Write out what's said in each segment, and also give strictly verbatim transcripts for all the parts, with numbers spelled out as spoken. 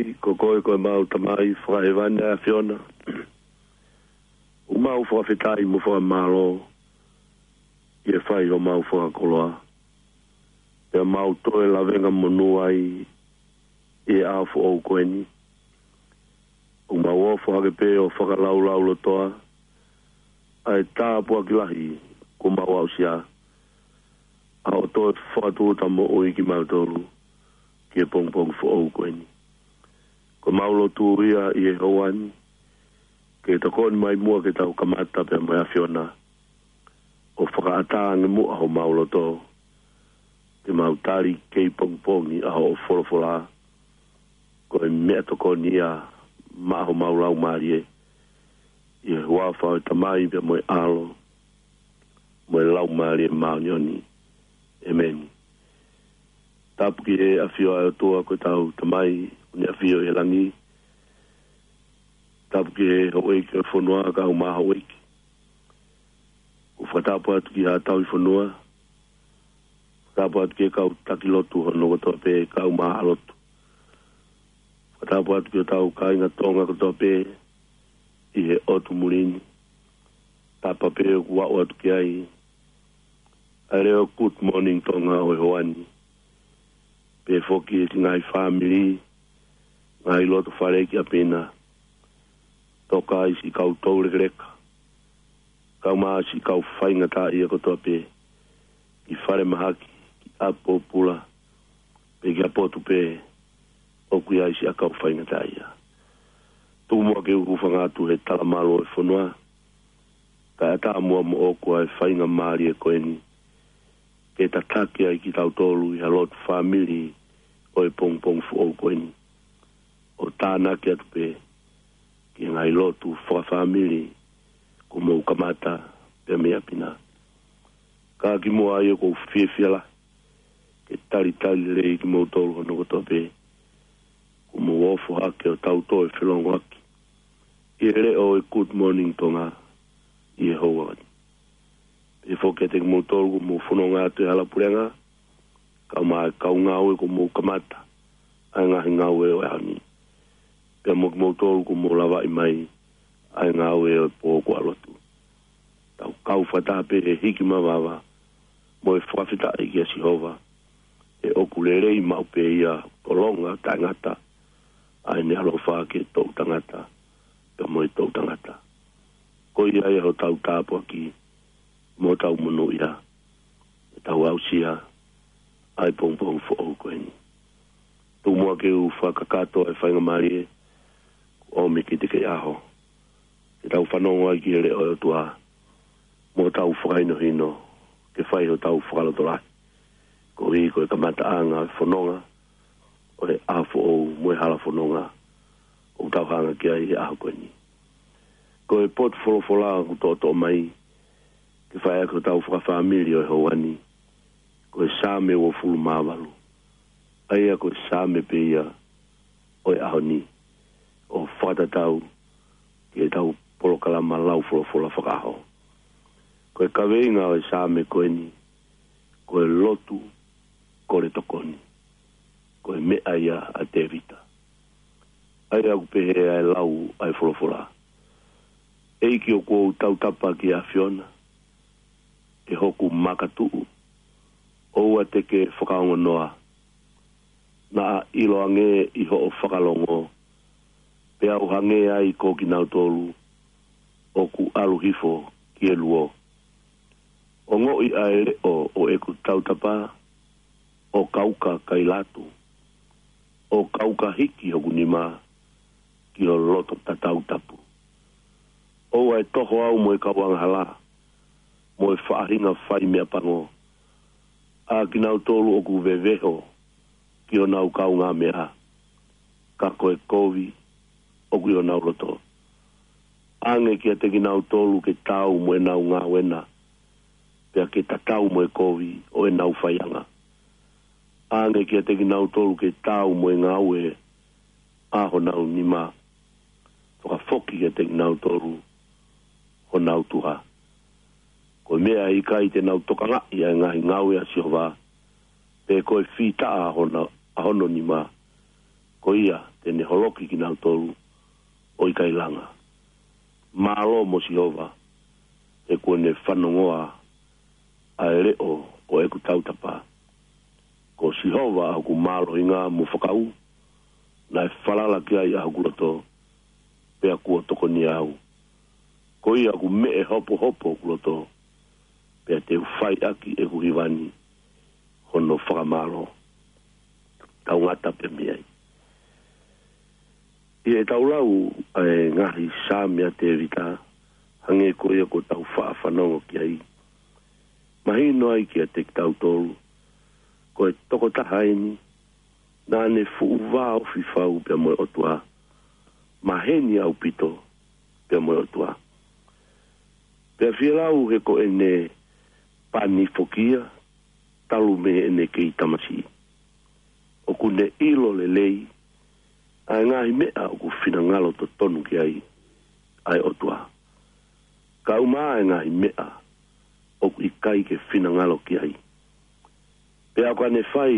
ʻEiki, ko koe ko ʻemau Tamai fakahēvani ʻa e ʻAfiona. ʻOku mau fakafetaʻi mo fakamālō ʻi he fai homau fakakoloa. Pea mau toe lavengamonū ai ʻi he ʻaho foʻou ko eni. ʻOku mau ofo hake pē ʻo fakalaulaulotoa ʻa e tāpuaki lahi kuo mau aʻusia, ʻa hoʻo toe fakatūʻuta moʻui kimautolu ki he pongipongi foʻou ko eni. Ko ʻemau lotu ia ʻi he houa ni, ke tokoni mai muʻa ke tau kamata pea mo e ʻAfiona ʻo fakaʻatā ange muʻa homau loto, ke mau tali kei pongipongi ʻa hoʻo folofola, ko e meʻatokoni ia maʻa homau laumālie, ʻi he huafa ʻo e Tamai pea mo e ʻAlo, mo e Laumālie Māʻoniʻoni. ʻEmeni. Tapu ki he ʻafio ʻa e ʻOtua ko ʻetau Tamai, ʻoku ne ʻafio ʻi he langi. Tapu ki he houʻeiki ʻo e fonua, kaeʻumaʻā houʻeiki. ʻOku fakatapu atu ki haʻa tauhi fonua. Fakatapu atu ki he kau taki lotu hono kotoa pē, kaeʻumaʻā haʻa lotu. Fakatapu atu ki hotau kāinga Tonga kotoa pē ʻi he ʻotu muli ni. Tapa pē ʻoku aʻu atu ki ai ʻa e leʻo Good Morning Tonga ʻo e houa ni. Pehē foki ki he ngaahi fāmili, ngaahi loto fale ki ʻapi na. Toka ai siʻi kau toulekeleka, kaeʻumaʻā siʻi kau faingataʻaʻia kotoa pē, ki falemahaki, ki ʻapi pōpula, pe ki ha potu pē ʻoku ʻi ai siʻa kau faingataʻaʻia. Tuku muʻa ke u hūfanga atu he talamalu ʻo e fonua, kae ʻatā muʻa moʻoku ʻa e faingamālie ko eni, ke tataki ai kitautolu ʻi ha lotu fāmili ʻo e pongipongi foʻou ko eni, ʻo tānaki atu pē ki he ngaahi lotu fakafāmili kuo mou kamata pea mei ʻapi na. Ka kimuʻa ai ʻoku ou fiefia lahi ke talitali lelei kimoutolu hono kotoa pē, kuo mou ofo hake ʻo tau toe felongoaki ʻi he leʻo ʻo e Good Morning Tonga ʻi he houa ni. Pehē foki kiate kimoutolu kuo mou fononga atu he hala puleʻanga, kaeʻumaʻā e kau ngāue kuo mou kamata ʻa e ngaahi ngāue ʻo e ʻaho ni. Pea mo kimoutolu kuo mou lavaʻi mai ʻa e ngāue ʻo e pō ko e lotu. Tau kau fakataha pē he hiki mavava mo e fakafetaʻi kia Sihova, he ʻoku lelei maʻu pē ia, tolonga taʻengata ʻa ʻene ʻaloʻofa ki he toʻutangata pea mo e toʻutangata. Ko ia ia hotau tāpuaki mo hotau monūʻia, ʻetau aʻusia ʻa e pongipongi foʻou ko eni. Tuku muʻa ke u fakakakato ʻa e faingamālie kuo ʻomi kiate kita ʻi he ʻaho, ke tau fanongo ai ki he leʻo ʻo e ʻOtua, mo tau fakahinohino, ke fai hotau fakalotolahi koeʻuhi ko e kamataʻanga ʻo e fononga ʻo e ʻaho foʻou mo e hala fononga ʻoku tau hanga ki ai he ʻaho ko eni. Ko e potu folofola ʻoku toʻotoʻo mai ke fai ʻaki hotau fakafāmili ʻo e houa ni, ko e Saame uofulu mā valu. ʻA ia ko e Saame pē ia ʻo e ʻaho ni, ʻo fakatatau ki heʻetau polokalama lau folofola fakaʻaho. Ko e kaveinga ʻo e Saame ko eni, ko e lotu kole tokoni. Ko e meʻa ia ʻa Tēvita. ʻA ia ʻoku pehē ʻa e lau ʻa e folofola: ʻEiki, ʻoku ou tautapa ki he ʻAfiona, ʻe hoku makatuʻu, ʻoua te ke fakaongonoa. Naʻa ʻiloange ʻi hoʻo fakalongo, peá u hangē ai ko kinautolu ʻoku ʻalu hifo ki he luo. Ongoʻi ʻa e leʻo ʻo ʻeku tautapa, ʻo kauka kai latu, ʻo kauka hiki hoku nima ki ho loto tatau tapu. ʻOua ʻe toho au mo e kau angahala, mo e faʻahinga fai meʻapango, ʻa kinautolu ʻoku veveho ki honau kaungāmeʻa, ka ko e kovi ʻoku ʻi honau loto. ʻAnge kiate kinautolu ke taau mo ʻenau ngāue na, pea ke tatau mo e kovi ʻo ʻenau faiʻanga. ʻAnge kiate kinautolu ke taau mo e ngāue ʻa honau nima, fakafoki kiate kinautolu honau tuha. Ko e meʻa ʻe ʻikai te nau tokangaʻi ʻa e ngaahi ngāue ʻa Sihova, pe ko e fītaʻa ʻa hona, ʻa hono nima, ko ia te ne holoki kinautolu ʻo ʻikai langa. Mālō mo Sihova, he kuo ne fanongoa ʻa e leʻo ʻo ʻeku tautapa. Ko Sihova ʻa hoku mālohinga mo fakaū, naʻe falala ki ai ʻa hoku loto, pea kuo tokoniʻi au. Ko ia ʻoku meʻe hopohopo hoku loto, pea te u fai ʻaki ʻeku hiva ni hono fakamālō. Tau ngata pē mei ai. ʻI heʻetau lau ʻa e ngaahi Saame ʻa Tēvita, hangē ko ia kuo tau faʻa fanongo ki ai, mahino ai kiate kitautolu, ko e tokotaha eni naʻa ne fuʻu vāofi fau pea mo e ʻOtua, maheni ʻaupito pea mo e ʻOtua. Pea fie lau he ko ʻene pani foki ia, talu mei heʻene kei tamasiʻi. ʻOku ne ʻilo lelei ʻa e ngaahi meʻa ʻoku finangalo totonu ki ai ʻa e ʻOtua, kae ʻumaʻā e ngaahi meʻa ʻoku ʻikai ke finangalo ki ai. Pea ʻo ka ne fai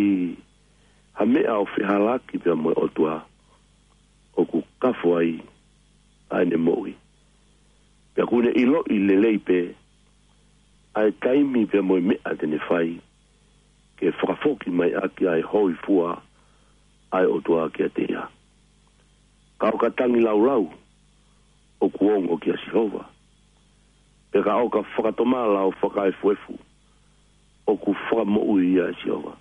ha meʻa ʻo fehālaaki pea mo e ʻOtua, ʻoku kafo ai ʻa ʻene moʻui. Pea ʻoku ne ʻiloʻi lelei pē ʻa e taimi pea mo e meʻa te ne fai, ke fakafoki mai ʻaki ʻa e hōifua ʻa e ʻOtua kiate ia. Ka ʻo ka tangilāulau, ʻoku ongo kia Sihova. Pea ka ʻo ka fakatomala ʻo fakaefuefu, ʻoku fakamoʻui ia ʻe Sihova.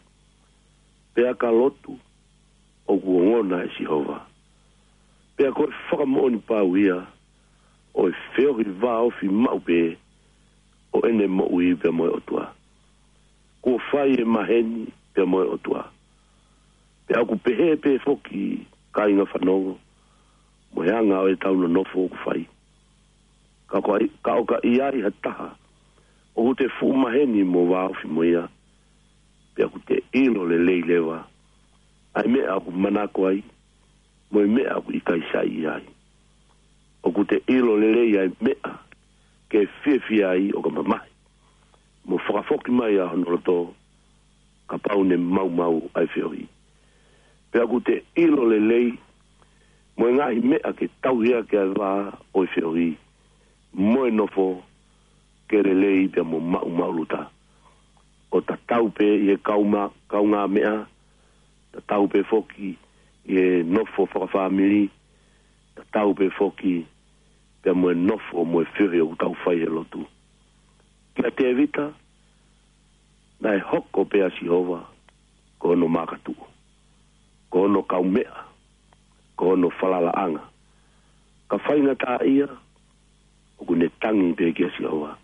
Pea ka lotu, ʻoku ongona ʻe Sihova. Pea ko e fakamoʻoni pau ia ʻo e feohi vāofi maʻu pē ʻo ʻene moʻui pea mo e ʻOtua. Kuo fai e maheni pea mo e ʻOtua. Pea ʻoku pehē pē foki, kāinga fanongo, mo e anga ʻo ʻetau nonofo ʻoku fai. Ka ʻo ka ʻi-, ka ʻo ka ʻi ai ha taha ʻoku te fuʻu maheni mo vāofi mo ia, pea ʻoku te ʻilo lelei leva ʻa e meʻa ʻoku manako ai, mo e meʻa ʻoku ʻikai saiʻia ai. ʻOku te ʻilo lelei ʻa e meʻa ke fiefia ai ʻo ka mamahi, mo fakafoki mai ʻa hono loto, kapau ne maumau ʻa e feohi. Pea ʻoku te ʻilo lelei mo e ngaahi meʻa ke tauhi ʻaki ʻa e vā ʻo e feohi, mo e nofo ke lelei pea mo maʻumaʻuluta. ʻO tatau pē ʻi he kauma-, kaungāmeʻa, tatau pē foki ʻi he nofo fakafāmili, tatau pē foki pea mo e nofo mo e feohi ʻoku tau fai he lotu. Kia Tēvita, naʻe hoko pē ʻa Sihova ko hono makatuʻu, ko hono kaumeʻa, ko hono falalaʻanga. Ka faingataʻaʻia, ʻoku ne tangi pē kia Sihova.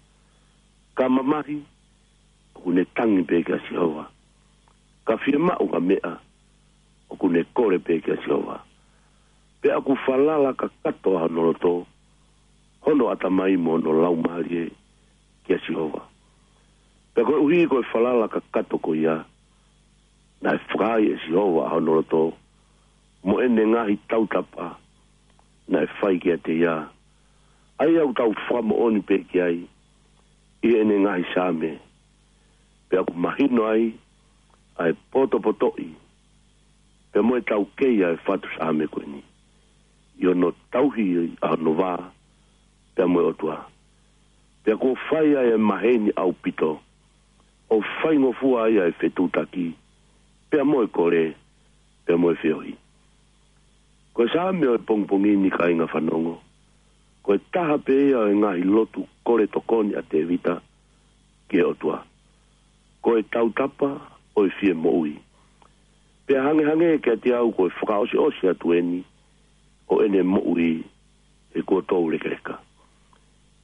Ka mamahi, ʻoku ne tangi pē kia Sihova. Ka fiemaʻu ha meʻa, ʻoku ne kole pē kia Sihova. Pea ʻoku falala kakato ʻa hono loto, hono ʻatamai mo hono laumālie kia Sihova. Pea koeʻuhi ko e falala kakato ko ia, naʻe fakaai ʻe Sihova ʻa hono loto, mo ʻene ngaahi tautapa naʻe fai kiate ia, ʻa ia ʻoku tau fakamoʻoni pē ki ai ʻi heʻene ngaahi Saame. Pea ʻoku mahino ai ʻa e potopotoʻi pea mo e taukei ʻa e fatu Saame ko eni, ʻi hono tauhi ʻa hono vā pea mo e ʻOtua. Pea kuo fai ai ʻa e maheni ʻaupito, ʻo faingofua ai ʻa e fetuʻutaki pea mo e kole pea mo e feohi. Ko e Saame ʻo e pongipongi ni, kāinga fanongo, ko e taha pē ia ʻo e ngaahi lotu kole tokoni ʻa Tēvita ki he ʻOtua. Ko e tautapa ʻo e fie moʻui. Pea hangehangē kiate au ko e fakaʻosiʻosi atu eni ʻo ʻene moʻui he kuo toulekeleka.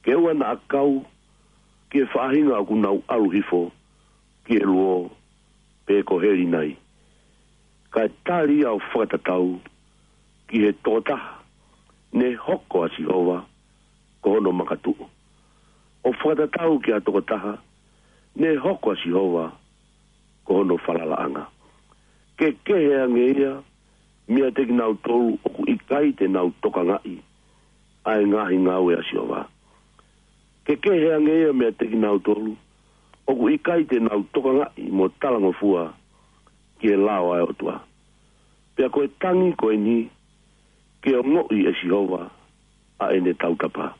Ke ʻoua naʻa kau ki he faʻahinga ʻoku nau ʻalu hifo ki he luo, pe ko Helinai. Kae tali ia ʻo fakatatau ki he tokotaha ne hoko ʻa Sihova ko hono makatuʻu. ʻO fakatatau ki ha tokotaha ne hoko ʻa Sihova ko hono falalaʻanga. Ke kehe ange ia meiate kinautolu ʻoku ʻikai te nau tokangaʻi ʻa e ngaahi ngāue ʻa Sihova. Ke kehe ange ia meiate kinautolu ʻoku ʻikai te nau tokangaʻi mo talangofua ki he lao ʻa e ʻOtua. Pea ko e tangi ko eni, ke ongoʻi ʻe Sihova ʻa ʻene tautapa.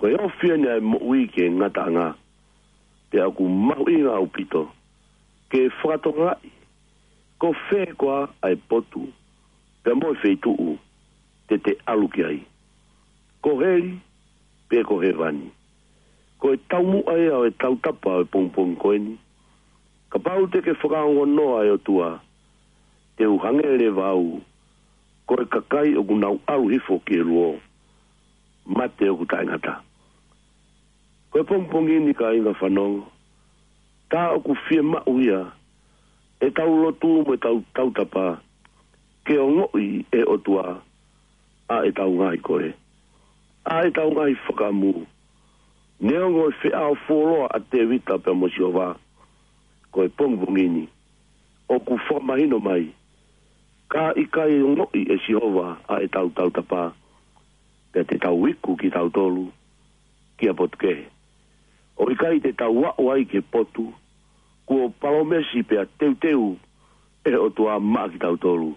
Ko e ofi ʻeni ʻa e moʻui ki he ngataʻanga, pea ʻoku mahuʻinga ʻaupito ke fakatokangaʻi ko fē koā ʻa e potu pea mo e feituʻu te te ʻalu ki ai, ko heli pe ko hēvani. Ko e taumuʻa ia ʻo e tautapa ʻo e pongipongi ko eni. Kapau te ke fakaongonoa e ʻOtua, te u hangē leva au ko e kakai ʻoku nau ʻalu hifo ki he luo, mate ʻoku taʻengata. Ko e pongipongi ni, kāinga fanongo, tā ʻoku fiemaʻu ia ʻetau lotu mo ʻetau tautapa ke ongoʻi ʻe he ʻOtua ʻa ʻetau ngaahi kole, ʻa ʻetau ngaahi fakaʻamu. Neongo e feʻao fuoloa ʻa Tēvita pea mo Sihova, ko e pongipongi ni ʻoku fakamahino mai ka ʻikai ongoʻi ʻe Sihova ʻa ʻetau tautapa, pea te tau iku kitautolu ki ha potu kehe. ʻOku ʻikai te tau aʻu ai ki he potu kuo palōmesi pea teuteu ʻe he ʻOtua maʻa kitautolu,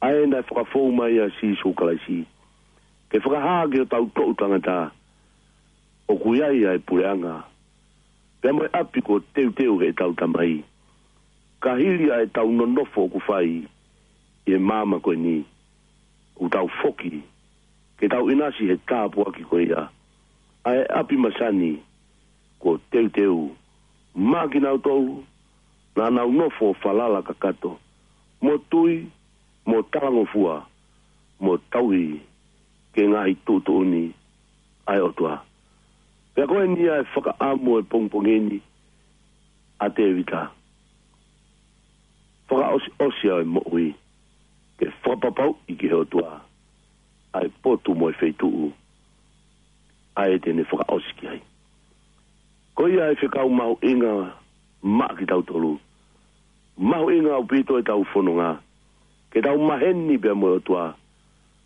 ʻa ē naʻe fakafou mai ʻia Sīsū Kalaisi ke fakahā ki hotau toʻu tangata ʻoku ʻi ai ʻa e puleʻanga pea mo e ʻapi kuo teuteu ʻe heʻetau Tamai. Ka hili ʻa ʻetau nonofo ʻoku fai ʻi he māmani ko eni, ʻoku tau foki ke tau ʻinasi he tāpuaki ko ia, ʻa e ʻapi masani kuo teuteu maʻa kinautolu naʻa nau nofo falala kakato, mo tui, mo talangofua, mo tauhi ki he ngaahi tuʻutuʻuni ʻa e ʻOtua. Pea ko eni ʻa e fakaʻamu ʻo e pongipongi ni ʻa Tēvita: fakaʻosiʻosi ʻa e moʻui, ke fakapapauʻi ki he ʻOtua ʻa e potu mo e feituʻu ʻa ē te ne fakaʻosi ki ai. Ko ia ʻa e fekau mahuʻinga maʻa kitautolu. Mahuʻinga ʻaupito ʻetau fononga ke tau maheni pea mo e ʻOtua,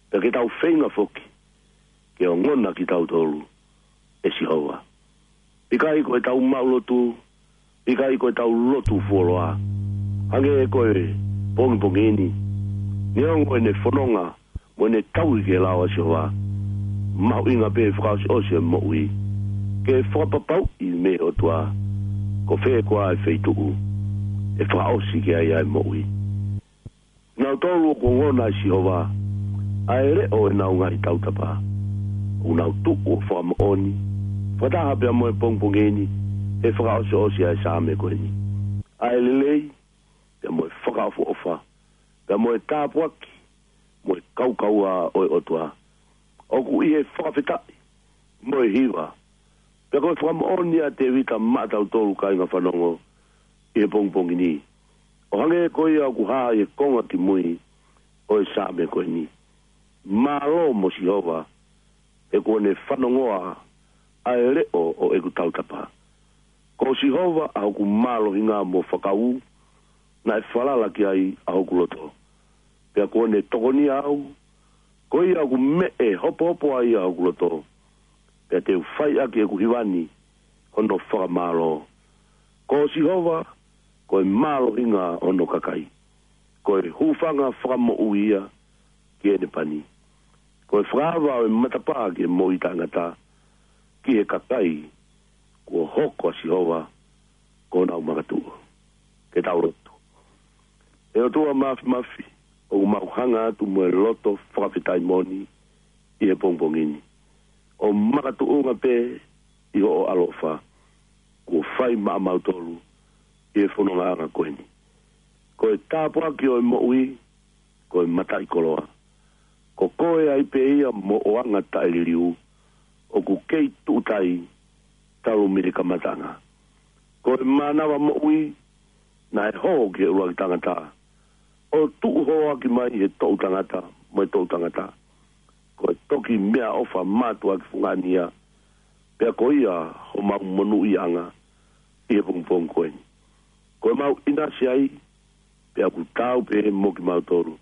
pea ke tau feinga foki ke ongona kitautolu ʻe Sihova. ʻIkai ko ʻetau maʻu lotu, ʻikai ko ʻetau lotu fuoloa, hangē ko e pongipongi ni, neongo ʻene fononga mo ʻene tauhi ki he lao ʻa Sihova, mahuʻinga pē fakaʻosiʻosi e moʻui ke fakapapauʻi mei he ʻOtua ko fē koā e feituʻu ʻe fakaʻosi ki ai ʻa e moʻui. Nautolu ʻoku ongona ʻe Sihova ʻa e leʻo ʻenau ngaahi tautapa, ʻoku nau tuʻu ʻo fakamoʻoni, fakataha pea mo e pongipongi ni, he fakaʻosiʻosi ʻa e Saame ko eni: ʻa e lelei, pea mo e fakaʻofoʻofa, pea mo e tāpuaki, mo e kaukaua ʻo e ʻOtua, ʻoku ʻi he fakafetaʻi mo e hiva. Pea ko e fakamoʻoni ʻa Tēvita maʻatautolu, kāinga fanongo, ʻi he pongipongi ni, ʻo hangē ko ia ʻoku hā ʻi he konga kimui ʻo e Saame ko eni: Mālō mo Sihova, he kuo ne fanongoa ʻa e leʻo ʻo ʻeku tautapa. Ko Sihova ʻa hoku mālohinga mo fakaū, naʻe falala ki ai ʻa hoku loto. Pea kuo ne tokonia au, ko ia ʻoku meʻe hopohopo ai ʻa hoku loto, pea te u fai ʻaki ʻeku hiva ni hono fakamālō. Ko Sihova ko e mālohinga ʻo hono kakai, ko e hūfanga fakamoʻui ia ki heʻene pani, ko e fakaava ʻo e matapā ki he moʻui taʻengata, ki he kakai kuo hoko ʻa Sihova ko honau makatuʻu. Ke tau lotu. ʻE ʻOtua Māfimafi, ʻoku mau hanga atu mo e loto fakafetaʻi moʻoni ʻi he pongipongi ni, ʻo makatuʻunga pē ʻi hoʻo ʻaloʻofa kuo fai maʻamautolu ʻi he fonongaʻanga ko eni. Ko e tāpuaki ʻo e moʻui ko e mataʻikoloa. Ko koe ai pē ia mo ho anga taʻeliliu, ʻoku kei tuʻutai talu mei he kamataʻanga. Ko e mānava moʻui naʻe hoko ki he ʻuluaki tangata, ʻo tuʻu hoko ʻaki mai he toʻu tangata mo e toʻu tangata. Ko e toki meʻaʻofa mātuʻaki fungani ia, pea ko ia homau monūʻiaʻanga ʻi he pongipongi ko eni. Ko ʻemau ʻinasi ai, pea ʻoku taau pē mo kimautolu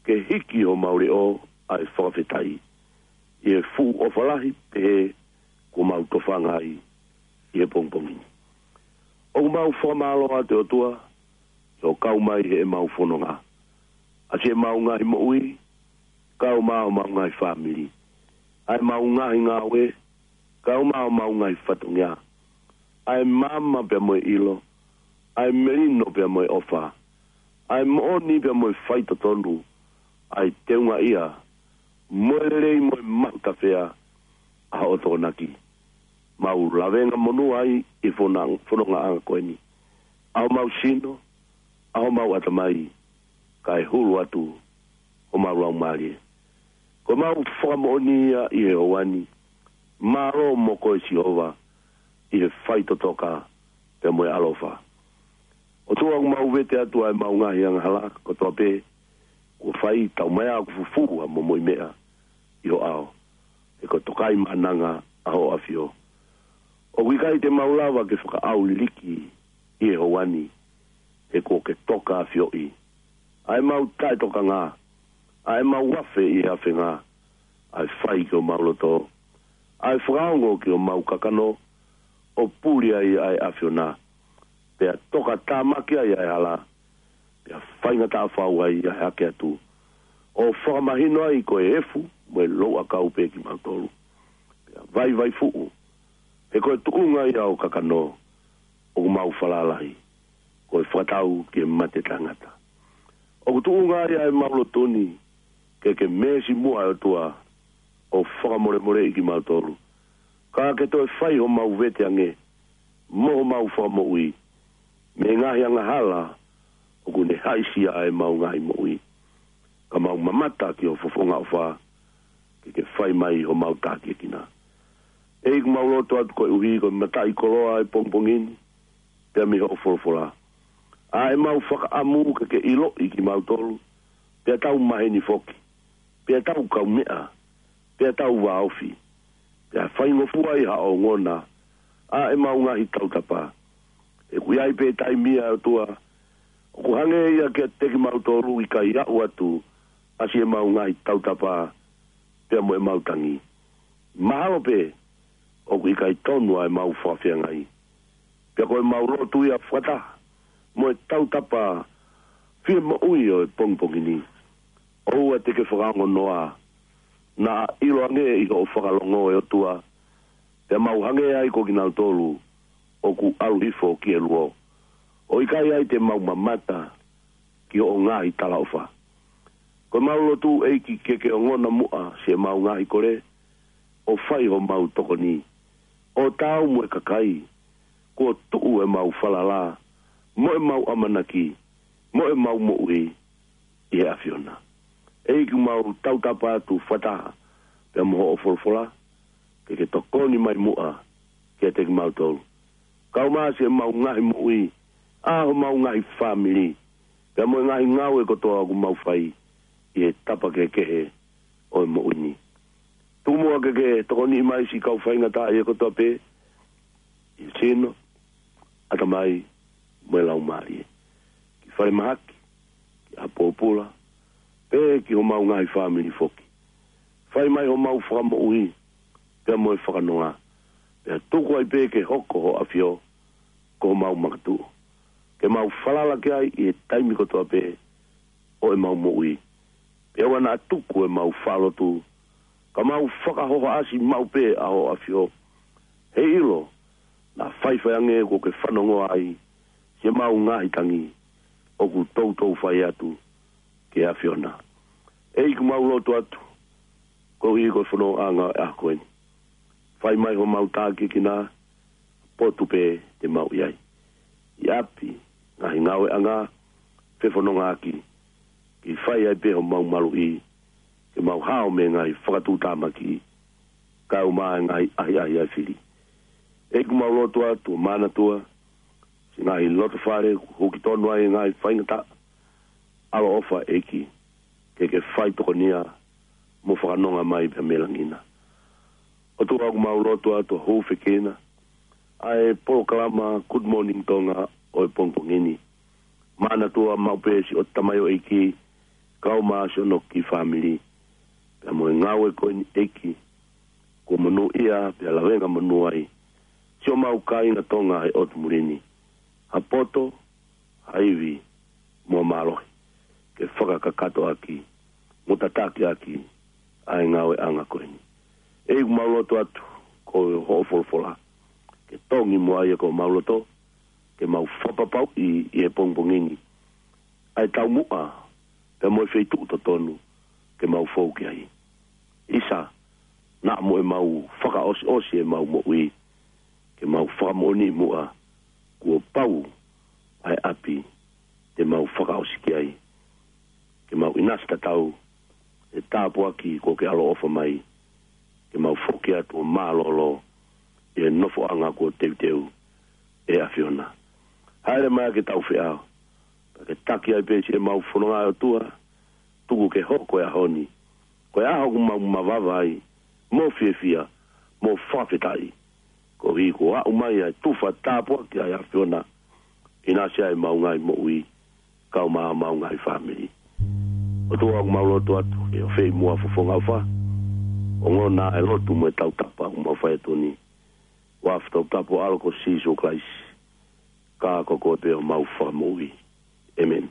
ke hiki homau leʻo ʻa e fakafetaʻi ʻi he fuʻu ʻofa lahi pehē kuo mau tofanga ai ʻi he pongipongi ni. ʻOku mau fakamālō atu, ʻe ʻOtua, ʻi hoʻo kau mai heʻemau fononga, ʻa siʻemau ngaahi moʻui, kau mo homau ngaahi fāmili, ʻa ʻemau ngaahi ngāue, kau mo homau ngaahi fatongia, ʻa e maama pea mo e ʻilo, ʻa e melino pea mo e ʻofa, ʻa e moʻoni pea mo e faitotonu, ʻa e teungaʻia mo e lelei mo e mahutafea ʻa hoʻo Tokonaki. Mau lavengamonū ai ʻi he fononga, fonongaʻanga ko eni, ʻa homau sino, ʻa homau ʻatamai, kae hulu atu homau laumālie. Ko ʻemau fakamoʻoni ia ʻi he houa ni. Mālō mo koe Sihova ʻi he faitotoka pea mo e ʻaloʻofa. ʻOtua, ʻoku mau vete atu ʻa ʻemau ngaahi angahala kotoa pē kuo fai, taumaiā ʻoku fufū ʻa momoʻi meʻa ʻi ho ʻao, he ko e tokaimaʻananga ʻa hoʻo ʻAfio. ʻOku ʻikai te mau lava ke fakaʻauliliki ʻi he houa ni, he kuo ke toka ʻafioʻi ʻa ʻemau taʻetokanga, ʻa ʻemau afe ʻi he afenga, ʻa e fai ki homau loto, ʻa e fakaongo ki homau kakano, ʻo puli ai ʻa e ʻAfiona, pea tokatāmaki ai ʻa e hala, pea faingataʻa fau ai ʻa e hake atu, ʻo fakamahino ai ko e efu mo e louʻakau pē kimautolu, pea vaivai fuʻu, he ko e tuʻunga ia ʻo e kakano ʻoku mau falala ai, ko e fakatau ki he mate taʻengata. ʻOku tuʻunga ai ʻa ʻemau lotu ni ke ke meesi muʻa, ʻe ʻOtua, ʻo fakamolemoleʻi kimautolu, ka ke toe fai homau vete ange mo homau fakamoʻui mei he ngaahi angahala ʻoku ne haʻisia ʻa ʻemau ngaahi moʻui, ka mau mamata ki ho fofonga ʻofa, ke ke fai mai homau tākiekina. ʻEiki, mau lotu atu koeʻuhi ko e mataʻikoloa ʻo e pongipongi ni, pea mei hoʻo folofola, ʻa ʻemau fakaʻamu ke ke ʻiloʻi kimautolu, pea tau maheni foki, pea tau kaumeʻa, pea tau vāofi, pea faingofua ai haʻo ongona ʻa ʻemau ngaahi tautapa. He ʻoku ʻi ai pē taimi, ʻe ʻOtua, ʻoku hangē ia kiate kimautolu ʻikai aʻu atu ʻa siʻemau ngaahi tautapa pea mo ʻemau tangi. Mahalo pē ʻoku ʻikai tonu ʻa ʻemau fakafeangai. Pea ko ʻemau lotu ia fakataha mo e tautapa fie moʻui ʻo e pongipongi ni, ʻoua te ke fakaongonoa, naʻa ʻiloange ʻi hoʻo fakalongo, ʻe ʻOtua, pea mau hangē ai ko kinautolu ʻoku ʻalu hifo ki he luo, ʻo ʻikai ai te mau mamata ki hoʻo ngaahi talaʻofa. Ko ʻemau lotu, ʻEiki, ke ke ongona muʻa siʻemau ngaahi kole, ʻo fai homau tokoni, ʻo taau mo e kakai kuo tuʻu ʻemau falala, mo ʻemau ʻamanaki, mo ʻemau moʻui ʻi he ʻAfiona. ʻEiki, ʻoku mau tautapa atu fakataha pea mo hoʻo folofola, ke ke tokoni mai muʻa kiate kimautolu, kau mo siʻemau ngaahi moʻui, ʻa homau ngaahi fāmili, pea mo e ngaahi ngāue kotoa ʻoku mau fai ʻi he tapa kehekehe ʻo e moʻui ni. Tuku muʻa ke ke tokoniʻi mai siʻi kau faingataʻaʻia kotoa pē, ʻi he sino, ʻatamai, mo e laumālie, ki falemahaki, ki ʻapōpula, pea ki homau ngaahi fāmili foki. Fai mai homau fakamoʻui pea mo e fakanonga, pea tuku ai pē ke hoko ho ʻAfio ko homau makatuʻu, ke mau falala ki ai ʻi he taimi kotoa pē ʻo ʻemau moʻui. Pea ʻoua naʻa tuku ʻemau faʻa lotu, ka mau fakahohaʻasi maʻu pē ʻa ho ʻAfio, heiʻilo naʻa faifai ange kuo ke fanongoa ai siʻemau ngaahi tangi ʻoku toutou fai atu ki he ʻAfiona. ʻEiki, ʻoku mau lotu atu koeʻuhi ko e fonongaʻanga ʻo e ʻaho ko eni. Fai mai homau tākiekina, potu pē te mau ʻi ai, ʻi ʻapi, ngaahi ngāueʻanga, fefonongaʻaki, ke fai ai pē homau maluʻi, ke mau hao mei he ngaahi fakatuʻutāmaki, kau mo e ngaahi ʻahiʻahi ʻa e fili. ʻEiki, ʻoku mau lotu atu ʻo manatua siʻi ngaahi lotofale kuo huki tonu ai e ngaahi faingataʻa. ʻAloʻofa, ʻEiki, ke ke fai tokonia mo fakanonga mai pea mei langi na. ʻOtua, ʻoku mau lotu atu ʻo hūfekina ʻa e polokalama Good Morning Tonga ʻo e pongipongi ni. Manatua maʻu pē siʻoto tamaioʻeiki, kau mo siʻono kiʻi fāmili, pea mo e ngāue ko eni, ʻEiki, kuo monūʻia pea lavengamonū ai siʻomau kāinga Tonga he ʻotu muli ni. Ha poto, ha ivi, mo e mālohi ke fakakakato ʻaki. mo tataki ʻaki ʻa e ngāueʻanga ko eni. ʻEiki, ʻoku mau lotu atu ko hoʻo folofola ke tongi muʻa ia ki homau loto, ke mau fakapapauʻi ʻi he pongipongi ni ʻa e taumuʻa pea mo e feituʻu totonu ke mau fou ki ai. ʻIsa, naʻa mo ʻemau fakaʻosiʻosi ʻemau moʻui, ke mau fakamoʻoni muʻa kuo pau ʻa e ʻapi te mau fakaʻosi ki ai, ke mau ʻinasi tatau he tāpuaki kuo ke ʻaloʻofa mai, ke mau foki atu ʻo mālōlō ʻi he nofoʻanga kuo teuteu ʻe he ʻAfiona. Haʻele mai ke tau feʻao, pea ke taki ai pē siʻemau fononga, ʻOtua, tuku ke hoko e ʻaho ni ko e ʻaho ʻoku mau mavava ai mo fiefia mo fakafetaʻi, koeʻuhi kuo aʻu mai ʻa e tufa tāpuaki ʻa e ʻAfiona ʻinasi ai ʻemau ngaahi moʻui, kau mo homau ngaahi fāmili. ʻOtua, ʻoku mau lotu atu ke ʻofeʻi muʻa fofonga ʻofa, ongona e lotu mo e tautapa ʻoku mau fai atu ni, ʻi he huafa toputapu ʻo ho ʻAlo ko Sīsū Kalaisi, ka ko koe pē homau Fakamoʻui. ʻĒmeni.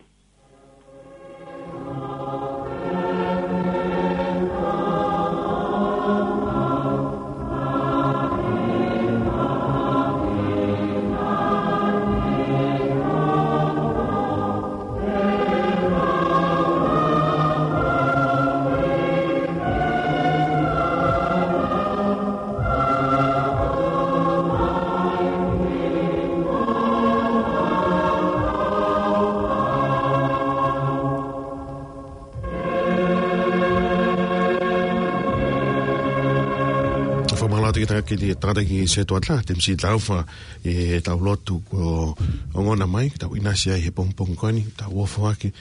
Fakamālō atu ki he tangata, ki he tangataʻeiki Setuata Temisi Taufa, ʻi heʻetau lotu kuo ongona mai ke tau ʻinasi ai he pongipongi ko eni, tau ʻofa ʻaki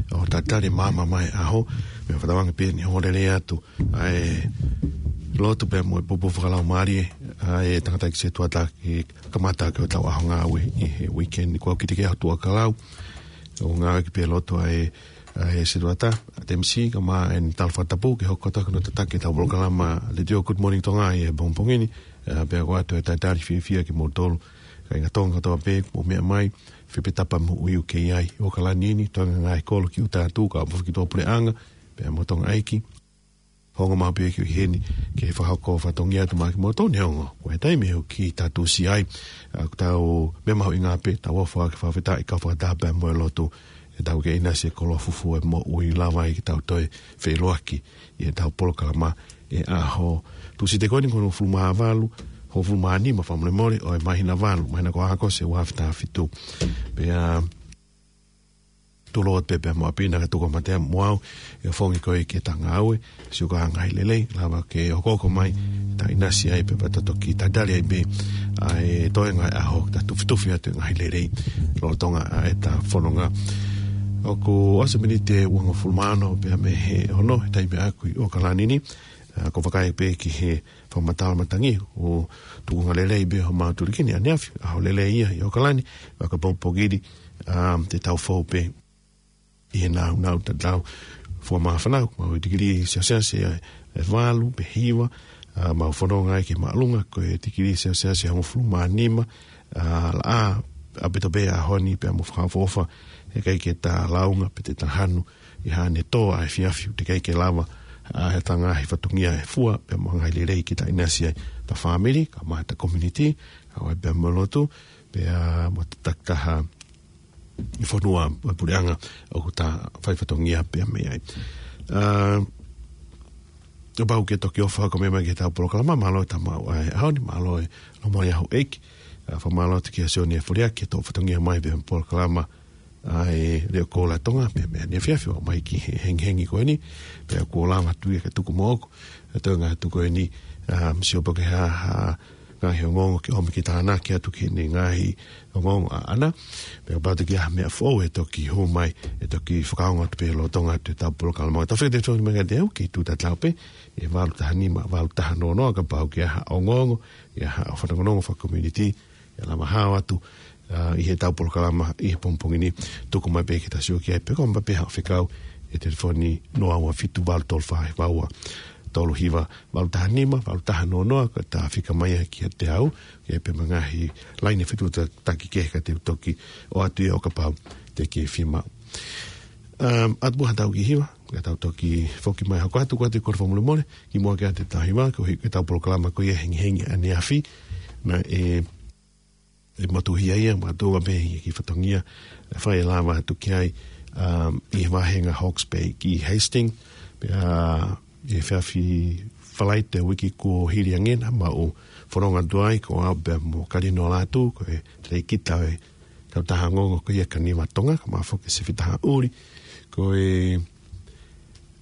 ʻo tatali e maama mai ʻaho. Pea fakatauange pē ʻeni ʻe ongoongolelei atu ʻa e lotu pea mo e pupu fakalaumālie ʻa e tangataʻeiki Setuata ke kamata ʻaki hotau ʻaho ngāue ʻi he weekend ni. Ko au Kitike Hotuʻakalau, ʻoku ngāueʻaki pē lotu ʻa e, ʻa e Setuata, ʻa Temisi, kae ʻumaʻā ʻene talafakatapu ke hoko atu ʻaki hono tataki ʻetau polokalama Letiō Good Morning Tonga ʻi he pongipongi ni. ʻA, pea ʻoku ʻoatu e talitali fiefia kimoutolu kāinga Tonga kotoa pē ʻoku mou meʻa mai, fē pē tapa moʻui ʻoku ke ʻi ai ʻi ʻOkalani ni, toenga e ngaahi kolo ki ʻuta atu, kau mo e foki tuʻapuleʻanga pea mo e tangataʻeiki. Ongo maʻu pē ke ʻi heni ke fakahoko fatongia atu maʻa kimoutolu, neongo ko e taimi ʻoku kiʻi tātuʻusi ai. ʻA, ʻoku tau meʻa mahuʻinga pē, tau ʻofa ʻaki, fakafetaʻi, kau fakataha pea mo e lotu, ʻetau kei ʻinasi he koloa fufū ʻo e moʻui, lava ai ke tau toe feʻiloaki ʻi heʻetau polokalama ʻi he ʻaho Tūsite ko eni, ko e hongofulu mā valu, hongofulu mā nima, fakamolemole, ʻo e māhina valu, māhina ko ʻAokosi he ua afe taha fitu. Pea tulou atu pē pea mo ʻapi na ka tuku mate mo au, ʻi he fongi ko ē ki heʻeta ngāue, siʻi ko e ngaahi lelei, lava ke hokohoko mai, ta ʻinasi ai pē pea ta toki tatali ai pē ʻa e toenga e ʻaho, ta tufitufi atu e ngaahi lelei lolotonga ʻa ʻeta fononga. ʻOku ʻosi e miniti ʻe uangofulu mā ono pea mei he ono he taimi ʻaʻaku ʻi ʻOkalani ni. ʻA, ko e vakai pē ki he fakamatala matangi, ʻoku tukunga lelei pē homau tuliki ni ʻaneafi, ʻaho lelei ia ʻi ʻOkalani, fakapongipongi ni, ʻa, te tau fou pē ʻi he nāunau tatau. Fua māfana, mau ʻi he tikilī Selesiasi ʻe, ʻe valu pe hiva, ʻa, mau fononga ai ki he māʻolunga ko e tikilī Selesiasi ʻe hongofulu mā nima, ʻa, laʻā ʻaupito pē ʻaho ni pea mo fakaʻofoʻofa, heʻikai ke ta lāunga pe te ta hanu ʻi haʻane tō ʻa e efiafi, teʻeki ai ke lava ʻa ʻeta ngaahi fatongia ʻe fua pea mo e ngaahi lelei ke ta ʻinasi ai, ʻeta fāmili, kau mo ʻeta community, ʻa, ʻo e pea mo e lotu, pea mo e takitaha ʻi he fonua, ʻo e puleʻanga ʻoku ta fai fatongia pea mei ai. ʻA, kapau ʻoku ke toki ʻofa hake mai ki heʻetau polokalama, mālō e tau maʻu ʻa e ʻaho ni, mālō e lomo ʻi he ʻaho ʻeiki. ʻA, fakamālō atu kia Sione Foliaki, ʻetau fatongia mai pea mo e polokalama ʻa e Leʻo Koula ʻo Tonga, pea mei ʻaneafi ʻo aʻu mai ki he hengihengi ko eni, pea kuo lava atu ia ke tuku moʻoku ʻa e toenga atu ko eni, ʻa, misiʻo pē ke ha, ha ngaahi ongoongo ke ʻomi ke tānaki atu ki heʻene ngaahi ongoongo ʻaʻana. Pea kapau ʻe toki ʻi ai ha meʻa foʻou ʻe toki hū mai, ʻe toki fakaongo atu pē lolotonga atu ʻetau polokalama. Tau fika te tau mai kiate au, kei tuʻu tatau pē ʻi he valu taha nima, valu taha noa noa, kapau ʻoku ʻi ai ha ongoongo, ʻi ai ha fanongonongo faka-community, ʻe lava hao atu, ʻa, ʻi heʻetau polokalama ʻi he pongipongi ni, tuku mai pē ke ta sio ki ai, pe ko e ʻomai pē haʻo fekau ʻi he telefoni noa ua fitu valu tolu fā hiva ua tolu hiva, valu taha nima, valu taha noa noa, ka ta fika mai ia kiate au, ke pe mei he ngaahi laine fetuʻutaki kehe ka te u toki ʻoatu ia ʻo kapau te ke fiemaʻu. Um, atu pē ha tau ki hiva, ka tau toki foki mai hoko atu ko atu ko e fakamolemole, kimuʻa ke ʻoatu ʻetau hiva, ko e hiki ʻetau polokalama ko ia hengihengi ʻaneafi, naʻe, ʻe motuhia ia, mātuʻa pē ia ki fatongia, ʻe fai e lava atu ki ai, um, ʻi he vāhenga Hawke's Bay ki Hastings, pea, ʻi he efiafi Falaite uike kuo hili ange naʻa mau fononga atu ai, ko au pea mo Kalino Lātū, ko e telekita ʻo e kautaha ongoongo ko ia Kaniva Tonga, kae ʻumaʻā foki Sifi Tahaʻuli, ko e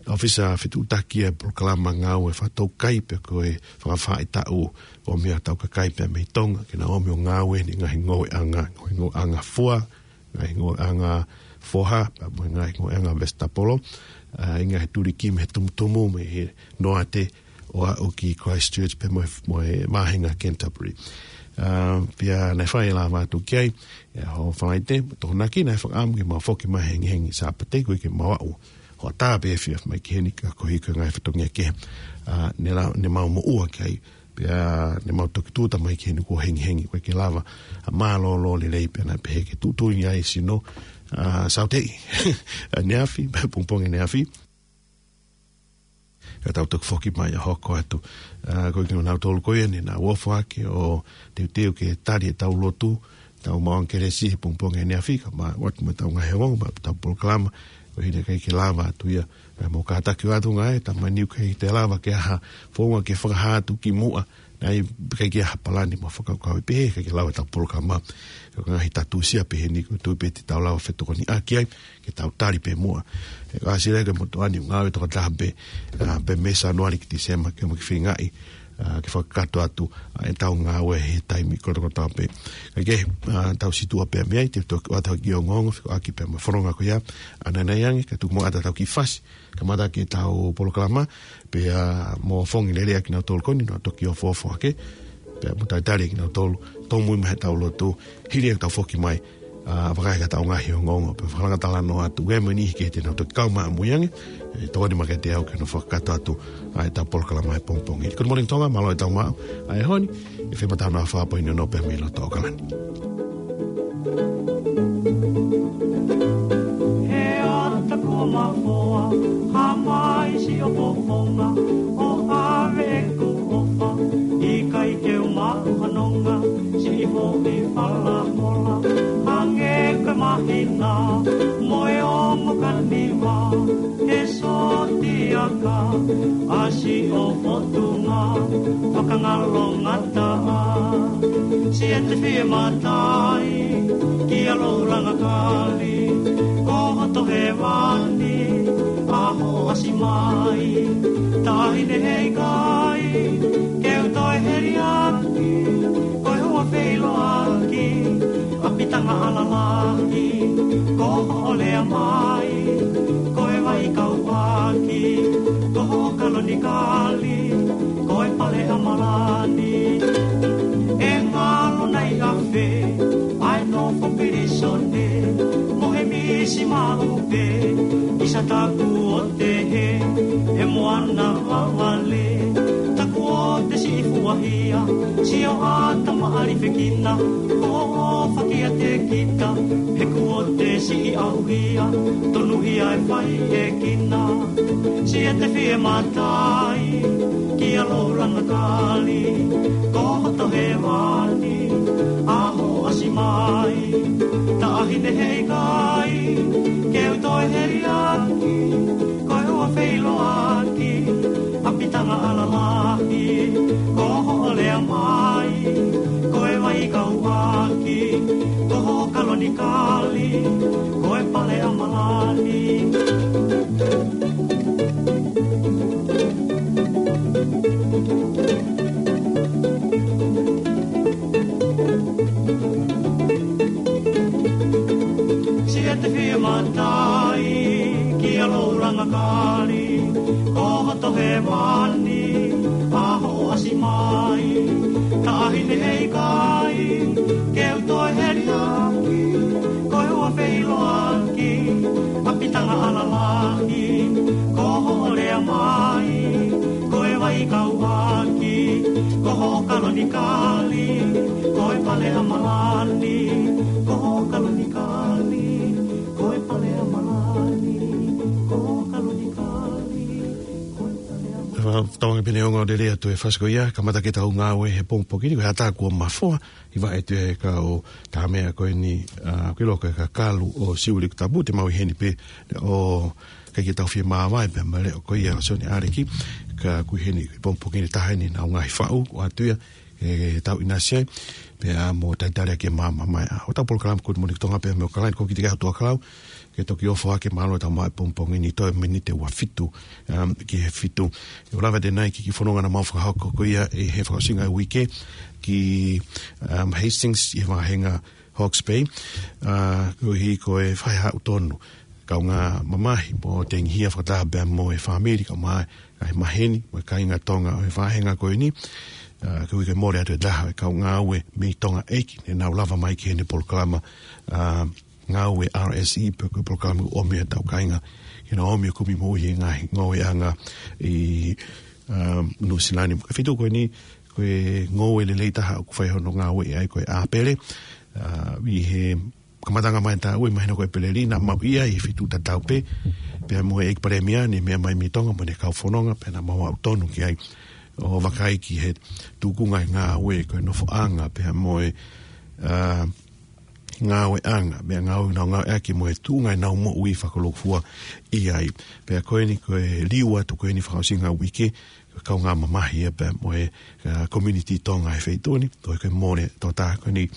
ʻōfisa fetuʻutaki ʻo e polokalama ngāue fakatoukai pea ko e fakafaʻahitaʻu ʻo e meʻa tau kakai pea mei Tonga, ke na ō mai ʻo ngāue ʻi he ngaahi ngoueʻanga, ngaahi ngoueʻanga fua, ngaahi ngoueʻanga foha, pea mo e ngaahi ngoueʻanga vesitapolo, ʻa, ʻi he ngaahi tulikimi he tumutumu mei he noate ʻo aʻu ki Christchurch pea mo e, mo e vāhenga Canterbury. ʻA, pea naʻe fai e lava atu ki ai, ʻi he ʻaho Falaite, Tokonaki, naʻe fakaʻamu ke mau foki mai hengihengi Sāpate, koeʻuhi ke mau aʻu hoʻatā pē efiafi mai ki heni ka koeʻuhi ko e ngaahi fatongia kehe, ʻa, ne la-, ne mau moʻua ki ai, pea ne mau toki tūʻuta mai ki heni kuo hengihengi, ʻoku ʻikai ke lava ʻa mālōlō lelei pea naʻe pehē ke tuʻutuʻuni ai e sino, ʻa, Saute ʻaneafi, pongipongi ʻaneafi. Ka tau toki foki mai ʻo hoko atu. ʻA, koeʻuhi ko kinautolu ko ia ne nau ofo hake ʻo teuteu ke tali ʻetau lotu, tau maʻu ʻa e kelesi he pongipongi ʻaneafi, kae ʻumaʻā ʻoatu mo ʻetau ngaahi ongoongo, mo ʻetau polokalama, koeʻuhi naʻe ʻikai ke lava atu ia. Pea mau kātaki atu ngaahi, talamai ʻoku ʻikai toe lava ke ʻi ai ha founga ke fakahā atu kimuʻa, naʻe ʻikai ke ʻi ai ha palani mo e fakakaukau ʻe pehē, ʻikai ke lava ʻetau polokalama. Ko e ngaahi tatusia pehē ni, ʻoku ou tui pē te tau lava ʻo fetokoniʻaki ai, ke tau tali pē muʻa. ʻE, ʻosi leva ke motuʻa ni ngāue tokotaha pē, ʻa, pē mei Sānuali ki Tīsema ke mau kiʻi feingaʻi, ʻa, ke fakakakato atu, ʻa, ʻetau ngāue he taimi kotokotoa pē. Kae kehe, ʻa, tau situʻa pē mei ai, te u toki ʻoatu ha kiʻi ongoongo, fekauʻaki pea mo e fononga ko ia, ʻanai ange, kae tuku muʻa atu ʻetau kiʻi fasi, kamata ki heʻetau polokalama, pea mo fongi lelei ʻa kinautolu ko eni, nau toki ofoofo hake, pea mo talitali ʻa kinautolu, tōmui mai heʻetau lotu, hili ʻetau foki mai, ʻa, vakai ki heʻetau ngaahi ongoongo, pea fakalanga talanoa atu, ʻe meni ke te nau toki kau mai ʻamui ange, ʻe tokoni mai kiate au ke nau fakakakato atu, ʻa, ʻetau polokalama he pongipongi. Good morning, Tonga, mālō e tau maʻu, ʻa, he ʻaho ni, ʻe fai ʻetau nofo ʻi he pō ni ʻo nau pē mei loto ʻAokalani. He ata kuo mafoa, hā mai siʻo fofonga, ʻo ʻave ʻeku ʻofa, ʻikai ke u maʻu ha nonga, siʻi foʻi falahola, hangē ko e māhina, mo e ongo Kaniva, he sōtiaka, ʻa siʻo fotunga, fakangalo ngataʻa. Siʻete fie matai, kia Loulanga Kali, ko hoto hēvani, ʻaho ʻasi mai, taʻahine heikai, ke u toe heliaki, ko e hua feʻiloaki, ʻapitanga ʻalalahi, ko hoʻo lea mai, ko e vai kauʻaki, ko hoʻo kalonikali, ko e pale ʻa Malani. ʻE ngalo nai afe, ʻa e nofo pilīsone, mo e misi maʻu pē, ʻisa taku ʻote he, ʻe moana vavale, taku ʻote siʻi fuahia, sio ʻata maʻalifekina, ʻofa kiate kita, he kuo te siʻi ʻauhia, tonuhia e fai ʻe kina. Siʻete fie matai, kia Loulanga Kali, ko hoto hēvani, ʻaho ʻasi mai, taʻahine heikai, ke u toe heliaki, ko e hua feʻiloaki, ʻapitanga ʻalalahi, ko hoʻo lea mai, ko e vai kauʻaki, ko hoʻo kalonikali, ko e pale ʻa Malani. Siʻete fie matai, kia Loulanga Kali, ko hoto hēvani, ʻaho ʻasi mai, taʻahine heikai, ke u toe heliaki, ko e hua feʻiloaki, ʻapitanga ʻalalahi, ko hoʻo lea mai, ko e vai kauʻaki, ko hoʻo kalonikali, ko e pale ʻa Malani, ko hoʻo kalonikali, ko e pale ʻa Malani. Tau ange pē neongo lelei atu e fasi ko ia, kamata ke tau ngāue he pongipongi ni, ko e ʻatā kuo mafoa, ʻi he vaʻe atu e kau tā meʻa ko eni, ʻa, ki loko e kakalu ʻo Siuʻilikutapu, pea te mau ʻi heni pē ʻo ʻikai ke tau fie māvae pē mo e leʻo ko ia ʻo Sione ʻAleki, ka ʻoku ʻi heni he pongipongi ni taha eni ʻenau ngaahi faʻu, ʻoatu ia, ʻe tau ʻinasi ai, pea mo talitali ʻaki e maama mai ʻa hotau polokalama Good Morning Tonga pea mo e kalani ko ki te kia ʻOtua Kalau, ke toki ʻofa ke mālō tau mai pongipongi ni toe miniti ua fitu, um, ki he fitu. ʻE ʻo lava ʻanenai ki he kiʻi fononga naʻa mau fakahoko ko ia ʻi he fakaʻosinga e uike ki, um, Hastings ʻi he vāhenga Hawke's Bay, ʻa, koeʻuhi ko e fai haʻu tonu kaungā mamahi mo tengihia fakataha pea mo e fāmili kae ʻumaʻā e maheni mo e kāinga Tonga ʻo e vāhenga ko eni, ʻa, koeʻuhi ko e mole atu e taha e kau ngāue mei Tonga ʻEiki, ne nau lava mai ki heʻene polokalama, ʻa, ngāue R S E, pe ko e polokalama ʻoku ʻomi ʻetau kāinga ke nau ō mai ʻo kumi moʻui he ngaahi ngoueʻanga ʻi, ʻa, Nuʻusila ni. Ko e feituʻu ko eni, ko e ngoue lelei taha ʻoku fai hono ngāue ai ko e ʻApele, ʻa, ʻi he kamataʻanga mai tā ue mahino ko e ʻEpeleli naʻa mau ʻi ai he feituʻu tatau pē, pea mo e ʻEiki Palēmia ne meʻa mai mei Tonga mo ʻene kau fononga, pea naʻa mau aʻu tonu ki ai ʻo vakai ki he tukunga e ngāue ko e nofoʻanga, pea mo e, ʻa, ngāueʻanga, meʻa ngāue naʻa nau ngāueʻaki mo e tuʻunga ʻenau moʻui fakalūkufua ʻi ai. Pea ko eni ko e liu atu ko eni fakaʻosinga uike, ko e kaungā mamahi ia pea mo e, ʻa, community Tonga he feituʻu ni, ko e mole tō tā ko eni.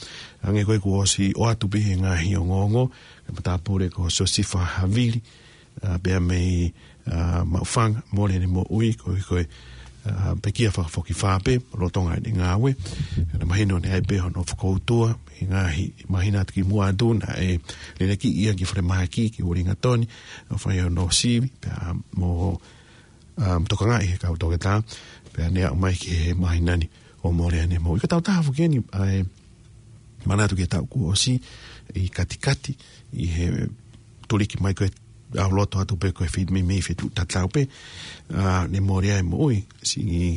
Hangē ko e kuo ʻosi ʻoatu pē he ngaahi ongoongo, ko e matāpule ko Siosifa Havili, ʻa, pea mei, ʻa, Maʻufanga, mole ʻene moʻui, ko e, ko e, ʻa, pekia fakafokifā pē, lolotonga ʻene ngāue. Naʻe mahino naʻe ʻi ai pē hono fokoutua, he ngaahi māhina atu kimuʻa atu, naʻe leleki ia ki falemahaki, ki Uelingatoni, ʻo fai hono sivi, pea mo, ʻa, tokangaʻi he kau toketā, pea ne aʻu mai ki he māhina ni ʻo mole ʻene moʻui. Ko e taʻu taha foki eni, ʻa e manatu ki he taʻu kuo ʻosi, ʻi Katikati, ʻi he tuliki mai ko e ʻalu loto atu pē ko e feituʻu meimei feituʻu tatau pē, ʻa, ne mole ai e moʻui, siʻi,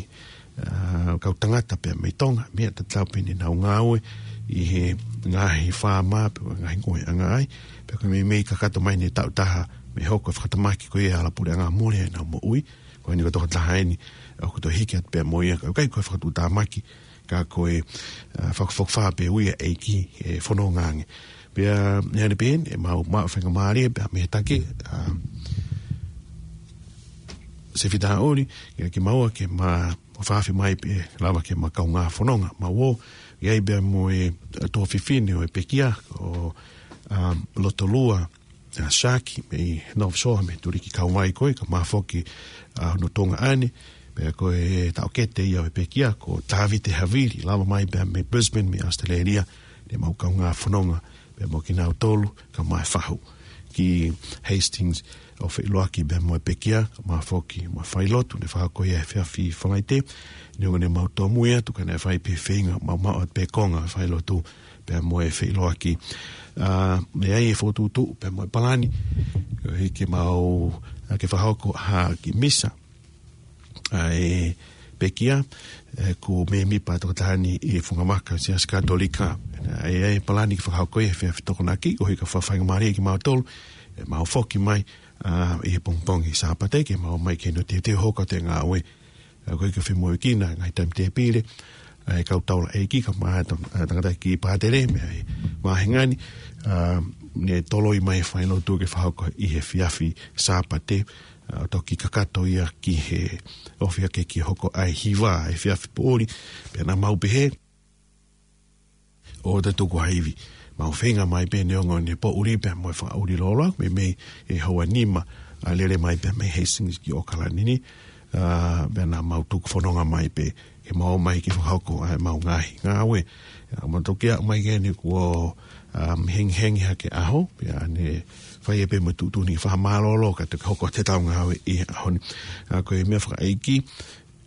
ʻa, kau tangata pea mei Tonga, meʻa tatau pē ne nau ngāue, ʻi he ngaahi faama, pe ko e ngaahi ngoueʻanga ai, pea ko e meimei kakato mai ʻene taʻu taha, mei he hoko e fakatamaki ko ia ʻa e hala puleʻanga mole ai ʻenau moʻui, ko eni ko e tokotaha eni, ʻoku toe hiki atu pē mo ia, ka ʻoku ʻikai ko e fakatuʻutāmaki, ka ko e, ʻa, fakafokifā pē ʻa e ʻEiki he fononga ange. Pea, ʻi heʻene pehē ni, ʻe mau maʻu faingamālie, pea mei he taki, ʻa, Sefita ʻOli, ʻia kimaua ke ma, ma fakaafeʻi mai pē, lava ke ma kaungā fononga, mau ō, ʻi ai pea mo e, ʻa, tuofefine ʻo e pekia, ko, ʻa, Lotolua, ʻa, Saki, mei North Shore, mei he tuliki kauvai ko ē, kae ʻumaʻā foki, ʻa, hono tuongaʻane, pea ko e taʻokete ia ʻo e pekia, ko Tavite Havili, lava mai pea mei Brisbane, mei ʻAositelēlia, ne mau kaungā fononga, pea mo kinautolu, kae ʻumaʻā e fahu, ki Hastings, ʻo feʻiloaki pea mo e pekia, kae ʻumaʻā foki, mo e failotu, ne fakahoko ia he efiafi Falaite, neongo ne mau tōmui atu, ka naʻe fai pē feinga, mau maʻu atu pē konga, failotu, pea mo e feʻiloaki. ʻA, ʻe ʻi ai e fokotuʻutuʻu, pea mo e palani, ʻo hiki mau, ʻa, ke fakahoko ha kiʻi misa, ʻa e pekia, ʻe, ʻoku mēmipa e tokotaha ni ʻi he funga maka ʻo e Siasi Katolika. ʻE ʻi ai e palani ke fakahoko ia he efiafi Tokonaki, ʻo hiki ha faingamālie kiate kimautolu, ʻe mau foki mai, ʻa, ʻi he pongipongi Sāpate, ke mau ō mai ki heni ʻo teuteu hoko atu e ngāue. ʻA, ko e ke femoʻuekina, ngaahi taimi tēpile, ʻa, e kau taulaʻeiki, kae ʻumaʻā e tang-, ʻa, tangataʻeiki pātele, mei he vāhenga ni, ʻa, ne toloi mai e failotu ke fakahoko ʻi he efiafi Sāpate, ʻa, ʻo toki kakato ia ki he ʻofa ke kei hoko ʻa e hiva he efiafi poʻuli, pea naʻa mau pehē, ʻoua te tuku ha ivi. Mau feinga mai pē neongo ʻene poʻuli pea mo e fakaʻuli lōloa, meimei he houa nima, ʻa, lele mai pē mei Hastings ki ʻAokalani ni, ʻa, pea naʻa mau tuku fononga mai pē, ke mau ō mai ke fakahoko ʻa e mau ngaahi ngāue. ʻA, mau toki aʻu mai ki heni kuo, ʻa, hengihengi hake ʻaho, pea ne fai pē mo e tuʻutuʻuni fakamālōlō ka toki hoko atu ʻetau ngāue ʻi he ʻaho ni. ʻA, ko e meʻa fakaʻeiki,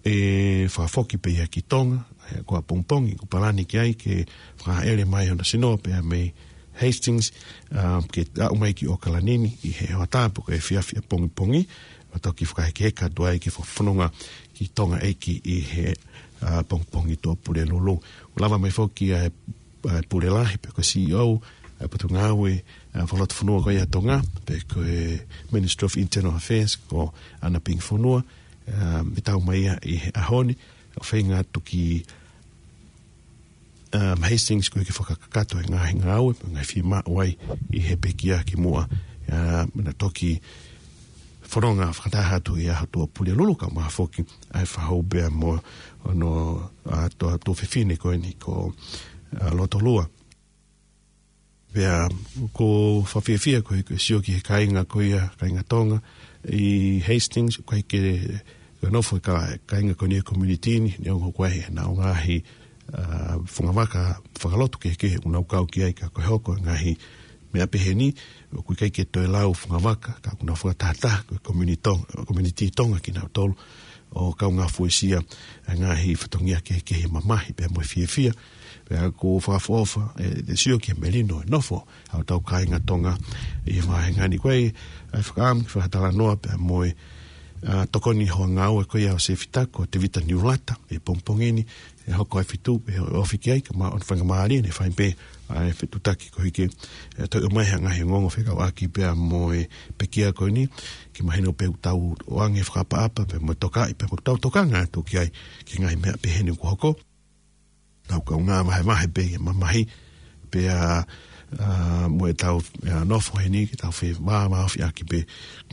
ʻe fakafoki pē ia ki Tonga, ʻa ia ko ʻapongipongi, ʻoku palani ki ai ke fakahaʻele mai hono sino pea mei Hastings, ʻa, ke aʻu mai ki ʻAokalani ni ʻi he hoʻatā pe ko e efiafi ʻapongipongi, ʻo toki fakahekeheka atu ai ke fakafononga ki Tonga ʻEiki ʻi he, ʻa, pongipongi Tuʻapulelulu. ʻOku lava mai foki ʻa e, ʻa e Pule Lahi, pe ko e C E O, ʻa e Potungāue, ʻa, Fakalotofonua ko ia ʻa Tonga, pe ko e Ministry of Internal Affairs, ko ʻAna Pingi Fonua, ʻa, ʻe tau mai ia ʻi he ʻaho ni, ʻo feinga atu ki, ʻa, Hastings ko e ke fakakakato e ngaahi ngāue, ngaahi fiemaʻu ai ʻi he pekia ki muʻa, ʻa, mena toki fononga fakataha atu ʻi he ʻaho Tuʻapulelulu, kae ʻumaʻā foki ʻa e fakahū pea mo hono, ʻa, tuofefine ko eni ko, ʻa, Lotolua. Pea ʻoku ou fakafiefia ko e, ko e sio ki he kāinga ko ia, kāinga Tonga, ʻi Hastings, ʻoku ʻikai ke, ko e nofo e kā-, kāinga ko eni e community ni, neongo ko e ʻi ai ʻenau ngaahi, ʻa, fungavaka fakalotu kehekehe ʻoku nau kau ki ai ka ko e hoko e ngaahi meʻa pehē ni, ʻoku ʻikai ke toe lau fungavaka, ka ʻoku nau fakatahataha ko e community Tonga, community Tonga kinautolu, ʻo kaungā fuesia e ngaahi fatongia kehekehe mamahi pea mo e fiefia. Pea ʻoku ou fakaʻofoʻofa, ʻe, ʻe sio ki he melino e nofo ʻa hotau kāinga Tonga ʻi he vāhenga ni. Ko e, ʻa e fakaʻamu ke fakatalanoa pea mo e, ʻa, tokoni hono ngāue ko ia ʻo Sefita ko Tevita Niulata, ʻi he pongipongi ni, ʻe hoko ʻa e fetuʻu, ʻe ofi ki ai, kae ʻumaʻā hono faingamālie, ʻe fai pē ʻa e fetuʻutaki koeʻuhi ke, ʻe, toe ʻomai ha ngaahi ongoongo fekauʻaki pea mo e pekia ko eni, ke mahino pē ʻoku tau ʻoange fakaʻapaʻapa, pea mo e tokaʻi, pea mo ʻetau tokanga atu ki ai, ki he ngaahi meʻa pehē ni kuo hoko. Tau kaungā vahevahe pē ʻi he mamahi, pea, ʻa, mo ʻetau, ʻa, nofo heni, ke tau fevāvāofi ʻaki pē,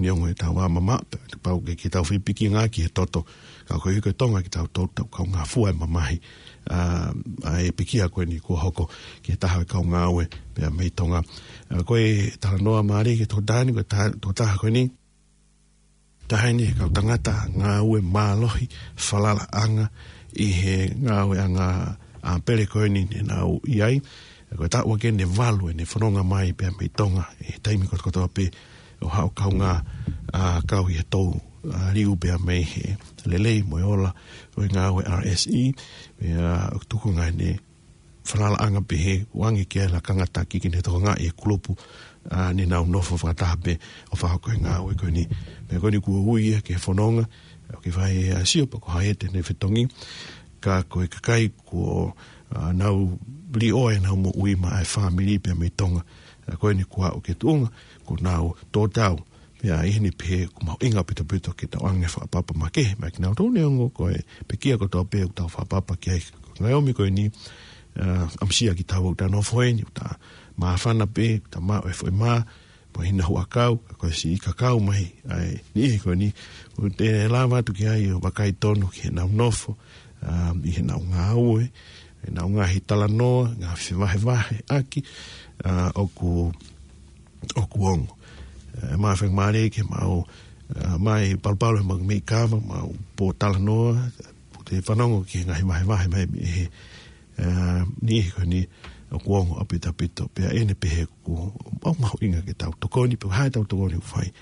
neongo ʻetau vā mamaʻo, pea pau ke, ke tau fepikinga ki he toto, ka koeʻuhi ko e Tonga kitautolu, tau kaungā fua e mamahi, ʻa, ʻa e pekia ko eni kuo hoko ki he taha e kau ngāue pea mei Tonga. ʻA, ko e talanoa mālie ki he tokotaha ni, ko e ta-, tokotaha ko eni, taha eni he kau tangata ngāue mālohi, falalaʻanga ʻi he ngāueʻanga ʻa pele ko eni ne nau ʻi ai. Ko e taʻu ʻaki eni ʻe valu ʻene fononga mai pea mei Tonga ʻi he taimi kotokotoa pē ʻo haʻu ʻo kaungā, ʻa, kau ʻi he tou, ʻa, liu pea mei he lelei mo e ola ʻo e ngāue R S E, pea ʻoku tuku ngaahi ne falalaʻanga pehē, ʻoange ki ai e lakanga taki ke ne tokangaʻi e kulupu, ʻa, ne nau nofo fakataha pē ʻo fakahoko e ngāue ko eni. Pea ko eni kuo ui ia ki he fononga, ʻoku ke fai e sio pe ko hai ʻe toe ne fetongi, ka ko e kakai kuo, ʻa, nau liʻoa ʻenau moʻui maʻa e fāmili pea mei Tonga, ʻa, ko eni kuo aʻu ki he tuʻunga, kuo nau tō tau, pea ʻi heni pē ʻoku mahuʻinga ʻaupito ke tau ʻoange fakaʻapaʻapa makehe maʻa kinautolu neongo ko e pekia kotoa pē ʻoku tau fakaʻapaʻapa ki ai. Ko e ngaahi ʻomi ko eni, ʻa, ʻamusia kitaua ʻoku ta nofo heni, ʻoku ta māfana pē, ʻoku ta maʻu e foʻi mā, mo e hina huʻakau, ka ko e siʻi kakau mai ʻa e niʻihi ko eni, ʻoku te lava atu ki ai ʻo vakai tonu ki heʻenau nofo, ʻa, ʻi heʻenau ngāue, heʻenau ngaahi talanoa, ngaahi fevahevaheʻaki, ʻa, ʻoku ʻoku ongo. ʻE, ma feng mare ke mau, ʻe, mai palupalu he mau meʻi kava, mau pōtalanoa, ʻoku te fanongo ki he ngaahi vahevahe mai mei he, ʻe, niʻihi ko eni ʻoku ongo ʻaupito ʻaupito. Pea ʻi heʻene pehē ʻoku mahuʻinga ke tau tokoni, pe ko e hā ʻetau tokoni ʻoku fai.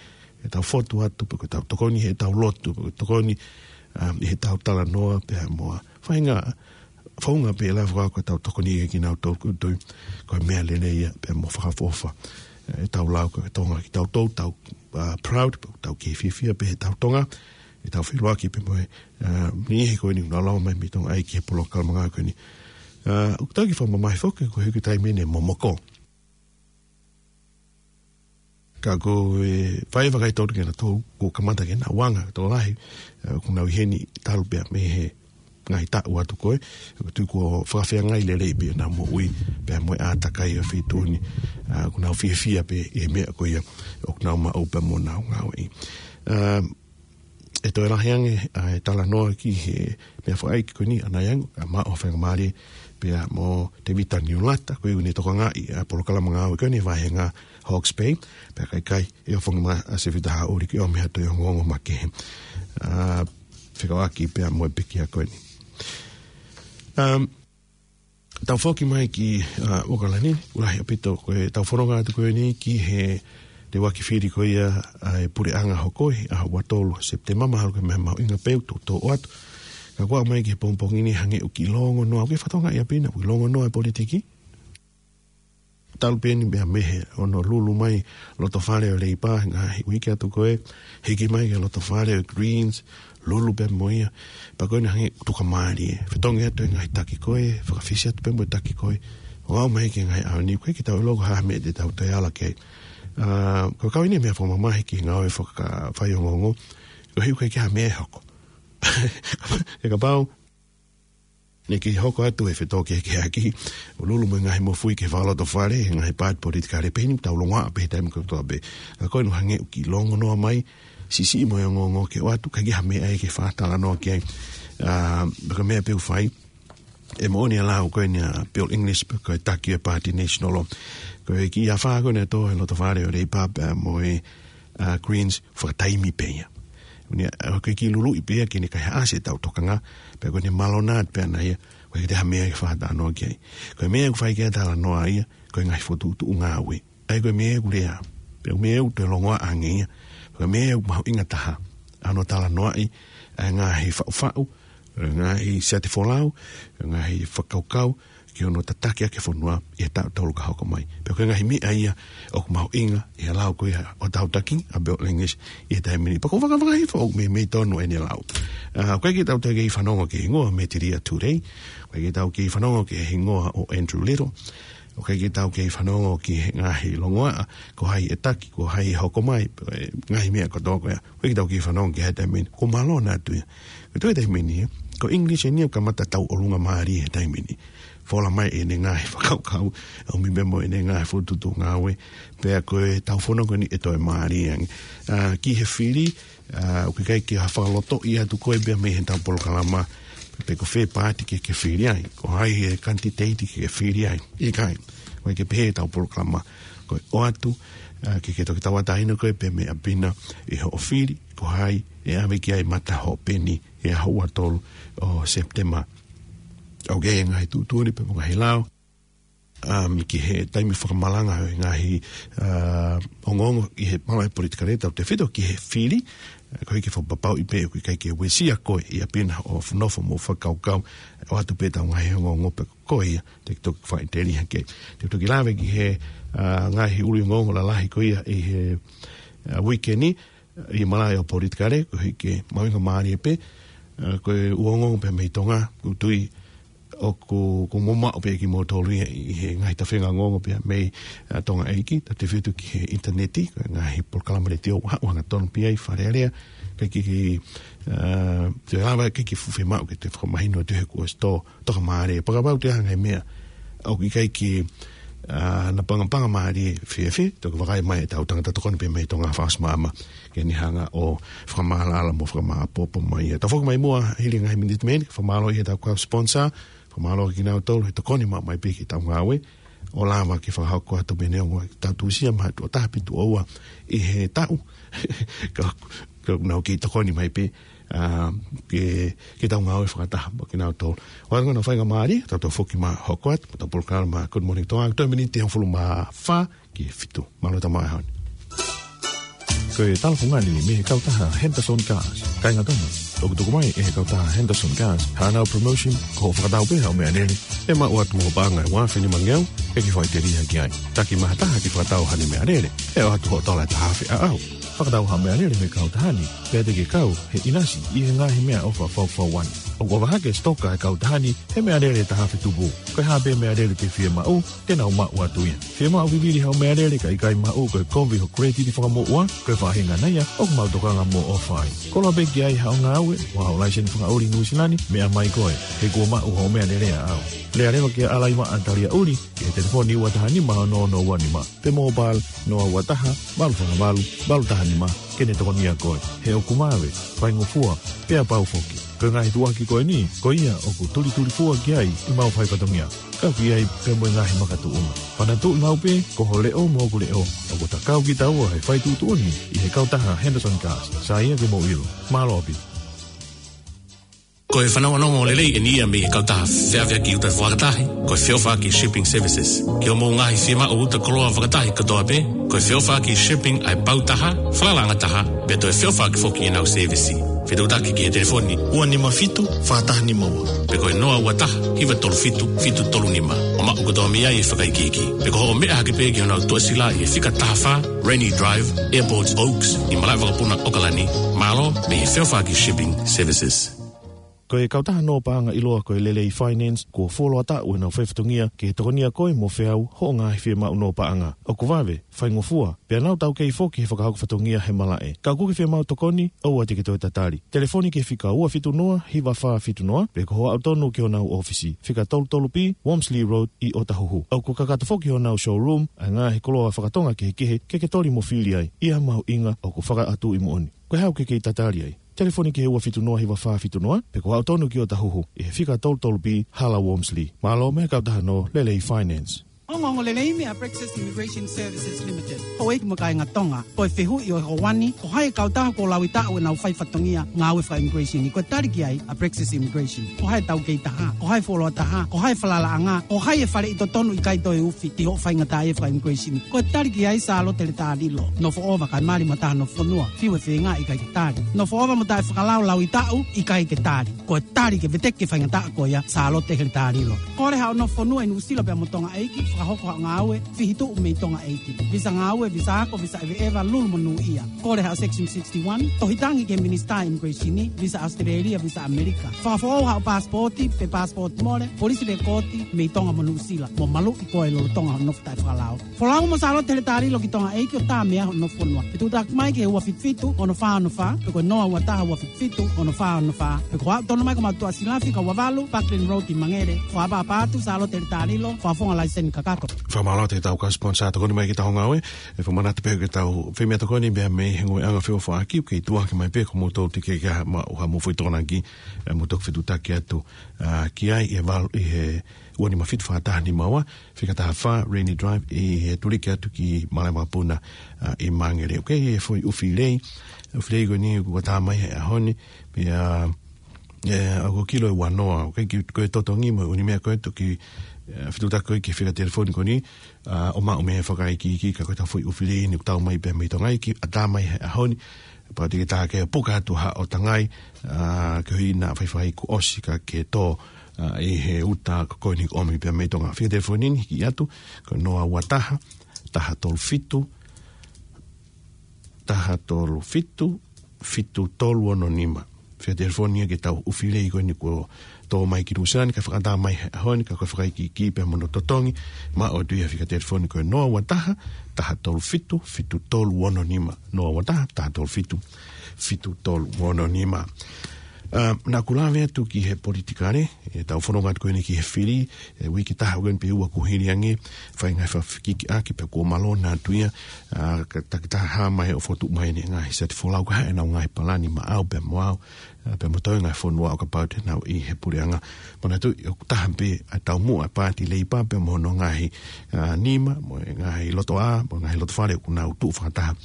ʻEtau fotu atu, pe ko ʻetau tokoni heʻetau lotu, pe ko e tokoni, ʻa, ʻi heʻetau talanoa, pea mo e faʻahinga founga pē ʻe lava fakahoko ʻetau tokoni ia kia kinautolu, ʻoku ou tui ko e meʻa lelei ia pea mo fakaʻofoʻofa. ʻE, ʻetau lau ko e Tonga kitautolu, tau, ʻa, proud, tau kei fiefia pē heʻetau Tonga, ʻetau feʻiloaki pē mo e, ʻa, niʻihi ko eni ʻoku nau lava mai mei Tonga ʻai ki he polokalama ngāue ko eni. ʻA, ʻoku tau kiʻi fakamamahi foki ko e hiki taimi ʻeni ʻe momoko. Ka ko e fai e vakai tonu kia nautolu kuo kamata ke nau anga, tokolahi, ʻe, ʻoku nau ʻi heni talu pē mei he ngaahi taʻu atu ko ē, ʻoku ou tui kuo fakafeangai lelei pē ʻenau moʻui, pea mo e ʻātakai ʻo e feituʻu ni, ʻa, ʻoku nau fiefia pē ʻi he meʻa ko ia ʻoku nau maʻu pea mo ʻenau ngāueʻi. ʻA, ʻe toe lahi ange ʻa e talanoa ki he meʻa fakaʻeiki ko eni ʻanai ange, ʻa, maʻu ha faingamālie pea mo Tevita Niulata, ko ia ʻoku ne tokangaʻi ʻa e polokalama ngāue ko eni he vahenga Hawke's Bay, pea ka ʻikai, ʻe ʻofongi mai ʻa Sefita Haʻuli ke ʻomi ha toe ongoongo makehe, ʻa, fekauʻaki pea mo e pekia ko eni. Um, Tau foki mai ki, ʻa, ʻOkalani, ʻoku lahi ʻaupito ko ʻetau fononga atu ko eni ki he teuaki fili ko ia ʻa e puleʻanga hoko ʻi he ʻaho ua tolu Sepitema, mahalo ko e meʻa mahuʻinga pē ʻoku tau toʻo atu. Ka kuo aʻu mai ki he pongipongi ni hangē ʻoku kiʻi longonoa, ʻoku ke fakatokangaʻi ʻaupito, ʻoku kiʻi longonoa e politiki. Talu pē eni mei he Honolulu mai loto fale ʻo e Leipa, ngaahi uike atu ko ē, hiki mai ki he loto fale ʻo e Greens, lulu pē mo ia, pea ko eni hangē ʻoku tukamālie. Fetongi atu e ngaahi taki ko ē, fakafisi atu pē mo e taki ko ē, ʻo aʻu mai ki he ngaahi ʻaho ni, ʻoku ʻikai ke tau ʻilo ko e hā e meʻa te tau toe ala ki ai. ʻA, ko e kau eni e meʻa fakamamahi ki he ngāue fakafaiongoongo, koeʻuhi ʻoku ʻikai ke ha meʻa ʻe hoko. ʻE kapau naʻe kei hoko atu e fetōkehekeheʻaki ʻo lulu mo e ngaahi mofuike fakalotofale he ngaahi paati politikale pehē ni, tau longoaʻa pē he taimi kotoa pē. Ka ko eni hangē ʻoku kiʻi longonoa mai, siʻisiʻi mo e ongoongo ke ʻoatu, ʻikai ke ha meʻa ia ke fakatalanoa ki ai. ʻA, ka ko e meʻa pē ʻoku fai, ʻe moʻoni e lau ko eni ʻa Bill English, ko e taki e paati National, ko e kiʻi afā ko eni ʻe tō he lotofale ʻo e Leipa pea mo e, ʻa, Greens, fakataimi pē ia. Uni, ʻa, ko e kiʻi luluʻi pē ia ke ne kaihaʻasi ʻetau tokanga, pea ko eni malona pē ʻana ia, ʻoku ʻikai ke toe ha meʻa ke fakatalanoa ki ai. Ko e meʻa ʻoku fai ki ai e talanoa ia, ko e ngaahi fokotuʻutuʻu ngāue. ʻA ia ko e meʻa ʻoku lea. Pea ko e meʻa ʻoku toe longoaʻa ange ia. Ko e meʻa ʻoku mahuʻinga taha ʻa hono talanoaʻi ʻa e ngaahi faʻufaʻu, ʻa e ngaahi siate folau, ʻa e ngaahi fakakaukau, ki hono tataki ʻaki e fonua ʻi he taʻu tolu ka hoko mai. Pea ko e ngaahi meʻa ia ʻoku mahuʻinga ʻi he lau ko ia ʻo Tautaki ʻa Bill English ʻi he taimi ni. Pea ʻoku ou fakafakaʻi foki ʻoku meimei tonu ʻene lau. ʻA, ʻoku ʻikai ke tau toe kei fanongo ki he hingoa Metilia Tulei. ʻOku ʻikai ke tau kei fanongo ki he hingoa ʻo Andrew Little. ʻOku ʻikai ke tau kei fanongo ki he ngaahi longoaʻa, ko hai e taki, ko hai e hoko mai, e ngaahi meʻa kotoa ko ia. ʻOku ʻikai ke tau kei fanongo ki ai he taimi ni. Ko e malona atu ia. Ko e toe taimi ni, ko English eni ia ʻoku kamata tauʻolunga mālie he taimi ni. Fola mai ʻene ngaahi fakakaukau, ʻomi pē mo ʻene ngaahi fokotuʻutuʻu ngāue, pea ko ʻetau fononga ko eni ʻe toe mālie ange. ʻA, ki he fili, ʻa, ʻoku ʻikai ke ha fakalotoʻi atu koe pea mei heʻetau polokalama, pe ko fē paati ke ke fili ai, ko hai e kanititeiti ke ke fili ai. ʻIkai, ʻoku ʻikai ke pehē ʻetau polokalama, ko e ʻoatu, ʻa, ke ke toki tauʻatāina koe pē mei ʻapi na ʻi hoʻo fili, ko hai ʻe ʻave ki ai mata hoʻo peni he ʻaho ua tolu ʻo Sepitema. ʻOku ʻi ai e ngaahi tuʻutuʻuni pea mo e ngaahi lao, um, ki he taimi fakamalanga ʻo e ngaahi, ʻa, ongoongo ʻi he mālohi politikale tautefito ki he fili, ʻa, koeʻuhi ke fakapapauʻi pē ʻoku ʻikai ke uesia koe ʻi ʻapi na hoʻo nofo mo fakakaukau, ʻoatu pē ʻetau ngaahi ongoongo pē ko ia te ke toki fakaʻitelia ki ai. Te u toki lave ki he, ʻa, ngaahi ʻuluʻi ongoongo lalahi ko ia ʻi he, ʻa, uike ni, ʻi he malaʻe ʻo politikale, koeʻuhi ke mahuʻinga mālie pē, ʻa, ko e ʻū ongoongo pē mei Tonga, ʻoku ou tui ʻoku, ʻoku mou maʻu pē ʻe kimoutolu ia ʻi he ngaahi tafenga ongoongo pē mei, ʻa, Tonga ʻEiki, tautefito ki he ʻinitaneti, ko e ngaahi polokalama letiō, ʻoku haʻu hangatonu pē ia ʻi Fale Alea, kae kei, ʻa, toe lava kae kei fuʻu fiemaʻu ke toe fakamahino atu he kuo ʻosi tō toka mālie. Pea kapau ʻe ʻi ai ha ngaahi meʻa ʻoku ʻikai ke, ʻa, na pangapanga mālie fēfē, toki vakai mai ʻetau tangata tokoni pē mei Tonga Fast Mama, ke ne hanga ʻo fakamaʻalaʻala mo fakamāʻopoʻopo mai. Tau foki mai muʻa hili ngaahi miniti mei heni, fakamālō ʻi heʻetau kau sponsor, fakamālō kinautolu he tokoni maʻu mai pē ki heʻetau ngāue, ʻo lava ke fakahoko atu pē neongo ʻetau tuʻusia maʻa tuʻo taha pe tuʻo ua ʻi he taʻu. Ka, ka nau kei tokoni mai pē, ʻa, ke, ke tau ngāue fakataha mo kinautolu. ʻOatu hono faingamālie, tau toe foki mai hoko atu, mo ʻetau polokalama Good Morning Tonga, toe miniti hongofulu mā fā ki he fitu. Mālō e tau maʻu he ʻaho ni. Ko e talafungani mei he kautaha Henderson Cars. Kāinga Tonga, ʻoku tuku mai ʻe he kautaha Henderson Cars haʻanau promotion, ko hoʻo fakatau pē haʻo meʻalele, ʻe maʻu atu mo hoʻo paʻanga ʻe ua afe nima ngeau, ʻe kei fakaʻitelia ki ai. Taki mai ha taha ke fakatau haʻane meʻalele, ʻe ʻoatu hoʻo tola ʻe taha afe ʻaʻau. Fakatau haʻo meʻalele mei he kautaha ni, pea te ke kau he ʻinasi ʻi he ngaahi meʻaʻofa fakafaʻahinga. ʻOku ʻofa hake e sitoka ʻa e kautaha ni he meʻalele ʻe taha afe tupu. Ko e hā pē meʻalele te ke fiemaʻu, te nau maʻu atu ia. Fiemaʻu vivili haʻo meʻalele kae ʻikai maʻu, ko e kovi hoʻo credit fakamoʻua, ko e faʻahinga ia ʻoku mau tokanga mo ʻofa ai. Koloa pē ki ai haʻo ngāue, ʻo haʻo laiseni fakaʻuli Nuʻusila ni, meʻa mai koe, he kuo maʻu hoʻo meʻalele ʻaʻau. Lea leva kia Alaimaʻa Taliaʻuli, ki he telefoni ua taha nima ono ono ua nima. Pe mobile, noa ua taha, valu fā valu, valu taha nima, ke ne tokonia koe. He ʻoku mave, faingofua, pea pau foki. Ko e ngaahi tuʻuaki ko eni, ko ia ʻoku tulitulifua ki ai ʻemau fai fatongia. Kau ki ai pea mo e ngaahi makatuʻunga. Fanatuʻi maʻu pē, ko ho leʻo mo hoku leʻo. ʻOku ta kau kitaua he fai tuʻutuʻuni ʻi he kautaha Henderson Cars. Sai ia ke mou ʻilo. Mālō ʻaupito. Ko e fanongonongo lelei eni ia mei he kautaha feʻaveʻaki ʻuta fakataha, ko e Feʻofaʻaki Shipping Services. Ki hoʻomou ngaahi fiemaʻu ʻuta koloa fakataha kotoa pē, ko e Feʻofaʻaki Shipping ʻa e pau taha, falalaʻanga taha, pea toe feʻofaʻaki foki ʻenau sēvisi. Fetuʻutaki ki he telefoni ua nima fitu, fā taha nima ua. Pe ko e noa ua taha, hiva tolu fitu, fitu tolu nima. ʻO maʻu kotoa mei ai e fakaikiiki. Pe ko hoʻo meʻa hake pē ki honau tuʻasila ʻi he fika taha fā, Rainy Drive, Airport Oaks, ʻi malaʻe vakapuna ʻAokalani, mālō mei he Feʻofaʻaki Shipping Services. Ko e kautaha nō paʻanga ʻiloa ko e Lelei Finance, kuo fuoloa taʻu ʻenau fai fatongia ke tokonia koe mo feau hoʻo ngaahi fiemaʻu nō paʻanga. ʻOku vave, faingofua, pea nau taukei foki he fakahoko fatongia he malaʻe. Ka ʻoku ke fiemaʻu tokoni, ʻoua te ke toe tatali. Telefoni ki he fika ua fitu noa, hiva fā fitu noa, pe ko hoʻo aʻu tonu ki honau ʻōfisi, fika tolu tolu B, Wormsley Road, ʻi ʻŌtāhuhu. ʻOku kakato foki honau showroom ʻa e ngaahi koloa fakatonga kehekehe ke ke toli mo fili ai, ʻi ha mahuʻinga ʻoku fakaʻatuʻi moʻoni. Ko e hā ʻoku ke kei tatali ai? Telefoni ki he ua fitu noa, hiva fā fitu noa, pe ko hoʻo aʻu tonu ki ʻŌtāhuhu, ʻi he fika tolu tolu B, Hala Wormsley. Mālō mo e kautaha nō Lelei Finance. Ongoongo lelei meia Praxis Immigration Services Limited. Houʻeiki mo e kāinga Tonga, ko e fehuʻi ʻo e houa ni, ko hai e kautaha kuo laui taʻu ʻenau fai fatongia ngāue faka-immigration ni? Ko e tali ki ai ʻa Praxis Immigration. Ko hai e taukei taha, ko hai e fuoloa taha, ko hai e falalaʻanga, ko hai e faleʻi totonu ʻikai toe ufi ki hoʻo faingataʻaʻia faka-immigration ni? Ko e tali ki ai Sālote Letalilo. Nofo ʻova kae mali mo taha nofo fonua, fiu e feinga ʻikai ke tali. Nofo ʻova mo taʻefakalao laui taʻu ʻikai ke tali. Ko e tali ke veteki e faingataʻa ko ia, Sālote Letalilo. Kole haʻo nofo fonua ʻi Nuʻusila pea mo Tonga ʻeiki, fakahoko haʻo ngāue, fihituʻu mei Tonga ʻeiki. Visa ngāue, visa ako, visa ʻeveʻeva, lulu mo nūʻia. Kole haʻo Section sixty-one, tohi tangi ki he Minisitā Immigration ni, visa ʻAositelēlia, visa ʻAmelika. Fakafoʻou haʻo paasipooti, pe paasipooti mole, polisi lekooti, mei Tonga mo Nuʻusila, mo maluʻi koe lolotonga hoʻo nofo taʻefakalao. Folau mo Sālote Letalilo ki Tonga ʻeiki ʻo tā meʻa hoʻo nofo fonua. Fetuʻutaki mai ki he ua fitu fitu, ono fā ono fā, pe ko e noa ua taha ua fitu fitu, ono fā ono fā, pe ko hoʻo aʻu tonu mai ki he motuʻa silafi, ka ua valu, Parkland Road ʻi Mangere. Fakaʻapaʻapa atu, Sālote Letalilo, fakafofonga laiseni kakato. Fakamālō atu ki heʻetau kau siponisā tokoni mai ki heʻetau ngāue, ʻe fakamanatu pē ki heʻetau fai meʻa tokoni, meʻa mei he ngāueʻanga feʻofoʻaki, ʻoku kei tuʻuaki mai pē, ko moutolu te ke kei maʻu haʻamou foʻi tokonaki, ʻe mou toki fetuʻutaki atu, ā, ki ai, ʻi he valu, ʻi he ua nima fitu fā taha nima ua, fika taha fā Rainy Drive, ʻi he tuliki atu ki Malaʻe Vakapuna, ā, ʻi Mangere. ʻOku ʻi ai e foʻi ʻufi lelei, ʻufi lelei ko eni kuo tā mai he ʻaho ni, pea, ē, ʻoku kilo e ua noa, ʻoku ʻikai ke, ko e totongi mo e ʻū meʻa ko ē toki, ē, fetuʻutaki koe ki he fika telefoni ko eni, ā, ʻo maʻu mei he fakaikiiki, ka ko ʻetau foʻi ʻufi lelei ni kuo tau mai pē mei Tonga ʻeiki, ʻatā mai he ʻaho ni, pea te ke tā ke puka atu haʻo tangai, ā, koeʻuhi naʻa faifai kuo ʻosi ka ke tō, ā, ʻi he uta ko eni ʻoku ʻomi pē mei Tonga. Fika telefoni ni hiki atu, ko e noa ua taha, taha tolu fitu, taha tolu fitu, fitu tolu ono nima. Fika telefoni ia ki heʻetau ʻufi lelei ko eni kuo tō mai ki Nuʻusila ni, ka fakatā mai he ʻaho ni, ka ko e fakaikiiki pea mo hono totongi, maʻu atu ia he fika telefoni ko e noa ua taha, taha tolu fitu, fitu tolu ono nima, noa ua taha, taha tolu fitu, fitu tolu ono nima. Ā, naʻa ku lave atu ki he politikale, ʻetau fononga atu ko eni ki he fili, ʻi he uike taha ko eni pe ua kuo hili ange, fai ngaahi fakafekikiʻaki pea kuo malona atu ia, ā, ka takitaha mai ʻo fokotuʻu mai ʻene ngaahi siati folau, ko e hā ʻenau ngaahi palani maʻau pea mo au, ā, pea mo e toenga e fonua ʻo kapau te nau ʻi he puleʻanga. Manatuʻi ʻoku taha pē ʻa e taumuʻa ʻa e Paati Leipa pea mo hono ngaahi, ā, nima, mo e ngaahi lotoʻā, mo e ngaahi lotofale ʻoku nau tuʻu fakataha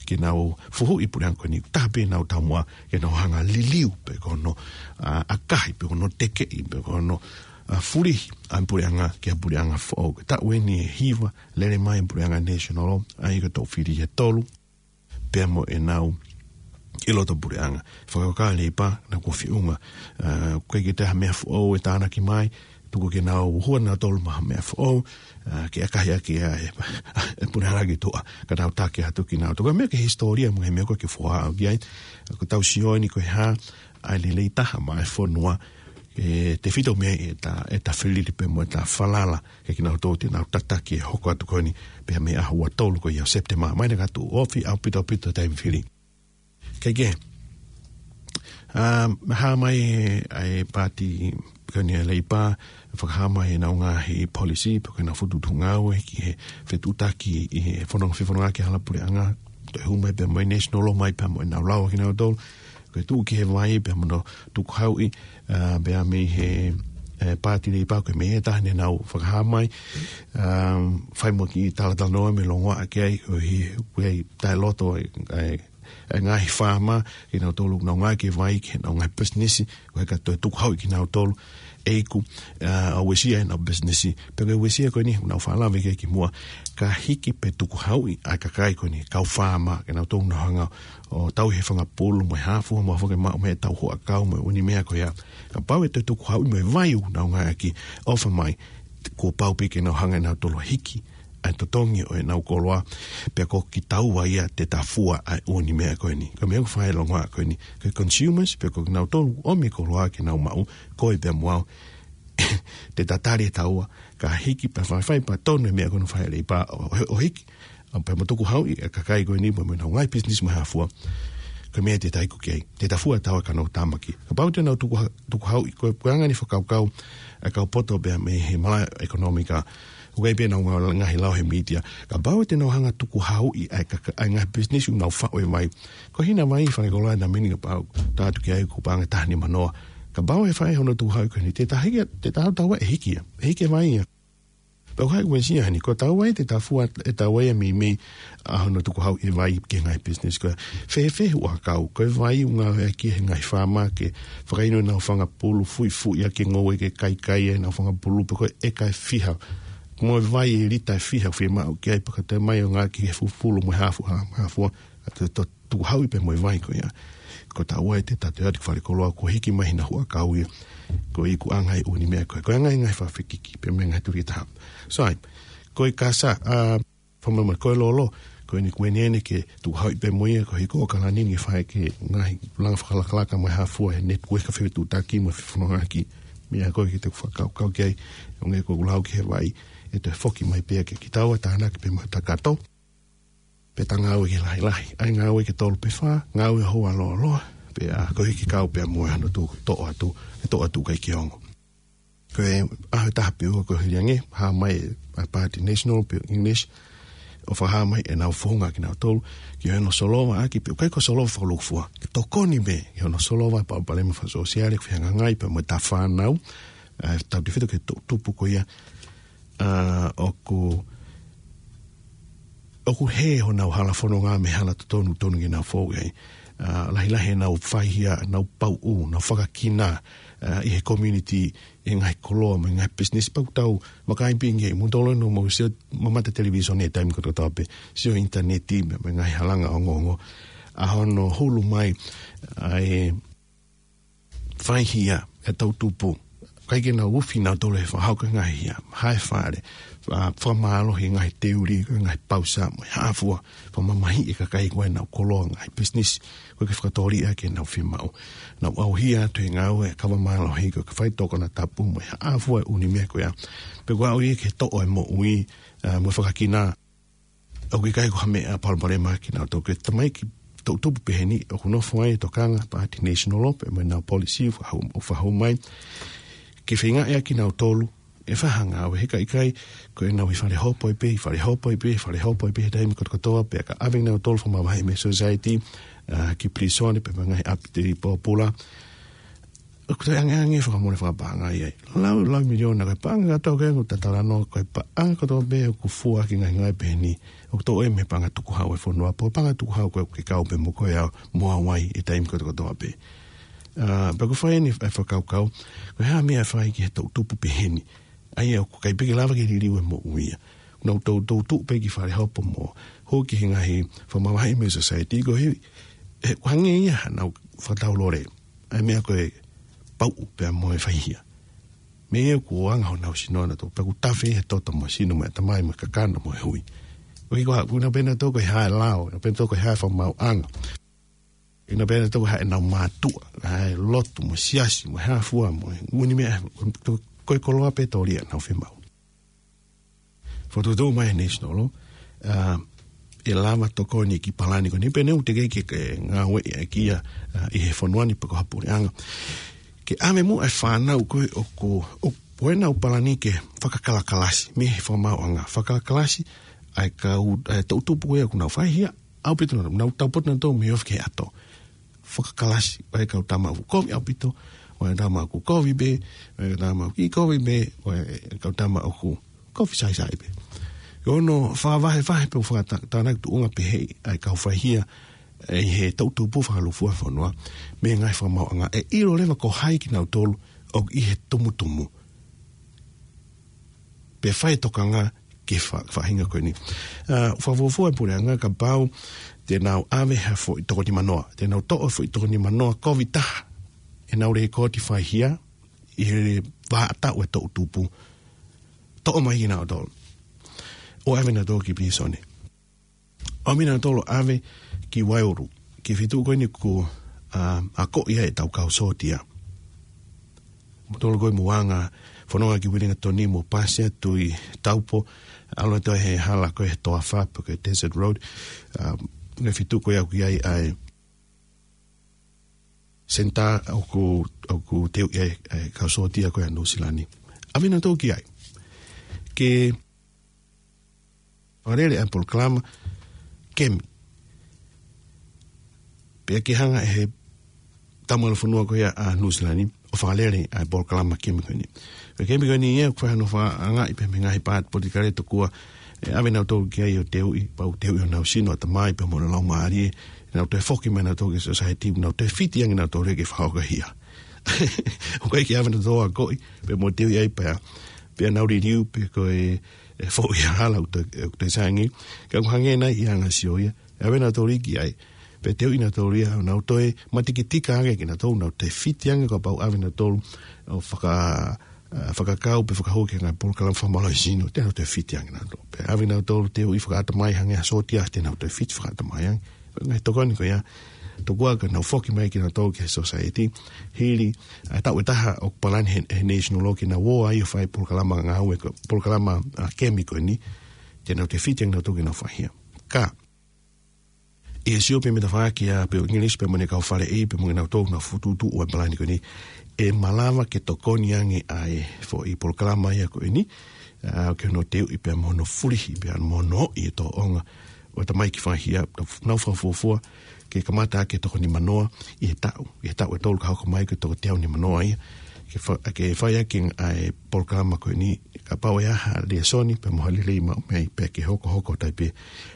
ke nau fuhuʻi e puleʻanga ko eni. Taha pē ʻenau taumuʻa ke nau hanga ʻo liliu pe ko hono, ā, ʻakahi pe ko hono tekeʻi pe ko hono, ā, fulihi ʻa e puleʻanga ki ha puleʻanga foʻou. Ko e taʻu eni ʻe hiva lele mai e puleʻanga national law, ʻa ia ko e toʻu fili ʻe tolu pea mo ʻenau ʻi loto puleʻanga. Fakakaukau ʻa Leipa naʻa kuo feʻunga, ā, ʻoku ʻikai ke toe ha meʻa foʻou ʻe tānaki mai, tuku ke nau hū ʻa nautolu mo ha meʻa foʻou, ā, ke ʻakahi ʻaki ʻa e, e puleʻanga ki tuʻa, ka nau taki atu kinautolu. Ko e meʻa ki he hisitōlia mo e meʻa ko ē ke foha au ki ai, ko ʻetau sio eni ko e hā ʻa e lelei taha maʻa e fonua, ʻe tefito mei ai ʻeta, ʻeta fili pea mo ʻeta falala, ke kinautolu te nau tataki e hoko atu ko eni, pea mei he ʻaho ua tolu ko ia ʻo Sepitema, mai naʻa ka tuʻu ofi ʻaupito ʻaupito taimi fili. Kaikehe, ā, hā mai ʻa e Paati ko eni ʻa Leipa, fakahā mai ʻenau ngaahi policy, pe ko ʻenau fokotuʻutuʻu ngāue ki he fetuʻutaki ʻi he fononga, fefononga ki he hala puleʻanga, toe hū mai pea mo e national law mai pea mo ʻenau lau kinautolu, ko e tuʻu ki he vai pea mo hono tukuhauʻi, ā, pea mei he, ē, Paati Leipa ko e meʻa ʻe taha naʻa nau fakahā mai, ā, fai mo e kiʻi talatalanoa mo e longoaʻa ki ai, ʻo hangē ko e taʻeloto e, e, e ngaahi faama, kinautolu ʻoku nau ngāueʻaki e vai ki heʻenau ngaahi pisinisi, ko e ka toe tukuhauʻi kinautolu, ʻe iku, ā, ʻo uesia ʻenau pisinisi. Pea ko e uesia ko eni, naʻa ku faʻa lave ki ai kimuʻa, ka hiki pe tukuhauʻi ʻa e kakai ko eni, kau faama, kinautolu ʻoku nau hanga ʻo tauhi e fanga pulu mo e hā fua mo e hā fua ke maʻu mei heʻetau huʻakau mo e ʻū meʻa ko ia. Kapau ʻe toe tukuhauʻi mo e vai ʻoku nau ngāueʻaki, ʻofa mai, kuo pau pē ke nau hanga ʻe nautolu ʻo hiki ʻa e totongi ʻo ʻenau koloa, pea ko kitaua ia te ta fua ʻa e ʻū meʻa ko eni. Ko e meʻa ʻoku fai ʻe he longoaʻa ko eni. Ko e consumers, pea ko kinautolu ʻomi e koloa ke nau maʻu, koe pea mo au. Te ta tali ʻe taua, ka hiki pea faifai pea tonu e meʻa ko eni ʻoku fai ʻe he Leipa ʻo, ʻo, ʻo hiki. ʻA pea mo tukuhauʻi e kakai ko eni, mo, mo ʻenau ngaahi business mo e hā fua. Ko e meʻa te ta iku ki ai. Te ta fua taua ka nau tāmaki. Kapau te nau tukuha-, tukuhauʻi, ko e, ko e anga eni e fakakaukau ʻa e kau poto pea mei he malaʻe ʻekonōmika. ʻOku ʻi ai pē ʻenau ngā-, ngaahi lao he media. Kapau te nau hanga tukuhauʻi ʻa e kaka-, ʻa e ngaahi business ʻoku nau faʻu e vai. Ko e hina vai falekoloa ʻena meni kapau, tā atu ki ai ko e paʻanga ʻe taha nima noa. Kapau ʻe fai hono tukuhauʻi ko eni, te ta hiki, te ta hau taua ʻe hiki ia. ʻE hiki e vai ia. Pea ʻoku ʻikai uesia heni, ko taua ia te ta fua ʻe taua ia meimei ʻa hono tukuhauʻi e vai ki he ngaahi business ko ia. Fēfē huʻakau, ko e vai ʻoku ngāueʻaki ʻe he ngaahi faama ke fakainu ʻenau fanga pulu, fuifuiʻaki e ngoue ke kaikai ʻenau fanga pulu, pe ko e ʻeka ʻe fiha. Mo e vai ʻe lita ʻe fiha, fiemaʻu ki ai pea ka toe mai ʻo ngāueʻaki he fufulu mo e hā fua, hā fua, ʻa te to-, tukuhauʻi pē mo e vai ko ia. Ko taua ia te ta toe ʻatu ki falekoloa, ko e hiki mai hina huʻakau ia. Ko e ikuʻanga e ʻū meʻa ko ia. Ko e anga e ngaahi fakafekiki, pea mo e ngaahi tuli taha. Sai, ko e kasa, ʻa, fakamamahi ko e lolo, ko eni kuo ʻene ʻene ke tukuhauʻi pē mo ia, ko e hiko ʻo Kalani ke fai ki he ngaahi langa fakalakalaka mo e hā fua he network ka fetuʻutaki mo e fefonongaʻaki. Meʻa ko ē ke te fakakaukau ki ai, ʻo ngē ko ʻeku lau ki he vai, ʻe toe foki mai pē ia ke kitaua tānaki pē mo e takato. Pea ta ngāue ki he lahilahi. ʻAi ngāue ki he tolu pe fā, ngāue houa lōloa. Pea ko e hiki kau pea mo e hano tu, toʻo atu, ʻe toʻo atu ʻikai ke ongo. Ko e ʻaho ʻe taha pe ua ko e hili ange, hā mai ʻa e Party National pe English, ʻo fakahā mai ʻenau founga kinautolu, ki hono solova ʻaki pe, ʻikai ko e solova fakalūkufua. Ke tokoni pē, ki hono solova palopalema fakasōsiale, ʻoku fehangahangai pea mo ʻeta fānau, ʻa e tautefito ki he toʻutupu ko ia, ʻa, ʻoku, ʻoku hē honau hala fononga mei he hala totonu, tonu ke nau fou ai. ʻA, lahilahi ʻenau faihia, nau pauʻu, nau fakakina, ʻa, ʻi he community, ʻi he ngaahi koloa, mo e ngaahi business pea ʻoku tau, vakai pē ki ai, mou tolo no mo sio, mamata televīsone he taimi kotoa pē, sio ʻinitaneti, mo e, mo e ngaahi halanga ongoongo. ʻA hono hulu mai, ʻa e, faihia, ʻe toʻutupu. ʻIkai ke nau ufi nautolu he fakahoko e ngaahi hia, hae fale, fa-, fakamālohi e ngaahi teuli, ko e ngaahi pausa, mo e hā fua, fakamamahiʻi e kakai ko ē ʻenau koloa ngaahi business, ko e ke fakatōliʻa ke nau fiemaʻu. Nau ʻauhia atu he ngāue, kava mālohi, ko e ke fai tokona tapu, mo e hā fua e ʻū meʻa ko ia. Pea ʻoku ʻauhia ke toʻo e moʻui, ʻa, mo e fakakina, ʻoku ʻikai ko ha meʻa palopalema kinautolu. Ko e tamaiki toʻutupu pehē ni, ʻoku nofo ai e tokanga Party National pea mo ʻenau policy, fakahau, ʻo fakahau mai. Ke feinga ʻe kinautolu, ʻe fai ha ngāue he ʻikai, ko ʻenau ʻi fale hopo ai pē, ʻi fale hopo ai pē, ʻi fale hopo ai pē, he taimi kotokotoa, pea ka ʻave kinautolu fakamavaheʻi mei he society, ʻa, ki pilīsone, pea mo e ngaahi ʻapi pōpula. ʻOku toe angeange fakamole fakapaʻanga ia. Lau, lau miliona ko e paʻanga kātoa ko ē ʻoku ta talanoa ko e paʻanga kotoa pē ʻoku fua ki he ngaahi ngāue pehē ni. ʻOku toʻo ia mei he paʻanga tukuhau e fonua. Pea ko e paʻanga tukuhau ko ē ʻoku kau pē mo koe au, mo au ai he taimi kotokotoa pē. ʻA, pea ʻoku fai eni e fakakaukau. Ko e hā e meʻa ʻe fai ki he toʻutupu pehē ni. ʻA ia ʻoku ʻikai pē ke lava ke liliu e moʻui ia. Nau tou, tou tuʻu pē ki fale hopo mo hū ki he ngaahi fakamavaheʻi mei he society ko ē. ʻE, ʻoku hangē ia hanau fakataulole. ʻA e meʻa ko e pauʻu pea mo e faihia. Meʻa ia ʻoku anga honau sino nautolu, pea ʻoku tafe he toto mo e sino mo e ʻatamai mo e kakano mo e hui. ʻOku ʻikai ko ha, ʻoku nau pehē nautolu ko e hā e lao, nau pehē nautolu ko e hā e fakamaauʻanga. ʻOku nau pehē nautolu ko e hā ʻenau mātuʻa, hā e lotu mo e siasi mo e hā fua mo e ʻū meʻa, ko e koloa pē tōliʻa ʻenau fiemaʻu. Fokotuʻutuʻu mai e National, ʻa, ʻe lava tokoni ki he palani ko eni pea ne u teʻeki ke, ke ngāueʻaki ia, ʻa, ʻi he fonua ni pe ko ha puleʻanga. Ke ʻave muʻa e fānau ko ē ʻoku, ʻo, ʻo ʻenau palani ke fakakalakalasi, mei he fakamaauʻanga, fakakalakalasi, ʻa e kau, ʻa e toʻutupu ko ē ʻoku nau faihia, ʻaupito nautolu, nau taupotu nautolu mei he ofi ki he ʻato. Fakakalasi, ʻa e kau tama ʻoku kovi ʻaupito, ʻa e tama ʻoku kovi pē, ʻa e tama ʻoku ʻikai kovi pē, ʻa e kau tama ʻoku kovi saisai pē. ʻI hono fakavahevahe pē ʻo fakata-, tānaki tuʻunga pehē ʻa e kau faihia, ʻa e he toʻutupu fakalūkufua e fonua, mei he ngaahi fakamaauʻanga, ʻe ʻilo leva ko hai kinautolu ʻoku ʻi he tumutumu. Pea fai e tokanga ki he fa-, faʻahinga ko eni. ʻA, fakafuofua e puleʻanga kapau te nau ʻave ha foʻi toko nima noa. Te nau toʻo e foʻi toko nima noa kovi taha ʻenau lekooti faihia ʻi he vahaʻa taʻu e toʻutupu. Toʻo mai kinautolu. ʻo ʻave nautolu ki pilīsone. ʻOmi nautolu ʻave ki Waiuru, ki he feituʻu ko eni ʻoku, ā, akoʻi ai ʻetau kau sōtia. Mo tolo ko e muanga, fononga ki Wellington mo pasi atu ʻi Taupo, ʻalu atu he hala ko e Toafa pe ko e Desert Road, ā, ko e feituʻu ko ia ʻoku ʻi ai ʻa e senitā ʻoku, ʻoku teuʻi ai ʻa e kau sōtia ko ia ʻa Nuʻu Sila ni. ʻAve nautolu ki ai. Ke fakalele ʻa e polokalama kemi. Pea ke hanga ʻe he tamalu fonua ko ia ʻa Nuʻu Sila ni ʻo fakalele ʻa e polokalama kemi ko eni. Pea kemi ko eni ia, ʻoku fai hono fakaangaʻi pē mei he ngaahi paati politikale tokua ʻe ʻave nautolu ki ai ʻo teuʻi, pau teuʻi honau sino, ʻatamai pea mo e laumālie, ʻenau toe foki mai nautolu ki he sōsaieti, nau toe fiti ange nautolu ke fakahoko hia. ʻOku ʻikai ke ʻave nautolu ʻo akoʻi, pea mo teuʻi ai pea, pea nau liliu, pe ko e, e foʻi hala ʻoku toe, ʻoku toe sai ange, ka ʻoku hangē nai ʻi he anga sio ia, ʻave nautolu ki ai, pea teuʻi nautolu ia, nau toe matikitika ange kinautolu, nau toe fiti ange kapau ʻave nautolu ʻo faka-, ā, fakakau pe fakahoko ki he ngaahi polokalama fakamālohisino, te nau toe fiti ange nautolu. Pea ʻave nautolu teuʻi fakaʻatamai hangē ha sōtia, te nau toe fiti fakaʻatamai ange. Ngaahi tokoni ko ia, tokua ka nau foki mai kinautolu ki he sōsaieti, hili, ā, taʻu ʻe taha ʻoku palani he, he National Law ke nau ō ai ʻo fai polokalama ngāue ko, polokalama, ā, kemi ko eni, te nau toe fiti ange nautolu ke nau fai ia. Ka, ʻi he sio pē mei he tafaʻaki ʻa Bill English pea mo ʻene kau faleʻi pea mo kinautolu naʻa nau fokotuʻutuʻu ʻa e palani ko eni, ʻe malava ke tokoni ange ʻa e foʻi polokalama ia ko eni, ā, ki hono teuʻi pea mo hono fulihi pea mo hono ʻoʻi e tōʻonga ʻo e tamaiki faʻahia, nau fakafuofua ke kamata ʻaki e toko nimanoa ʻi he taʻu, ʻi he taʻu ʻe tolu ka hoko mai ko e toko teau nimanoa ia, ke fa-, ke fai ʻaki ʻa e polokalama ko eni, kapau ʻe ʻi ai ha lēsoni pea mo ha lelei maʻu mei ai pea ke hokohoko tai pē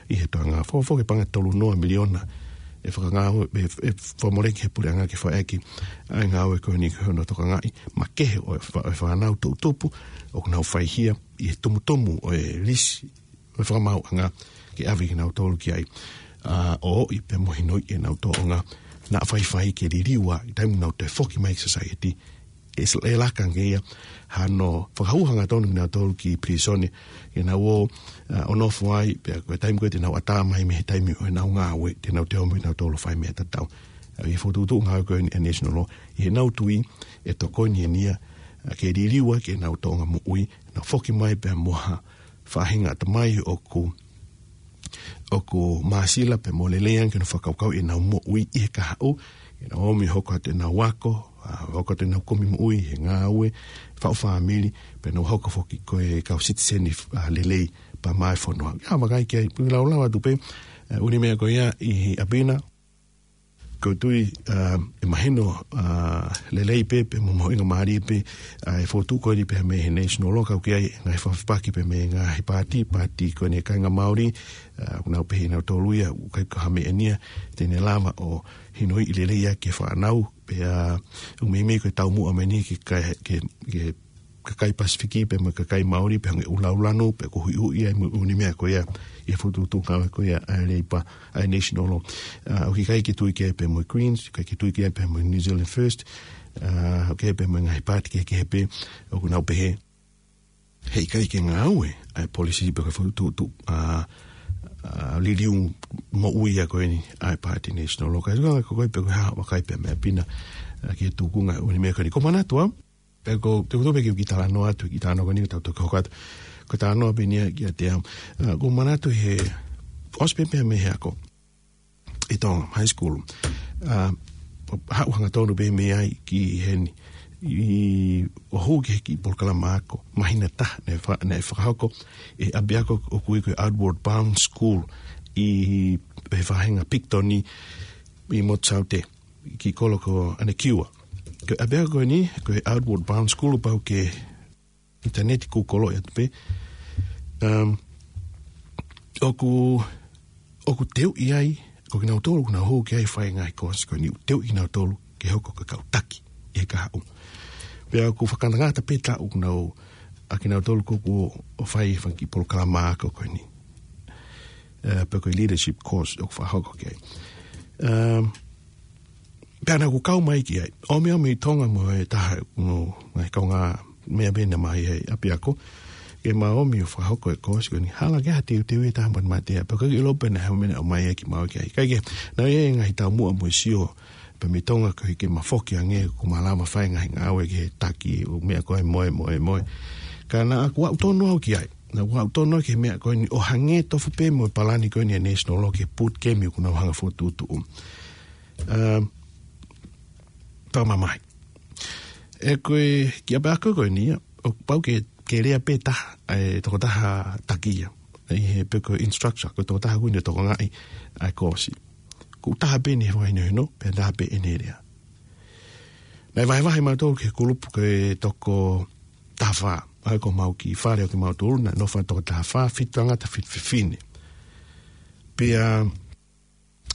ʻi he toenga. Fakafuofua ke paʻanga ʻe tolu noa miliona ʻe fakangāue, ʻe, ʻe fakamoleki he puleʻanga ke fai ʻaki ʻa e ngāue ko eni ki hono tokangaʻi makehe ʻo e fa-, ʻo e fānau toʻutupu ʻoku nau faihia ʻi he tumutumu ʻo e lisi ʻo e fakamaauʻanga ke ʻave kinautolu ki ai, ā, ʻo ʻoʻi pea mo hinoʻi ʻenau tōʻonga naʻa faifai ke liliu ʻi he taimi nau toe foki mai ki sōsaieti. ʻE s-, ʻe laka ange ia hano fakahū hangatonu kinautolu ki pilīsone, ke nau ō, ā, ʻo nofo ai, pea ko e taimi ko ē te nau ʻatā mai mei he taimi ʻo ʻenau ngāue, te nau toe ō mai nautolu ʻo fai meʻa tatau. Ā, ʻi he fokotuʻutuʻu ngāue ko eni ʻa e National Law, ʻi heʻenau tui, ʻe tokoni eni ia, ā, ke liliu ʻa ʻenau tōʻonga moʻui, nau foki mai pea mo ha faʻahinga ʻatamai ʻoku, ʻoku māsila pea mo lelei ange ke nau fakakaukau ʻenau moʻui ʻi he kahaʻu, ke nau ō mai ʻo hoko atu ʻenau ako, ā, hoko atu ʻenau kumi moʻui he ngāue, faʻu fāmili, pea nau hoko foki ko e kau sitiseni, ā, lelei pea maʻa e fonua. ʻA, vakai ki ai, pui laulau atu pē, ā, ʻū meʻa ko ia ʻi ʻapi na, ʻoku ou tui, ā, ʻe mahino, ā, lelei pē, pea mo mahuʻinga mālie pē, ā, e fokotuʻu ko eni pē mei he National Law, ka ʻoku ʻi ai e ngaahi fakafepaki pē mei he ngaahi paati, paati ko eni ʻa e kāinga Māori, ā, ʻoku nau pehē ʻe nautolu ia, ʻoku ʻikai ko ha meʻa eni ia te ne lava ʻo hinoʻi lelei ʻaki e fānau, pea, ā, ʻoku meimei ko e taumuʻa mai eni ki he, ki he, ki he kakai Pasifiki pea mo e kakai Māori pea hangē ʻUluʻulu, pea ko e huʻihuʻi ai mo e ʻū meʻa ko ia ʻi he fokotuʻutuʻu ngāue ko ia ʻa e Leipa, ʻa e National Law. Ā, ʻoku ʻikai ke tui ki ai pea mo e Greens, ʻikai ke tui ki ai pea mo e New Zealand First, ā, ʻoku ʻi ai pea mo e ngaahi paati kehekehe pē ʻoku nau pehē heʻikai ke ngāue ʻa e policy pea ko e fokotuʻutuʻu, ā, ā, liliu moʻui ia ko eni ʻa e paati National Law. Ka ʻi he ʻuhinga ko ē pē ko e hā, vakai pē mei ʻapi na, ā, ki he tūkunga ʻo e ʻū meʻa ko eni. Ko e manatu ʻa, pea ko, te u tuku pē ke u kiʻi talanoa atu, kiʻi talanoa ko eni, tau toki hoko atu. Ko e talanoa pē eni ia kiate au. Ā, ʻoku ou manatu he, ʻosi pē pea mei he ako ʻi Tonga, high school. Ā, haʻu hangatonu pē mei ai ki heni. ʻI, ʻo hū ki he kiʻi polokalama ako, māhina ʻe taha, naʻe fa-, naʻe fakahoko ʻe he ʻapiako ʻoku ui ko e Outward Bound School ʻi he faʻahinga Picton ʻi, ʻi Motu Saute, kiʻi kolo ko ʻAnekiua. Ko e ʻapiako ko eni, ko e Outward Bound School, pau ke ʻinitaneti Google atu pē. Um, ʻoku, ʻoku teuʻi ai, ko kinautolu, ʻoku nau hū ki ai fai ngaahi course ko eni, ʻoku teuʻi kinautolu ke hoko ko e kau taki ʻi he kahaʻu. Pea ʻoku fakangatangata pē taʻu ʻoku nau, ʻa kinautolu ko ē ʻoku fai fanga kiʻi polokalama ako ko eni. Ā, pe ko e leadership course ʻoku fakahoko ki ai. Um, Pea naʻa ku kau mai ki ai. ʻOmi ʻo mei Tonga mo e taha ʻo e ngaahi kaungāmeʻa pē naʻe ʻi he ʻapiako. ke mau ō mai ʻo fakahoko e kōsi ko eni, hala ke ha teuteu ʻe taha mo e matea, pea ʻikai ke ʻilo pe naʻe ʻi ai ha meʻa naʻe ʻomai ʻe ia ki Maui ki ai. Kae kehe, naʻe ʻi ai e ngaahi taumuʻa mo e sio, pea mei Tonga ko e ke ma foki ange, ko ma lava fai e ngaahi ngāue ki he taki, ʻū meʻa ko ē mo e, mo e, mo e. Ka naʻa ku aʻu tonu au ki ai. Naʻa ku aʻu tonu au ki he meʻa ko eni ʻo hangē tofu pē mo e palani ko eni ʻa e National Lottery, ke put kemi ʻoku nau hanga ʻo fokotuʻutuʻu. Um, Taumamahi. ʻE ko e kiʻi ʻapiako ko eni ia, ʻoku pau ke, ke lea pē taha, ʻa e tokotaha taki ia. ʻI he pe ko e instructor, ko e tokotaha ko eni ʻoku tokangaʻi ʻa e kōsi. Ko e taha pē ʻene fakahinohino, pea taha pē ʻene lea. Naʻe vahevahe mautolu ki he kulupu ko e toko taha fā. ʻA ia ko homau kiʻi fale ʻo kimautolu, naʻe nofo ai e toko taha fā, fitu tangata, fitu fefine. Pea,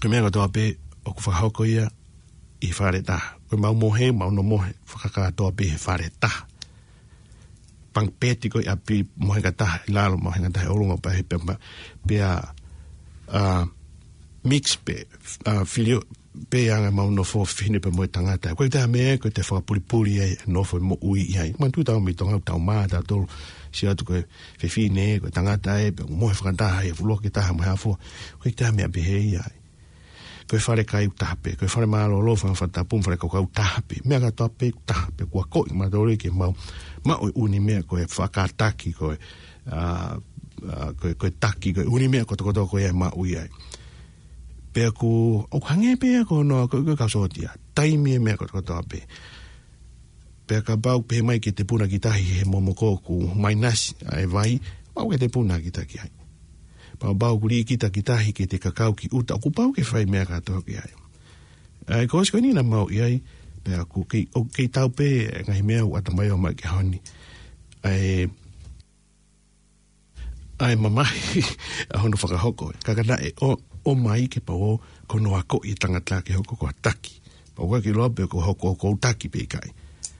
ko e meʻa kotoa pē ʻoku fakahoko ia ʻi he fale ʻe taha. Ko ʻemau mohe, mau nofo mohe fakakātoa pē he fale ʻe taha. Pangipeti ko ē ʻapi, mohenga ʻe taha ʻi lalo, mohenga ʻe taha ʻi ʻolunga, pea he pea, pea, ʻa, mix pē, ʻa, filio, pea ʻi ai ʻemau nofo fefine pea mo e tangata. Ko e taha meʻa, ko e te fakapulipuli ai, nofo moʻui ai. Manatuʻi tautolu mei Tonga, tau mā, tautolu, sio atu ko e fefine, ko e tangata ē, pea mohe fakataha, ʻi he fuʻu loki ʻe taha mo e hā fua. Ko e taha meʻa pehē ia ai. Ko e fale kai ʻoku taha pē, ko e fale mālōlō, fale fakatapu, fale kaukau ʻoku taha pē. Meʻa kotoa pē ʻoku taha pē, ʻoku akoʻi mautolu ke mau maʻu e ʻū meʻa ko e fakataki, ko e, ʻa, ʻa, ko e, ko e taki, ko e ʻū meʻa kotokotoa ko ia ʻe maʻu ia ai. Pea ʻoku, ʻoku hangē pē ia ko hono, ko e, ko e kau sōtia. Taimi e meʻa kotokotoa pē. Pea kapau pehē mai ke te puna ki tahi he momoko ʻoku maʻinasi ʻa e vai, pau ke te puna ki tahi ki ai. Pea kapau ʻoku lī kita ki tahi ke te kakau ki ʻuta, ʻoku pau ke fai meʻa kotoa ki ai. ʻA e kōsi ko eni naʻa mau ʻi ai, pea ʻoku kei, ʻoku kei tau pē, ngaahi meʻa ʻoku ʻatamai ʻo mai ke honi. ʻA e, ʻa e mamahi ʻa hono fakahoko. Ka ka naʻe ʻo, ʻomai ke pau ʻo ko hono akoʻi e tangata ke hoko ko ha taki. Pau ʻoku ke ʻilo pe ko hoko ko e taki pe ʻikai.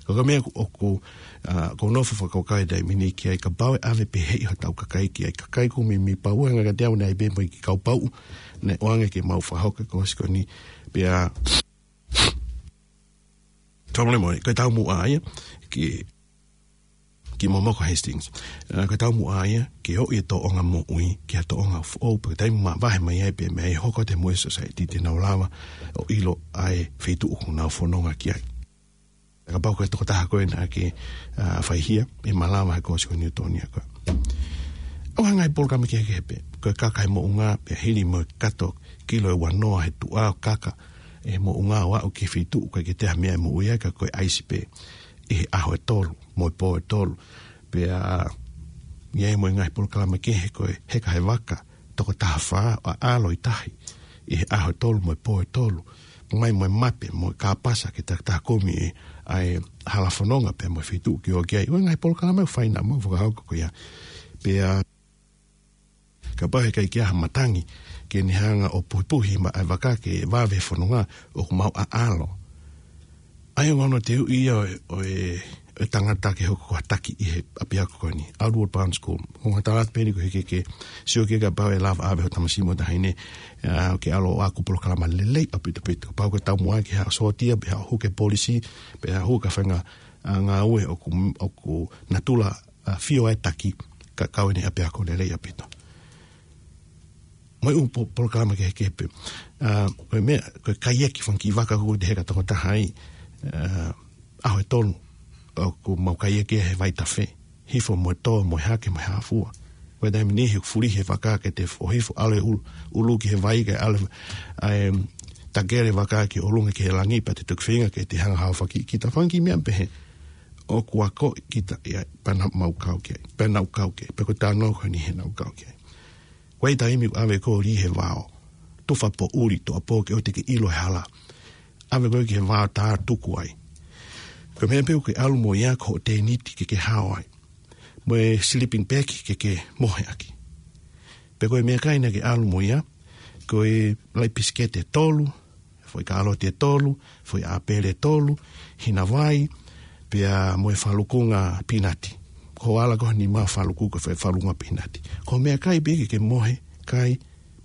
Ko e meʻa ʻoku, ʻoku, ʻa, ʻoku ou nofo fakakaukau he taimi ni ki ai kapau ʻe ʻave pehē ʻe hotau kakai ki ai. Kakai ko mi mi pau ʻe ngaka te au naʻe pē mo e kiʻi kau pau. Naʻe ʻoange ke mau fakahoko e kōsi ko eni. Pea, tau mole mole, ko e taumuʻa ia, ki, ki Momoko Hastings. ʻA, ko e taumuʻa ia, ke ʻoʻi e tōʻonga moʻui, ki ha tōʻonga foʻou, pea ko e taimi mavahe mai ai pē meʻa ʻe hoko atu mo e society te nau lava ʻo ʻilo ʻa e feituʻu ʻoku nau fononga ki ai. Kapau ko e tokotaha ko ē naʻa ke, ʻa, faihia, ʻe malava he kōsi ko Newtonia ko ē. ʻOku ʻi ai e ngaahi polokalama kehekehe pē, ko e kaka he moʻunga, pea hili mo e kato kilo ʻe ua noa he tuʻa ʻo kaka he moʻunga ʻo aʻu ki he feituʻu ʻoku ʻikai ke toe ʻi ai ha meʻa ʻe moʻui ai ka ko e ʻaisi pē ʻi he ʻaho ʻe tolu, mo e pō ʻe tolu. Pea ʻi ai mo e ngaahi polokalama kehe ko e heka he vaka, toko taha fā, ʻo ʻaʻalo ʻi tahi ʻi he ʻaho ʻe tolu mo e pō ʻe tolu. Mai mo e mape, mo e kāpasa ke takitaha kumi ʻa e hala fononga pea mo e feituʻu ke ō ki ai. ʻOku ʻi ai e ngaahi polokalama ʻoku fai naʻa mau fakahoko ko ia. Pea kapau he ʻikai ke ʻi ai ha matangi ke ne hanga ʻo puhipuhi mai ʻa e vaka ke vave he fononga, ʻoku mau ʻaʻalo. ʻA ia ʻoku ʻi ai hono teuʻi ia ʻo e, ʻo e, ʻo e tangata ke hoko ko ha taki ʻi he ʻapiako ko eni, Outward Bound School. Ko e ngaahi tala pē eni ko e ke, ke sio ki ai kapau ʻe lava ʻave ho tamasiʻi mo e taʻahine, ʻa, ke ʻalu ʻo ako polokalama lelei ʻaupito ʻaupito. Kapau ko e taumuʻa ke haʻu ʻo sōtia, pe haʻu ʻo hū ki he polisi, pe haʻu ʻo hū ki ha faʻahinga, ʻa, ngāue ʻoku, ʻoku natula, ʻa, fio ai e taki, ka kau ʻi he ʻapiako lelei ʻaupito. Mo e ʻū po-, polokalama kehekehe pē. ʻA, ko e meʻa, ko e kaiaki fanga kiʻi vaka ʻoku te heka toko taha ai, ʻa, ʻaho ʻe tolu, ʻoku mau kaiaki he vai tafe, hifo mo e tō, mo e hake, mo e hā fua. Ko e taimi ni he fuli he vaka ke te ʻohifo ʻalu e ʻulu, ʻulu ki he vai ke ʻalu, ʻa e, takele vaka ki ʻolunga ki he langi pea te toki feinga ke te hanga ʻo haofaki kita fanga kiʻi meʻa pehē. ʻOku akoʻi kita ia, pea naʻa mau kau ki ai, pea naʻa ku kau ki ai, pea ko e talanoa ko eni he naʻa ku kau ki ai. Ko e taimi ʻoku ʻave koe ʻo lī he vao, tufa poʻuli, tuʻuapō ke ʻoua te ke ʻilo e hala. ʻAve koe ki he vao tā tuku ai. Ko e meʻa pē ʻoku ke ʻalu mo ia ko hoʻo tēniti ke ke hao ai. Mo e sleeping bag ke ke mohe ʻaki. Pea ko e meʻakai naʻa ke ʻalu mo ia, ko e laʻi pisikete ʻe tolu, foʻi kāloti ʻe tolu, foʻi ʻāpele ʻe tolu, hina vai, pea mo e falukunga pinati. Ko e ala ko eni ʻemau faluku ko e foʻi falukunga pinati. Ko e meʻakai pē ke ke mohe, kai,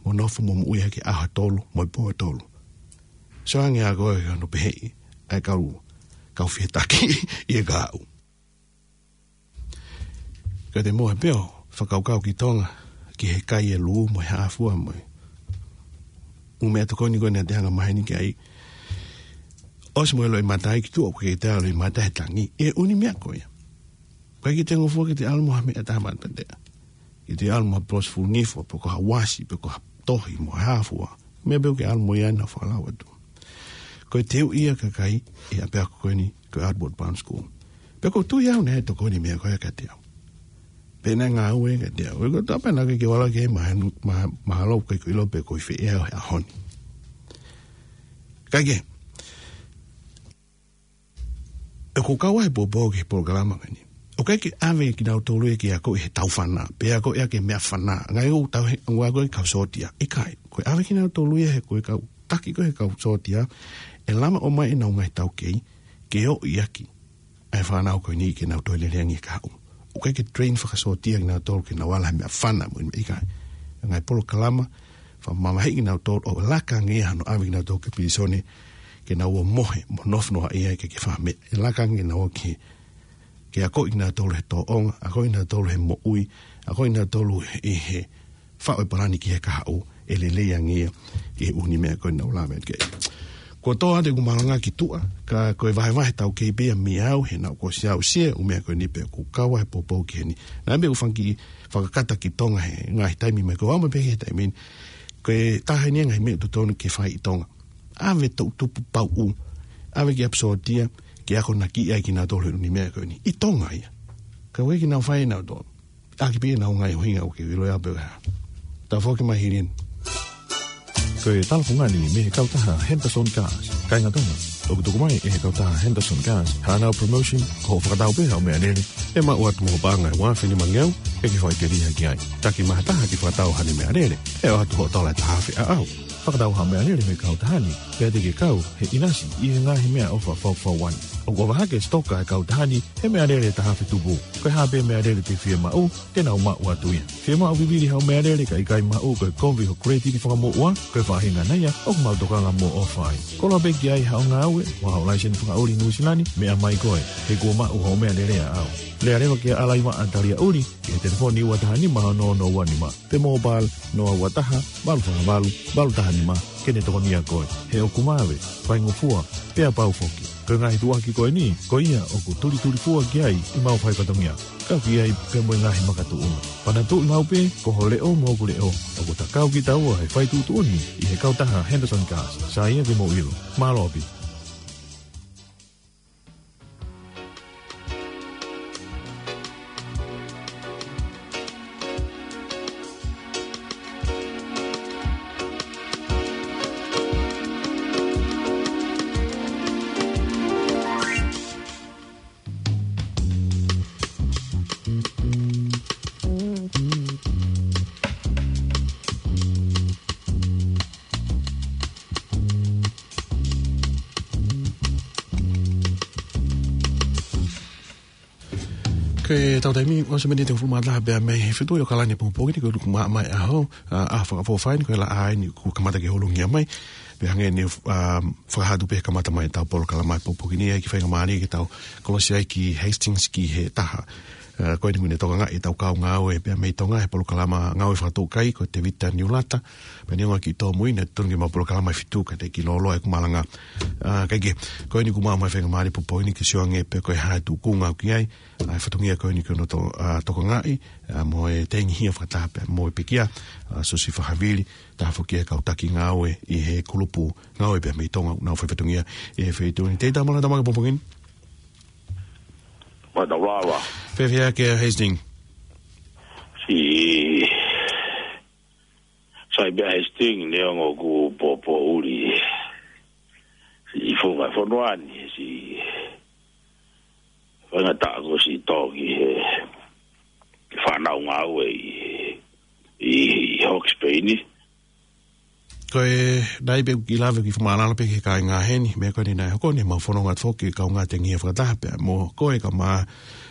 mo nofo mo moʻui ai ki he ʻaho ʻe tolu, mo e pō ʻe tolu. Sio ange ā koe ki hono peheʻi ʻa e kau, kau fie taki ʻi he kahaʻu. Ka te mohe pē ʻo fakakaukau ki Tonga, ki he kai e lū mo e haʻafua mo e ʻū meʻatokoni ko eni ʻa e anga maheni ki ai. ʻOsi mo e loʻimata ai ki tuʻa, ʻoku ʻikai ke te ʻalu ʻo loʻimata he tangi ʻi he ʻū meʻa ko ia. ʻOku ʻikai ke te ngofua ke te ʻalu mo ha meʻa taha maʻataʻa. Ke te ʻalu mo ha polosi fuʻu nifo, pe ko ha uasi, pe ko ha tohi mo ha haʻafua. Meʻa pē ʻoku ke ʻalu mo ia naʻa falau atu. Ko e teu ia ʻa e kakai ʻi he ʻapiako ko eni, ko e Outward Bound School. Pea ʻoku ou tui au naʻe tokoni e meʻa ko ia kiate au. Pea naʻe ngāue kiate au. ʻOku ou tui pē naʻa ke ke vala ke mahanu, ma-, mahalo ʻoku ʻikai ke u ʻilo pe ko e fē ʻa e ʻaho ni. Kae kehe, ʻoku ou kau ai he poupou ki he polokalama ko eni. ʻOku ʻikai ke ʻave kinautolu ia ke akoʻi he tau fana, pe akoʻi ia ki he meʻa fana. Ngaahi ʻū tau he, ʻoku akoʻi e kau sōtia. ʻIkai, ko e ʻave kinautolu ia he ko e kau taki ko ē he kau sōtia, ʻe lava ʻo ʻomai ʻenau ngaahi taukei, ke ʻoʻi ʻaki ʻa e fānau ko eni ke nau toe lelei ange ki he kahaʻu. ʻOku ʻikai ke train fakasōtia kinautolu ke nau ala he meʻa fana mo e meʻa ʻikai. Ngaahi polokalama, fakamamahiʻi kinautolu ʻo laka ange ia hano ʻave kinautolu ki pilīsone, ke nau ō ʻo mohe, mo nofo noaʻia ʻikai ke fai ha meʻa. ʻE laka ange kinautolu ki he, ke akoʻi kinautolu he tōʻonga, akoʻi kinautolu he moʻui, akoʻi kinautolu ʻi he faʻu e palani ki he kahaʻu, ʻe lelei ange ia ʻi he ʻū meʻa ko eni naʻa ku lave ki ai. Kuo tō atu ʻeku malanga ki tuʻa, ka ko e vahevahe taukei pē ia meiate au, he naʻa ku ʻosi aʻusia e ʻū meʻa ko eni pea ʻoku ou kau ai he poupou ki heni. Naʻa mei u fanga kiʻi fakakata ki Tonga he ngaahi taimi mai, ko au mai pē he taimi ni. Ko e taha eni e ngaahi meʻa ʻoku totonu ke fai ʻi Tonga. ʻAve e toʻutupu pauʻu, ʻave ki ʻapi sōtia, ke akonakiʻi ai kinautolu he ʻū meʻa ko eni. ʻI Tonga ia. Ka ʻoku ʻikai ke nau fai ʻe nautolu. ʻAki pē ʻenau ngaahi ʻuhinga ʻoku ke ʻilo ia pē ʻe au. Tau foki mai hili eni. Ko e tala fungani mei he kautaha Henderson Cars. Kāinga Tonga, ʻoku tuku mai ʻe he kautaha Henderson Cars haʻanau promotion, ko hoʻo fakatau pē haʻo meʻalele, ʻe maʻu atu mo ho paʻanga ʻe ua afe nima ngeau, ʻe ke fai ke liha ki ai. Taki mai ha taha ke fakatau haʻane meʻalele, ʻe ʻoatu hoʻo tola ʻe taha afe ʻaʻau. Fakatau haʻo meʻalele mei he kautaha ni, pea te ke kau he ʻinasi ʻi he ngaahi meʻaʻofa fakafaifekau ni. ʻOku ʻohovale e sitoka ʻa e kautaha ni he meʻalele ʻe taha afe tupu. Ko e hā pē meʻalele te ke fiemaʻu, te nau maʻu atu ia. Fiemaʻu vivili haʻo meʻalele ka ʻikai maʻu, ko e kovi hoʻo kuletiti fakamoʻua, ko e faʻahinga ia ʻoku mau tokanga mo ʻofa ai. Koloa pē ki ai haʻo ngāue, mo haʻo laiseni fakaʻuli Nuʻusila ni, meʻa mai koe, he kuo maʻu hoʻo meʻalele ʻaʻau. Lea leva kia Alaivaʻa Taliaʻuli, ki he telefoni ua taha nima ono ono ua nima, pe mobile noa ua taha, valu fā valu, valu taha nima, ke ne tokonia koe. He ʻoku maʻu e faingofua, pea pau foki. Ko e ngaahi tuʻuaki ko eni, ko ia ʻoku tulitulifua ki ai ʻemau fai fatongia. Kau ki ai pea mo e ngaahi makatuʻunga. Panatuʻi maʻu pē, ko ho leʻo mo hoku leʻo, ʻoku ta kau kitaua he fai tuʻutuʻuni ʻi he kautaha Henderson Cars. Sai ia ke mou ʻilo. Mālō ʻaupito. Ko e tau taimi, ua afe miniti hongofulu mā taha pea mei he fitu ʻi ʻAokalani he pongipongi ni, ko e ʻuluaki māmani ʻaho, ʻa, ʻa Fakafoʻou Fai ni, ko e laʻā eni kuo kamata ke holo ngia mai. Pea hangē ni, ʻa, fakahā atu pē he kamata mai ʻetau polokalama he pongipongi ni, ʻa e kiʻi faingamālie ke tau kolosi ai ki Hastings ki he taha. ʻA, ko eni kuo ne tokangaʻi ʻetau kau ngāue pea mei Tonga he polokalama ngāue fakatoukai ko Tevita Niulata. Pea neongo e kiʻi tōmui, naʻe tonu ke mau polokalama ʻe fitu ka te kiʻi lōloa ʻeku malanga. ʻA, kae kehe, ko eni kuo mau maʻu e faingamālie he pongipongi ni ke sio ange pē ko e hā e tūkunga ʻoku ʻi ai ʻa e fatongia ko eni ko hono to-, ʻa, tokangaʻi, ʻa, mo e tengihia fakataha pea mo e pekia, ʻa, Siosifa Havili, taha foki e kau taki ngāue ʻi he kulupu ngāue pea mei Tonga, nau fai fatongia ʻi he feituʻu ni. Tevita, mālō e tau maʻu e pongipongi ni. Mālō e tau lava. Fēfē hake ʻa Hastings? Siʻi, sai pē ʻa Hastings, neongo ʻoku poupou ʻuli. Siʻi funga fonua ni, siʻi faingataʻa ko siʻi tō ki he fānau ngāue ʻi, ʻi, ʻi Hawke's Bay ni. Ko e, naʻe ʻi ai pē ʻeku kiʻi lave ki he fakamālō pē ki he kāinga heni, meʻa ko eni naʻe hoko ni, mau fononga atu foki ki he kaungā tengihia fakataha pea mo koe kae ʻumaʻā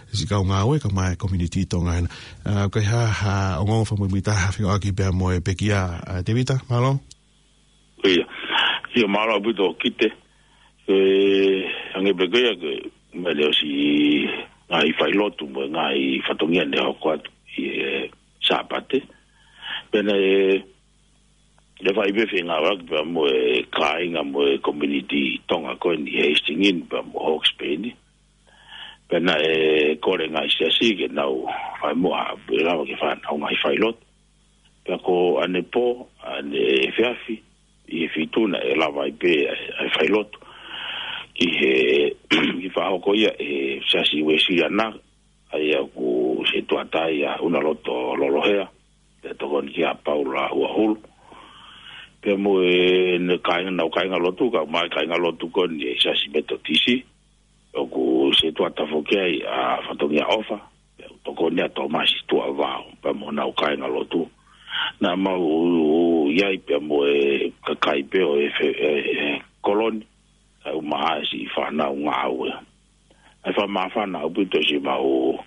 siʻi kau ngāue kae ʻumaʻā e community Tonga hena. ʻA, ko e hā, hā, ongoongo fakamuimuitaha fekauʻaki pea mo e pekia, ʻa, Tevita, mālō? ʻIo. ʻIo, mālō ʻaupito Kite. Ko e, hangē pē ko ia, ko e, meʻa leva siʻi ngaahi failotu mo e ngaahi fatongia ne hoko atu ʻi he Sāpate. Pea naʻe, naʻe fai pē fengāueʻaki pea mo e kāinga mo e community Tonga ko eni ʻi Hastings pea mo Hawke's Bay ni. Pea naʻe kole ngaahi siasi ke nau fai mo a, ʻe lava ke fai ʻenau ngaahi failotu. Pea ko ʻanepō, ʻaneefiafi, ʻi he fitu naʻe lava ai pē ʻa e, ʻa e failotu ki he, ki he fakahoko ia ʻe he Siasi Uēsiliana, ʻa ia ʻoku setuata ai ʻa ʻUnaloto Lolohea, pea tokoni ki ai ʻa Paula Uahulu. Pea mo e, ʻenau kāinga, ʻenau kāinga lotu, kae ʻumaʻā e kāinga lotu ko eni ʻa e Siasi Metotisi, ʻoku setuata foki ai ʻa Fatongia ʻOfa, pea ʻoku tokoni ʻa Tōmasi Tuʻavao, pea mo ʻenau kāinga lotu. Naʻa mau ʻi ai pea mo e kakai pē ʻo e fe-, e, e koloni, kae ʻumaʻā e siʻi fānau ngāue. ʻA e fakamāfana ʻaupito siʻemau,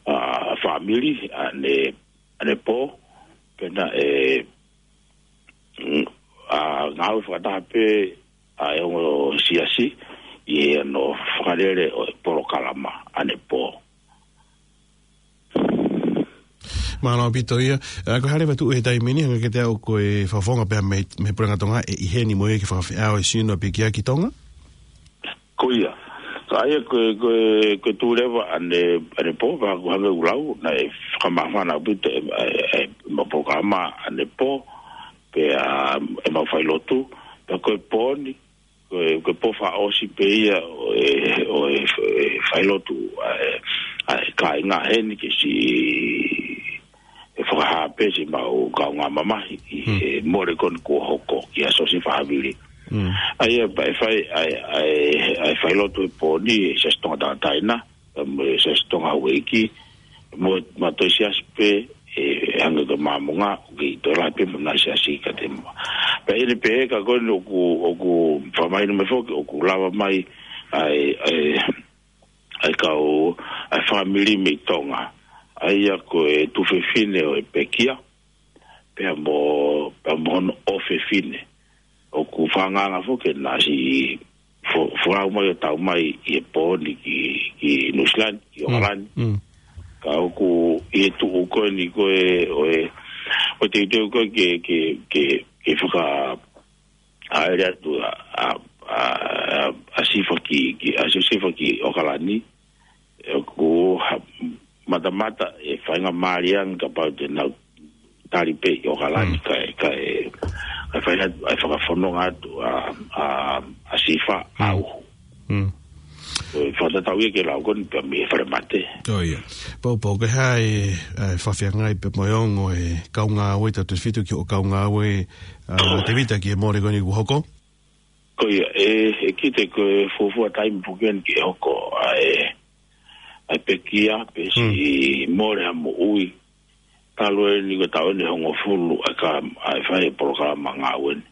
ʻa, fāmili, ʻane, ʻanepō, pea naʻe, mm, ʻa, ngāue fakataha pē ʻa e ongo siasi ʻi he ʻenau fakalele ʻo e polokalama ʻanepō. Mālō ʻaupito ia. ʻA, ko e hā leva e tuʻu he taimi ni, hangē kiate au ko e fakafofonga pē mei, mei he Puleʻanga Tonga ʻe ʻi heni mo ia ke fakafeʻao e sino ʻa e pekia ki Tonga? Ko ia. Ka ʻa ia ko e, ko e, ko e tuʻu leva ʻane, ʻanepō, pea ʻoku hangē ʻoku lau, naʻe fakamāfana ʻaupito e, e, e, ʻemau polokalama ʻanepō, pea, ʻemau failotu, pea ko e pō ni, ko e, ko e pō fakaʻosi pē ia ʻo e, ʻo e, e failotu ʻa e, ʻa e kāinga heni ke siʻi, ʻe fakahā pē siʻemau kaungā mamahi ʻi he mole ko eni kuo hoko kia Siosefa Havili. ʻA ia pea ʻe fai, ʻa e, ʻa e, ʻa e failotu he pō ni ʻe he Siasi Tonga Tangataʻeina, pea mo e SiasiTonga Houʻeiki, mo e, mo e toe siasi pē, ʻe, hangē ko e Māmonga, ʻoku kei toe lahi pē mo e ngaahi siasi kiate kimoua. Pea ʻi heʻene pehē ka ko eni ʻoku, ʻoku fakamahino mai foki, ʻoku lava mai ʻa e, ʻa e, ʻa e kau, ʻa e fāmili mei Tonga. ʻA ia ko e tuofefine ʻo e pekia, pea mo, pea mo hono ʻofefine. ʻOku fakaangaanga foki naʻa siʻi fo-, folau mai ʻo tau mai ʻi he pō ni ki, ki Nuʻusila ni, ki ʻOkalani. Ka ʻoku ʻi he tuʻu ko eni ko e, ʻo e, ʻo e teuteu ko ē ke, ke, ke, ke faka-, ʻaʻele atu ʻa, ʻa, ʻa, ʻa Sifa ki, ki, ʻa Sifa ki ʻOkalani, ʻoku ha-, matamata e faingamālie ange kapau te nau tali pē ʻi ʻOkalani kae, kae, kae fai atu, ʻa e fakafononga atu ʻa, ʻa, ʻa Sifa ʻa Uhu. Ko e fakatatau ia ki he lau ko eni pea mei he falemate. ʻIo. Poupou, ko e hā e, ʻa e fakafeangai pea mo e ongo e kau ngāue Tautefito ki hoʻo kau ngāue, ʻa, Tēvita ki he mole ko eni kuo hoko? Ko ia, ʻe, ʻe kite ko e fuofua taimi foki eni ke hoko ʻa e, ʻa e pekia, pe siʻi mole ha moʻui. Talu eni ko e taʻu eni ʻe hongofulu ʻa e ka, ʻa e fai e polokalama ngāue ni.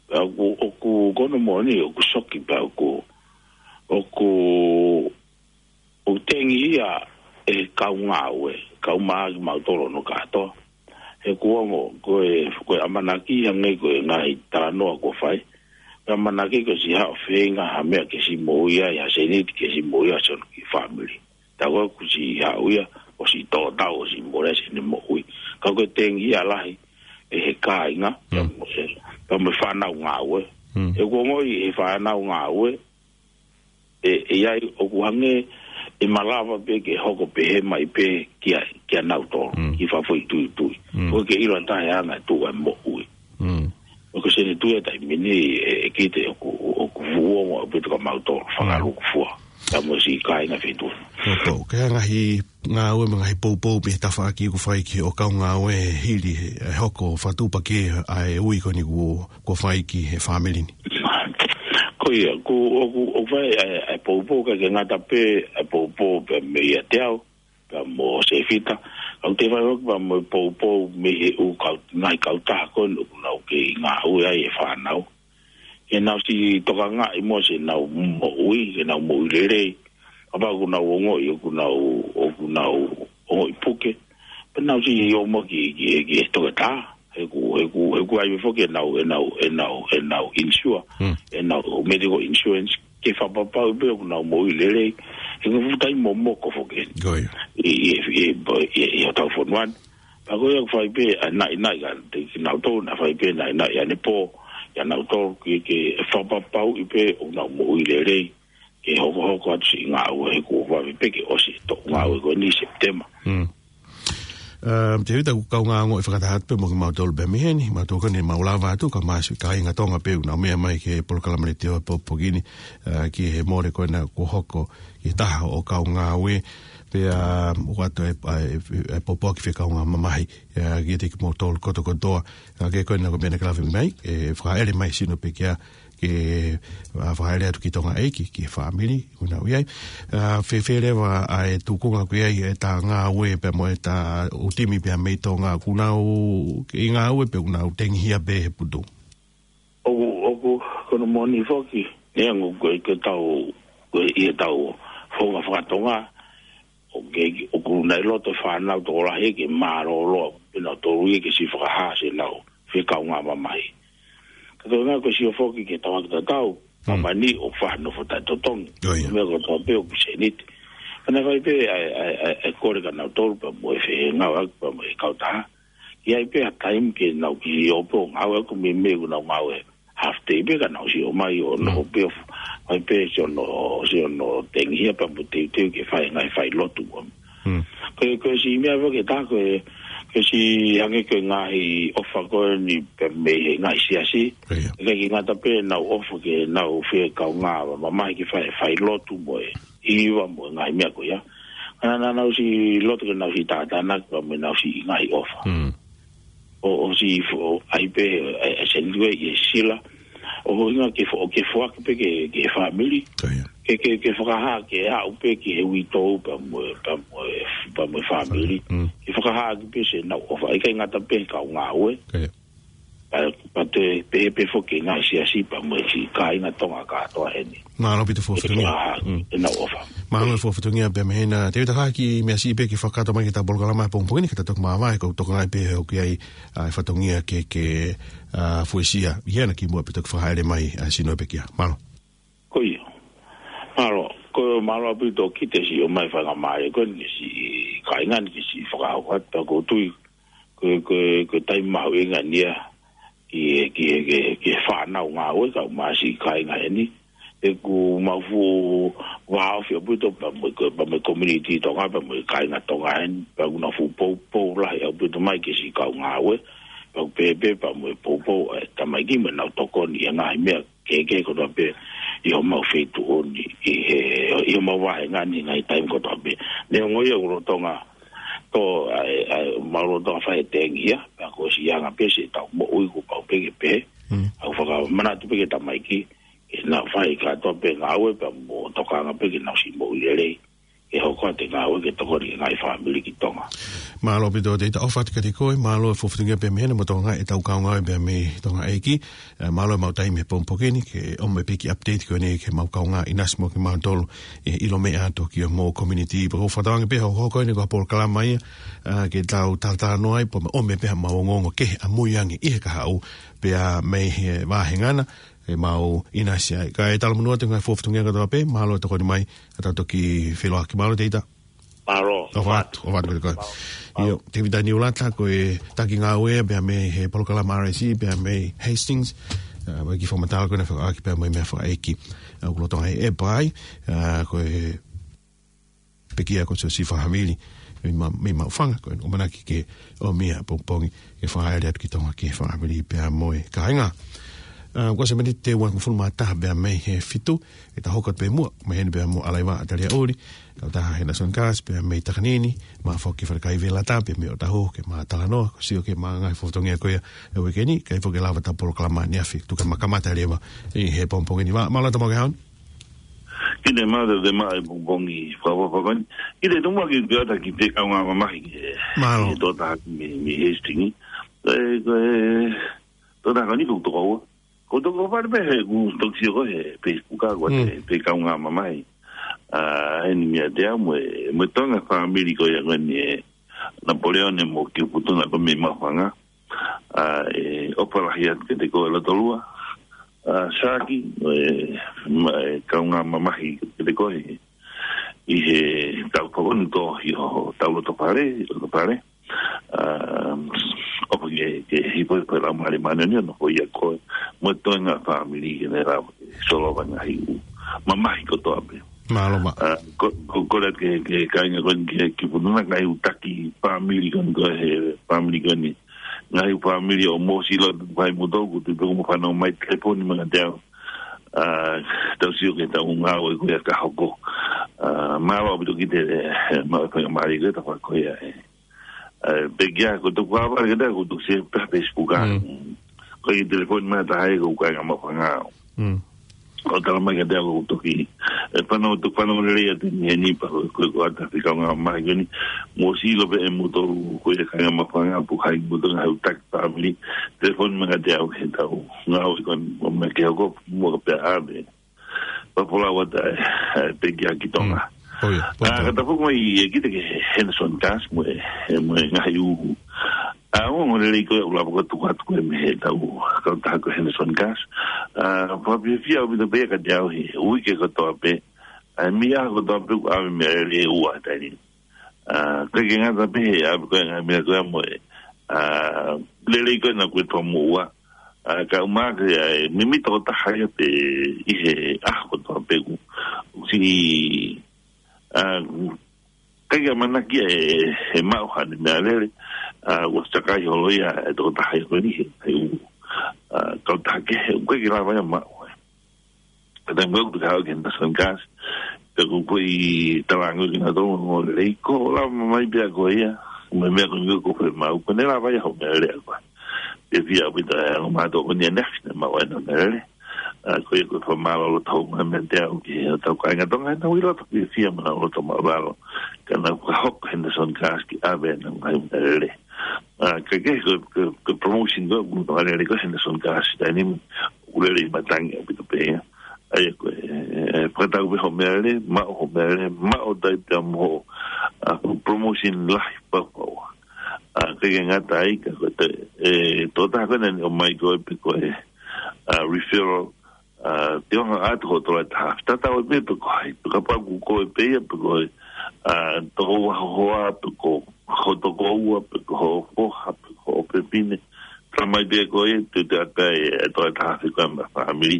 Pea ʻoku, ʻoku, ko hono moʻoni, ʻoku shock pea ʻoku, ʻoku, ʻoku tengihia ʻe he kau ngāue, kau maʻa kimautolu hono kātoa. He ʻoku ongo, ko e, ko e ʻamanaki hangē ko e ngaahi talanoa kuo fai. Ko e ʻamanaki ko e siʻi haʻu ʻo feinga ha meʻa ke siʻi moʻui ai, ha sēniti ke siʻi moʻui ai siʻono kiʻi fāmili. Tā ko ē ʻoku siʻi haʻu ia, ʻo siʻi tō tau, ʻo siʻi mole siʻene moʻui. Ka ko e tengihia lahi, ʻe he kāinga, pea mo e, pea mo e fānau ngāue. He ʻoku ongoʻi ʻe he fānau ngāue, ʻe, ʻe ʻi ai ʻoku hangē ʻe malava pē ke hoko pehē mai pē kia, kia nautolu, ki fafo ʻi tuitui. ʻOku ʻikai ke ʻilo ʻe ha taha e anga e tuʻu ʻa e moʻui. ʻOku sēniti ʻa e taimi ni ʻe, ʻe kite ʻoku, ʻoku fuʻu ongo ʻaupito kia mautolu, fakalūkufua. Ka mo e siʻi kāinga feituʻu. Poupou, ko e hā e ngaahi ngāue mo e ngaahi poupou pe tafaʻaki kuo fai ki hoʻo kau ngāue hili he, e hoko fakatuʻupakē ʻa e ui ko eni kuo, kuo fai ki he fāmili ni? Ko ia, ʻoku, ʻoku, ʻoku fai ʻa e, ʻa e poupou ka ke ngata pē, ʻa e poupou pē meiate au, pea mo Sefita. ʻOku toe fai foki pea mo e poupou mei he ʻū kau, ngaahi kautaha ko eni ʻoku nau kei ngāue ai e fānau. Ke nau siʻi tokangaʻi mo siʻenau moʻui, ke nau moʻui lelei. Kapau ʻoku nau ongoʻi, ʻoku nau, ʻoku nau ongoʻi puke. Pea nau siʻi ō mo ki, ki, ki he toketā. He ʻoku, he ʻoku, he ʻoku ʻi ai foki ʻenau, ʻenau, ʻenau, ʻenau insure. ʻEnau medical insurance. ke fakapapauʻi pē ʻoku nau moʻui lelei, he ko e fuʻu taimi momoko foki eni. Ko ia. ʻI, ʻi, ʻi, ʻi, ʻi, ʻi hotau fonua ni. Pea ko ia ʻoku fai pē, ʻa e naʻinaʻi ka te kinautolu, naʻa fai pē naʻinaʻi ʻanepō, ʻia nautolu ke, ke fakapapauʻi pē ʻoku nau moʻui lelei, ke hokohoko atu siʻi ngāue he kuo vave pē ke ʻosi e toʻu ngāue ko eni Sepitema. Mm. Um, Tēvita, ʻoku ou kaungā ongoʻi fakataha atu pē mo kimautolu pē mei heni, mātuʻa ko eni mau lava atu, ka māsi kāinga Tonga pē ʻoku nau meʻa mai ki he polokalama letiō he pongipongi ni, uh, ki he mole ko ena kuo hoko ki he taha ʻo e kau ngāue, pea, um, ʻoatu e, e, e, e pōpoaki fekau ngāue mamahi, uh, kiate kimoutolu kotokotoa, uh, ke ko ena ko e meʻa naʻa ke lave mai, e fakaʻele mai sino pē kia ke, ʻa, fakaʻele atu ki Tonga ʻEiki, ki he fāmili, ʻoku nau ʻi ai. ʻA, fēfē leva ʻa e tuʻunga ʻoku ʻi ai ʻeta ngāue pea mo ʻeta ʻū timi pea mei Tonga, ʻoku nau kei ngāue pe ʻoku nau tengihia pē he putu? ʻOku, ʻoku, ko hono moʻoni foki, neongo ko e, ko ʻetau, ko e ʻi heʻetau founga fakatonga, ʻoku, ʻoku nau loto e fānau tokolahi ke mālōlō, pea nau tolu ia ke siʻi fakahā siʻenau fekau ngāue mamahi. Ka ko e ngaahi ko e sio foki ki he tauʻaki tatau, Mm. ʻa mani ʻoku faʻa nofo taʻetotongi. ʻIo, ʻio. Meʻa kotoa pē ʻoku sēniti. Ka naʻe fai pē ʻa e, ʻa e, ʻa e, ʻa e kole kia nautolu pea mo e fengāueʻaki pea mo e kautaha. ʻI ai pē ha taimi ke nau kiʻi ō pē ʻo ngāueʻaki, meimei ʻoku nau ngāue half day pē ka nau siʻi ō mai ʻo Mm. nofo pē ʻo f-, fai pē siʻono, siʻono tengihia pea mo teuteu ke fai e ngaahi failotu. Mm. Ko e, ko e siʻi meʻa foki ʻe taha ko e, ko e siʻi hangē ko e ngaahi ʻofa ko eni pea mei he ngaahi siasi. ʻIo. ʻIkai ke ngata pē ʻenau ʻofa ki heʻenau fekau ngāue mamahi ke fai, failotu mo e hiva mo e ngaahi meʻa ko ia. Ka naʻa nau siʻi loto ke nau siʻi tātānaki pea mo ʻenau siʻi ngaahi ʻofa. Mm. ʻO, ʻo siʻi fo-, ʻai pē, ʻe, ʻe send ʻi he sila. ʻO hinga ke fo-, ke foaki pē ki he, ki he fāmili. ʻIo. Ke, ke, ke fakahā, ke aʻu pē ki he uitou pea mo e, pea mo e, pea mo e fāmili. Mm. Ke fakahā ʻaki pē siʻenau ʻofa. ʻIkai ngata pē he kau ngāue. ʻIo. Pea, pea toe pehē pē foki ki he ngaahi siasi pea mo e siʻi kāinga Tonga kātoa heni. Mālō ʻaupito e fakafofonga. ʻIkai ke fakahā Mm. ʻenau ʻofa. Mālō e fakafofonga pea mei heni. Te u tala ki he meʻa siʻi pē ke fakakakato mai ki heʻeta polokalama he pongipongi ni, ka ta toki māvae, ko e tokangaʻi pē ʻoku ʻi ai, ʻa, e fatongia ke, ke, ʻa, fuesia ʻi hena kimuʻa pea toki fakaʻele mai, ʻa, sino pē kia. Mālō. Ko ia. Mālō. Ko e mālō ʻaupito ki he siʻi ō mai faingamālie ko eni ki he siʻi kāinga ni ke siʻi fakahoko atu pea ʻoku ou tui ko e, ko e, ko e taimi mahuʻinga eni ia ki, ki, ki, ki he fānau ngāue kae ʻumaʻā siʻi kāinga heni. ʻOku mau fuʻu vāofi ʻaupito pea mo e, pea mo e community Tonga, pea mo e kāinga Tonga heni, pea ʻoku nau fuʻu poupou lahi ʻaupito mai ki he siʻi kau ngāue, pea ʻoku pehē pē pea mo e poupou ʻa e tamaiki mo ʻenau tokoni ʻi he ngaahi meʻa kehekehe kotoa pē ʻi homau feituʻu ni, ʻi he, ʻi homau vāhenga ni he ngaahi taimi kotoa pē. Neongo ia ʻoku lolotonga tō, ʻa e, ʻa e, mau lolotonga fai e tengihia, pea kuo ʻosi anga pē siʻetau moʻui kuo pau pē ke pehē. Mm. ʻOku fakamanatu pē ki he tamaiki, ke nau fai kātoa pē ngāue pea mo tokanga pē ke nau siʻi moʻui lelei. Ke hoko atu e ngāue ke tokoni ki he ngaahi fāmili ki Tonga. Mālō ʻaupito Tēvita, ʻofa atu kiate koe, mālō e fakafofonga pea mei heni mo e tokangaʻi ʻetau kau ngāue pea mei Tonga ʻEiki. ʻE, mālō e maʻu taimi he pongipongi ni, ke ʻomai pē kiʻi update ko eni ki he maʻu kaungā ʻinasi mo kimautolu, ʻe ʻilo meʻa atu ki homou community. Pea ʻoku ou fakatauange pē ʻe hoko eni ko e polokalama ia, ʻa, ke tau talatalanoa ai, pea ʻomai pē haʻamau ongoongo kehe ʻamui ange ʻi he kahaʻu, pea mei he vāhenga na, ʻe mau ʻinasi ai. Kae talamonū atu ki he ngaahi fakafofonga kātoa pē, mālō e tokoni mai, ʻa tau toki feʻiloaki. Mālō Tēvita. Mālō. ʻOfa atu, ʻofa atu kiate koe. Mālō. ʻIo, Tēvita Niulata, ko e taki ngāue pea mei he polokalama R S E, pea mei Hastings. ʻA, mo e kiʻi fakamatala ko ena fekauʻaki pea mo e meʻa fakaʻeiki. ʻA, ʻoku lolotonga ʻi he ʻepa ai, ʻa, ko e pekia ko Siosifa Havili, mei Ma-, mei Maʻufanga, ko e ʻamanaki ke ʻomi ia pongipongi, ke fakaʻele atu ki Tonga ki he fāmili pea mo e kāinga. ʻA, ko e miniti ʻe uofulu mā taha pea mei he fitu, ʻe ta hoko atu pē muʻa, mei heni pea mo ʻAlaiva ʻAtalia ʻUli, kautaha he National Guard, pea mei Takanini, mo e foki Falekaivelata, pea mei Ōtāhuhu, ke ma talanoa, ko e sio ki he ngaahi fakafofonga ko ia ʻo e uike ni, kae foki lava ʻeta polokalama ʻaneafi, tuku ke ma kamata leva ʻi he pongipongi ni. Mālō, mālō ʻeta maʻu e ʻaho ni. Ki he mālō te ma e pongipongi fakaʻofoʻofa ko eni. Ki he tumu ki he ata ki he fekau ngāue mamahi ki he, Mālō. ki he tokotaha mei, mei Hastings. Ko e, ko e, tokotaha ko eni ko e tokoua. Ko e tokoua pē he ʻoku toki sio ko ē he Facebook ko e Mm. fekau ngāue mamahi. ʻA, eni mea te au mo e, mo e Tonga fāmili ko ia ko eni ʻe Napoleone mo Kiuputunga ko ē mei Maʻufanga. ʻA, ʻe ʻofa lahi atu kiate koe Lotolua. ʻa Saki, ʻe, ma, ʻe kaungā mamahi kiate koe ʻi he taʻu ko eni, tō ʻi hoʻo taʻu loto fale, loto fale. ʻA, ʻofa ke, ke hifo, hifo e Laumālie Māʻoniʻoni ʻo nofo ʻiate koe mo e toenga fāmili ke ne lava ke solova e ngaahi ʻū mamahi kotoa pē. Mālō. ʻA, ko, ko, kole atu ki he, ki he kāinga ko eni, ki he, ki he fonua, ngaahi ʻū taki fāmili ko eni, ko e he fāmili ko eni. Ngaahi ʻū fāmili ʻo Mōsilo, ʻoku ʻi ai moutolu, ʻoku tuʻu pē ʻo fanongo mai, telefoni mai kiate au. ʻA, tau sio ki he ʻū ngāue ko ia ka hoko. ʻA, mālō ʻaupito ki he, ʻe, maʻu e faingamālie ko ē ʻo tau fai ko ia, ʻe. ʻA, pekia, ko e toku ava kiate au, ko e toku sio pē Facebook ʻa. Mm. Ko e telefoni mai ha taha ʻoku ʻikai ke maʻu fanga. Mm. ʻO tala mai kiate au ʻoku toki, ʻe, fanongo, toki fanongo lelei atu ʻi heni pea ko, ko, ko ʻata fika ngā mai ko eni, Mōsilo pē ʻe moutolu, ko ia kāinga Mafangaʻo, ʻoku ʻi ai moutolu ngaahi ʻū taki fāmili, telefoni mai kiate au he ʻū ngāue ko eni, ʻo mai ke hoko, muʻa pea ʻave. Pea folau atu ʻa e, ʻa e pekia ki Tonga. Mm. ʻOi, ʻa, pea ka ta foki mai ʻe kita ki he Henderson Gas mo e, mo e ngaahi ʻū. ʻA, ʻoku ongo lelei ko ē ʻoku lava ke tuku atu ko ē mei he ʻetau kautaha ko e Henderson Gas. ʻA, fakafiefia ʻaupito pē ia kiate au he uike kotoa pē. ʻA, mei he ʻaho kotoa pē ʻoku ʻave meʻalele ʻe ua he taimi ni. ʻA, ʻikai ke ngata pē he ʻave ko ē ngaahi meʻa ko ē mo e, ʻa, lelei ko ē naʻa ku ʻi ai he toʻa moʻua. ʻA, ka ʻumaʻā ke, ʻa, mimi tokotaha ia pē ʻi he ʻaho kotoa pē ʻoku, ʻoku siʻi, ʻa, ʻikai ke ʻamanaki ia ʻe, ʻe maʻu haʻane meʻalele, ʻa, ʻoku ʻosi takai holo ia ʻe he tokotaha ia ko eni he, he ʻū, ʻa, kautaha kehe, ʻoku ʻikai ke lava ia ʻo maʻu, ē. Ka taimi ʻoku te kau ki he Henderson Gas, pea ko e kiʻi talanoa ki he ʻū ongo lelei, ko e lava mai pē ʻa koe ia, mo e meʻa ko eni ʻoku ke maʻu, ko ʻene lava ia hoʻo meʻalele ʻa koe. Fiefia ʻaupito ʻa e ongo mātuʻa ko eni ʻanefine maʻu ʻena meʻalele. ʻA, ko ia ko e fakamālō loto hou mai meiate au ki hotau kāinga Tonga, he naʻa nau ʻi loto fiefia mo nau loto māʻulalo. Ka naʻa ku fakahoko Henderson Gas ke ʻave ʻena ngaahi meʻalele. ʻA, ka ke ko, ko, ko e promotion ko ē ʻoku tau lele ko ē Henderson Gas he taimi ni, ʻoku lelei matangi ʻaupito pē ia. ʻA ia ko e, ʻe, fakatau pē hoʻo meʻalele, maʻu hoʻo meʻalele, maʻu ʻo tai pea mo hoʻo, ʻa, ko e promotion lahi pau pau. ʻA, ʻikai ke ngata ai ka ko e te, ʻe, tokotaha ko ē naʻa ne ʻomai ko ē pe ko e, ʻa, referral, ʻa, te u hanga ʻo ʻoatu hoʻo tola ʻe taha afe. Tatau ai pē pe ko hai, pe kapau ʻoku ko koe pē ia, pe ko e, ʻa, tokoua ho hoa, pe ko ho tokoua, pe ko ho foha, pe ko ho fefine. Tala mai pē ko ē, te u toe ʻatu ai e tola ʻe taha afe ko ē maʻa e fāmili.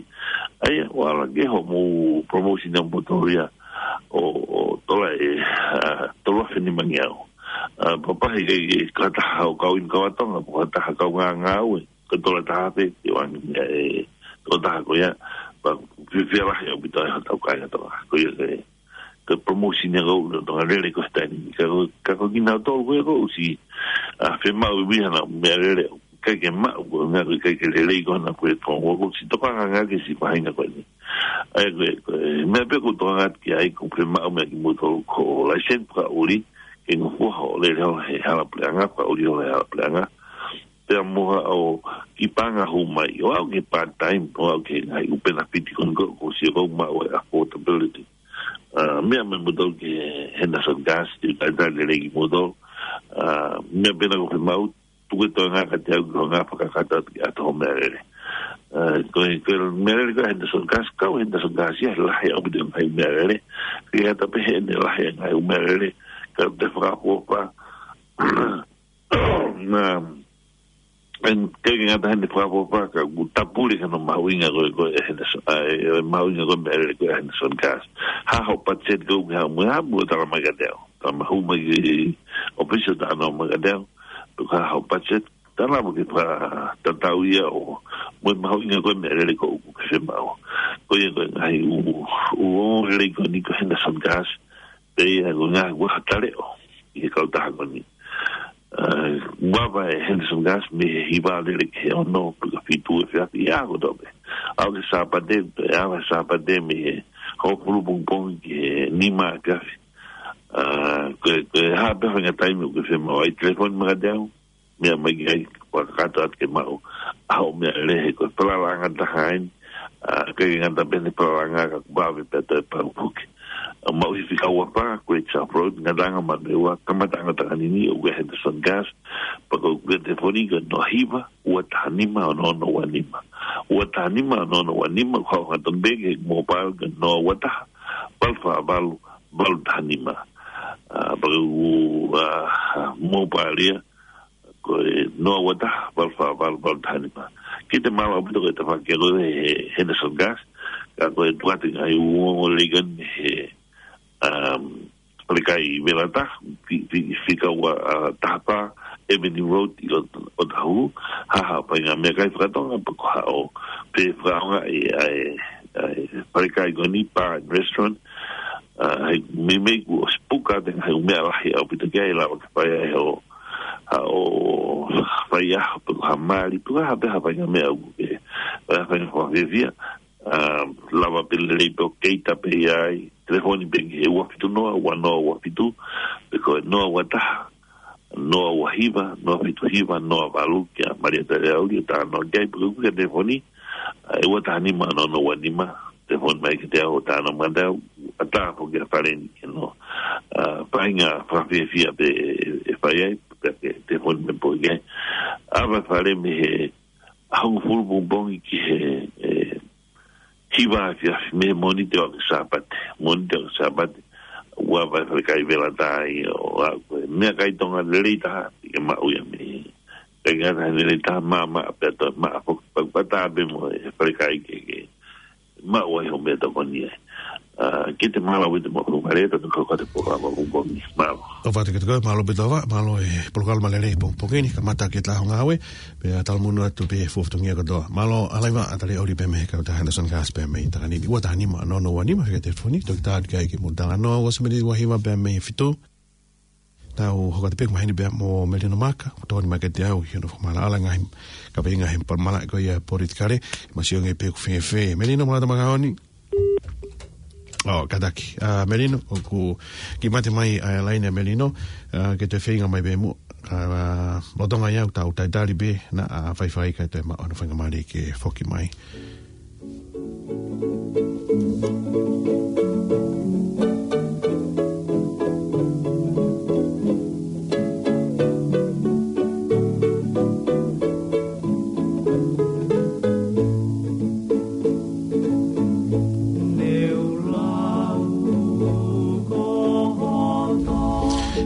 ʻA ia, ʻoku ala ke hoʻomou promotion ʻa moutolu ia ʻo, ʻo tola ʻe, ʻa, tolu afe nimangeau. ʻA, pea ʻikai ke, ke, ko ha taha ʻoku kau inu kau ʻa Tonga, ko ha taha kau ngāngāue, ko e tola ʻe taha afe, te u ʻoange ia ʻe he tokotaha ko ia, pea fiefia lahi ʻaupito ai hotau kāinga Tonga. Ko ia ko e, ko e promotion ia ʻoku ʻi loto ʻa e lele ko ē he taimi ni. Ka ko, ka ko kinautolu ko ē ʻoku ʻosi, ʻa, fiemaʻu ʻe ia haʻanau meʻalele, ʻikai ke maʻu, ko e ʻuhinga ʻoku ʻikai ke lelei ko ē haʻanau platform, ʻoku ʻosi tokanga ange ki he siʻi faʻahinga ko eni. ʻA ia ko e, ko e meʻa pē ʻoku ou tokanga atu ki ai, ʻoku fiemaʻu meʻa kimoutolu ko e license fakaʻuli, ke ngofua hoʻo lele holo he hala puleʻanga, fakaʻuli holo he hala puleʻanga. Pea mo haʻo kiʻi paʻanga hū mai, ʻo aʻu ki he part-time, ʻo aʻu ki he ngaahi ʻū penefiti ko eni ʻoku ou sio ʻoku maʻu e affordability. ʻA, meʻa mai moutolu ki he Henderson Gas, te u talitali lelei kimoutolu. ʻA, meʻa pē naʻa ʻoku fiemaʻu, tuku e toenga kiate au ke u hanga ʻo fakakakato atu ke ʻoatu hoʻo meʻalele. ʻA, ko e, ko e meʻalele ko ē ʻa e Henderson Gas, kau Henderson Gas ia he lahi ʻaupito e ngaahi meʻalele. Ke ʻata pē heʻene lahi e ngaahi ʻū meʻalele, ka te fakaʻofoʻofa. Na, ʻikai ke ngata heʻene fakaʻofoʻofa, ka ʻoku tapule ki hono mahuʻinga ko ē, ko ē ʻa e Henderson, ʻa e, ʻa e mahuʻinga ko ē meʻalele ko ē ʻa e Henderson Gas. Hā hoʻo budget ʻoku ke haʻu mo ia, haʻu mo ia ʻo tala mai kiate au. Tala mai, hū mai ki he ʻōfisi ʻo talanoa mai kiate au. Pea ko e hā hoʻo budget, tala mo ke fakatatau ia ʻo, mo e mahuʻinga ko ē meʻalele ko ē ʻoku ke fiemaʻu. Ko ia ko e ngaahi ʻū, ʻū ongo lelei ko eni ko e Henderson Gas, pea ko e ngaahi ʻū ʻaho taleʻo ʻi he kautaha ko eni. ʻA, ʻoku ava e Henderson Gas mei he hiva lele ki he ono, pe ko e fitu efiafi, ʻi he ʻaho kotoa pē. Aʻu ki he Sāpate, pea ava he Sāpate mei he hongofulu pongipongi ki he nima efiafi. ʻA, ko e, ko e hā pē ha faʻahinga taimi ʻoku ke fiemaʻu ai, telefoni mai kiate au, meʻa mai ki ai, fakakakato atu ke maʻu ʻa hoʻo meʻalele, he ko e falalaʻanga taha eni, ʻa, ʻikai ke ngata pē heʻene falalaʻanga ka ʻoku vave pē ʻa e toe pau foki. ʻa Maʻuhi fika ua fā, Great South Road, Ngataʻanga Manurewa, kamataʻanga Takanini, ʻoku ʻi ai e Henderson Gas, pea ko e telefoni ko e noa hiva, ua taha nima, ono ono ua nima. Ua taha nima, ono ono ua nima, ko e hā ʻoku tonu pē ki he mobile ko e noa ua taha, valu fā valu, valu taha nima. ʻA, pea ko e, ʻa, mobile ia, ko e noa ua taha, valu fā valu, valu taha nima. Kiate mālō ʻaupito ko e tafaʻaki ko ē he Henderson Gas, ka ko e tuʻu atu e ngaahi ongoongo lelei ko eni he, um, falekai Velata, fi-, fi-, fika ua, ʻa, taha fā, Avenue Road ʻi Ō-, Ōtāhuhu, ha ha, pea ʻi ai e ngaahi meʻakai fakatonga, pea ko haʻo, pē fakaʻaongaʻi ʻa e, ʻa e falekai ko eni, bar and restaurant, ʻa, he meimei kuo ʻosi puka atu e ngaahi meʻa lahi ʻaupito ki ai, lava ke fai ai hoʻo, haʻo faiʻaho pe ko ha mali, pe ko ha pē ha faʻahinga meʻa ʻoku ke, ʻa, faʻahinga fakafiefia, ʻa, lava pē lelei pē ʻo cater pē ia ai, telefoni pē ki he ua fitu noa, ua noa ua fitu, pe ko e noa ua taha, noa ua hiva, noa fitu hiva, noa valu, kia Malia Taleauli ʻo talanoa ki ai, pe ko e telefoni, ʻa, ʻe ua taha nima, ono ono ua nima, telefoni mai kiate au ʻo talanoa mai kiate au, ʻatā foki ʻa Faleni ke noa. ʻA, faʻahinga fakafiefia pē ʻe, ʻe, ʻe fai ai, pea ke telefoni mai pē ki ai. ʻAve ʻa Fale mei he hongofulu pongipongi ki he, ʻe, hiva efiafi mei he Mōnite ʻo aʻu ki he Sāpate. Mōnite ʻo aʻu ki he Sāpate. ʻOku ʻi ai e falekai Velata ia ʻo aʻu ko e meʻakai Tonga lelei taha, ke maʻu ia mei. Kae ngata he lelei taha, maʻamaʻa pea toe maʻa foki, pea ʻoku ʻatā pē mo e falekai ke, ke maʻu ai hoʻo meʻatokoni ai. ʻA, kiate mālō ʻaupito mo e Fale, tau toki hoko atu e polokalama pongipongi. Mālō. ʻOfa atu kiate koe, mālō ʻaupito Ava, mālō e polokalama lelei pongipongi ni, kamata ki he taha ʻo e ngāue, pea talamonū atu pē he fuofua fatongia kotoa. Mālō ʻa Laiva, ʻa Taleauli pea mei he kautaha Henderson Gas pea mei Takanini. Ua taha nima, ono ono ua nima, fika telefoni, toki tā atu ki ai ke mou talanoa, ua sefulu miniti ua hiva pea mei he fitu. Tau hoko atu pē ki he māhina pea mo Melino Maka, ʻoku tokoni mai kiate au, ʻi hono fakamaʻalaʻala ngaahi, kaveinga he pal-, malaʻe ko ia politikale, masiʻi ange pē ʻoku fēfē. Melino, mālō e tau māʻoniʻoni. ʻO, kātaki. ʻA, Melino, ʻoku kiʻi mate mai ʻa e laine ʻa Melino, ʻa, ke toe feinga mai pē muʻa, ʻa, lolotonga ia ʻoku tau talitali pē, naʻa faifai kae toe maʻu hono faingamālie ke foki mai.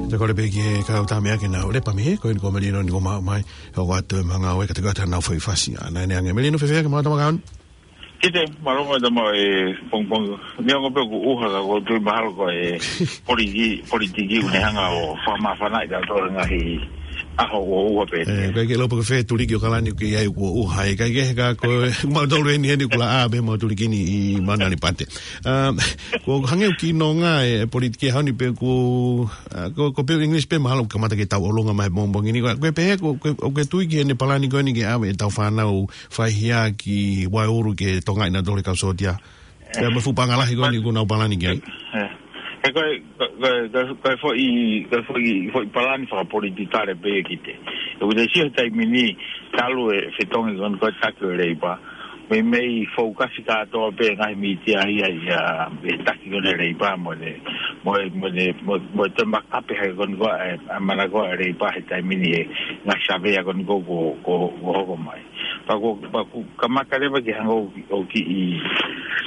Te u kole pē ki he kau tama ia ke nau lepa mei he, ko eni ko Melino ni kuo maʻu mai, ʻo ʻoatu e maʻu ngāue, ka te kata nau foʻi fasi. ʻA, naʻe ʻi ai ange Melino, fēfē ange, mālō e tau māʻoniʻoni. Kiate, mālō e tau māʻoniʻoni, pongipongi. Neongo pē ʻoku ʻuha ka ʻoku ou tui mahalo ko e politiki, politiki ʻoku ne hanga ʻo fakamāfanaʻi kitautolu he ngaahi ʻaho ʻoku ʻuha pē. ʻE, ʻikai ke ʻilo pe ko fē tuliki ʻo Kalani ʻoku ʻi ai ʻoku ʻuha ai, ʻikai ke he ka ko e, mautolu eni eni ʻoku laʻā pē mo tuliki ni ʻi Manali Pate. Um, ʻoku hangē ʻoku kiʻi nonga e, e politiki he ʻaho ni pea ʻoku, ʻa, ko, ko e pē English pē mahalo ʻoku kamata ke tau ʻolunga mai he pongipongi ni. Ko e, ko e pehē, ko, ko, ʻoku ke tui ki heʻene palani ko eni ke ʻave ʻetau fānau faihia ki Waeulu ke tokangaʻi nautolu ʻe he kau sōtia. Pea mo e fuʻu paʻanga lahi ko eni ʻoku nau palani ki ai. ʻE, ʻe ko e, ko e, ko e, ko e, ko e foʻi, ko e foʻi, foʻi palani fakapolitikale pē ia kiate. ʻOku te sio he taimi ni, talu e fetongi ko eni ko e taki ʻo e Leipa, meimei fokasi kātoa pē ngaahi mītia ia, ia, he taki ko eni ʻo e Leipa mo e, mo e, mo e, mo e, mo e toe makape hake ko eni ko e, ʻa e manako ʻa e Leipa he taimi ni he ngaahi savea ko eni ko, ko, ko, ko hoko mai. Pea ko, pea ko, kamata leva ke hanga ʻo, ʻo kiʻi,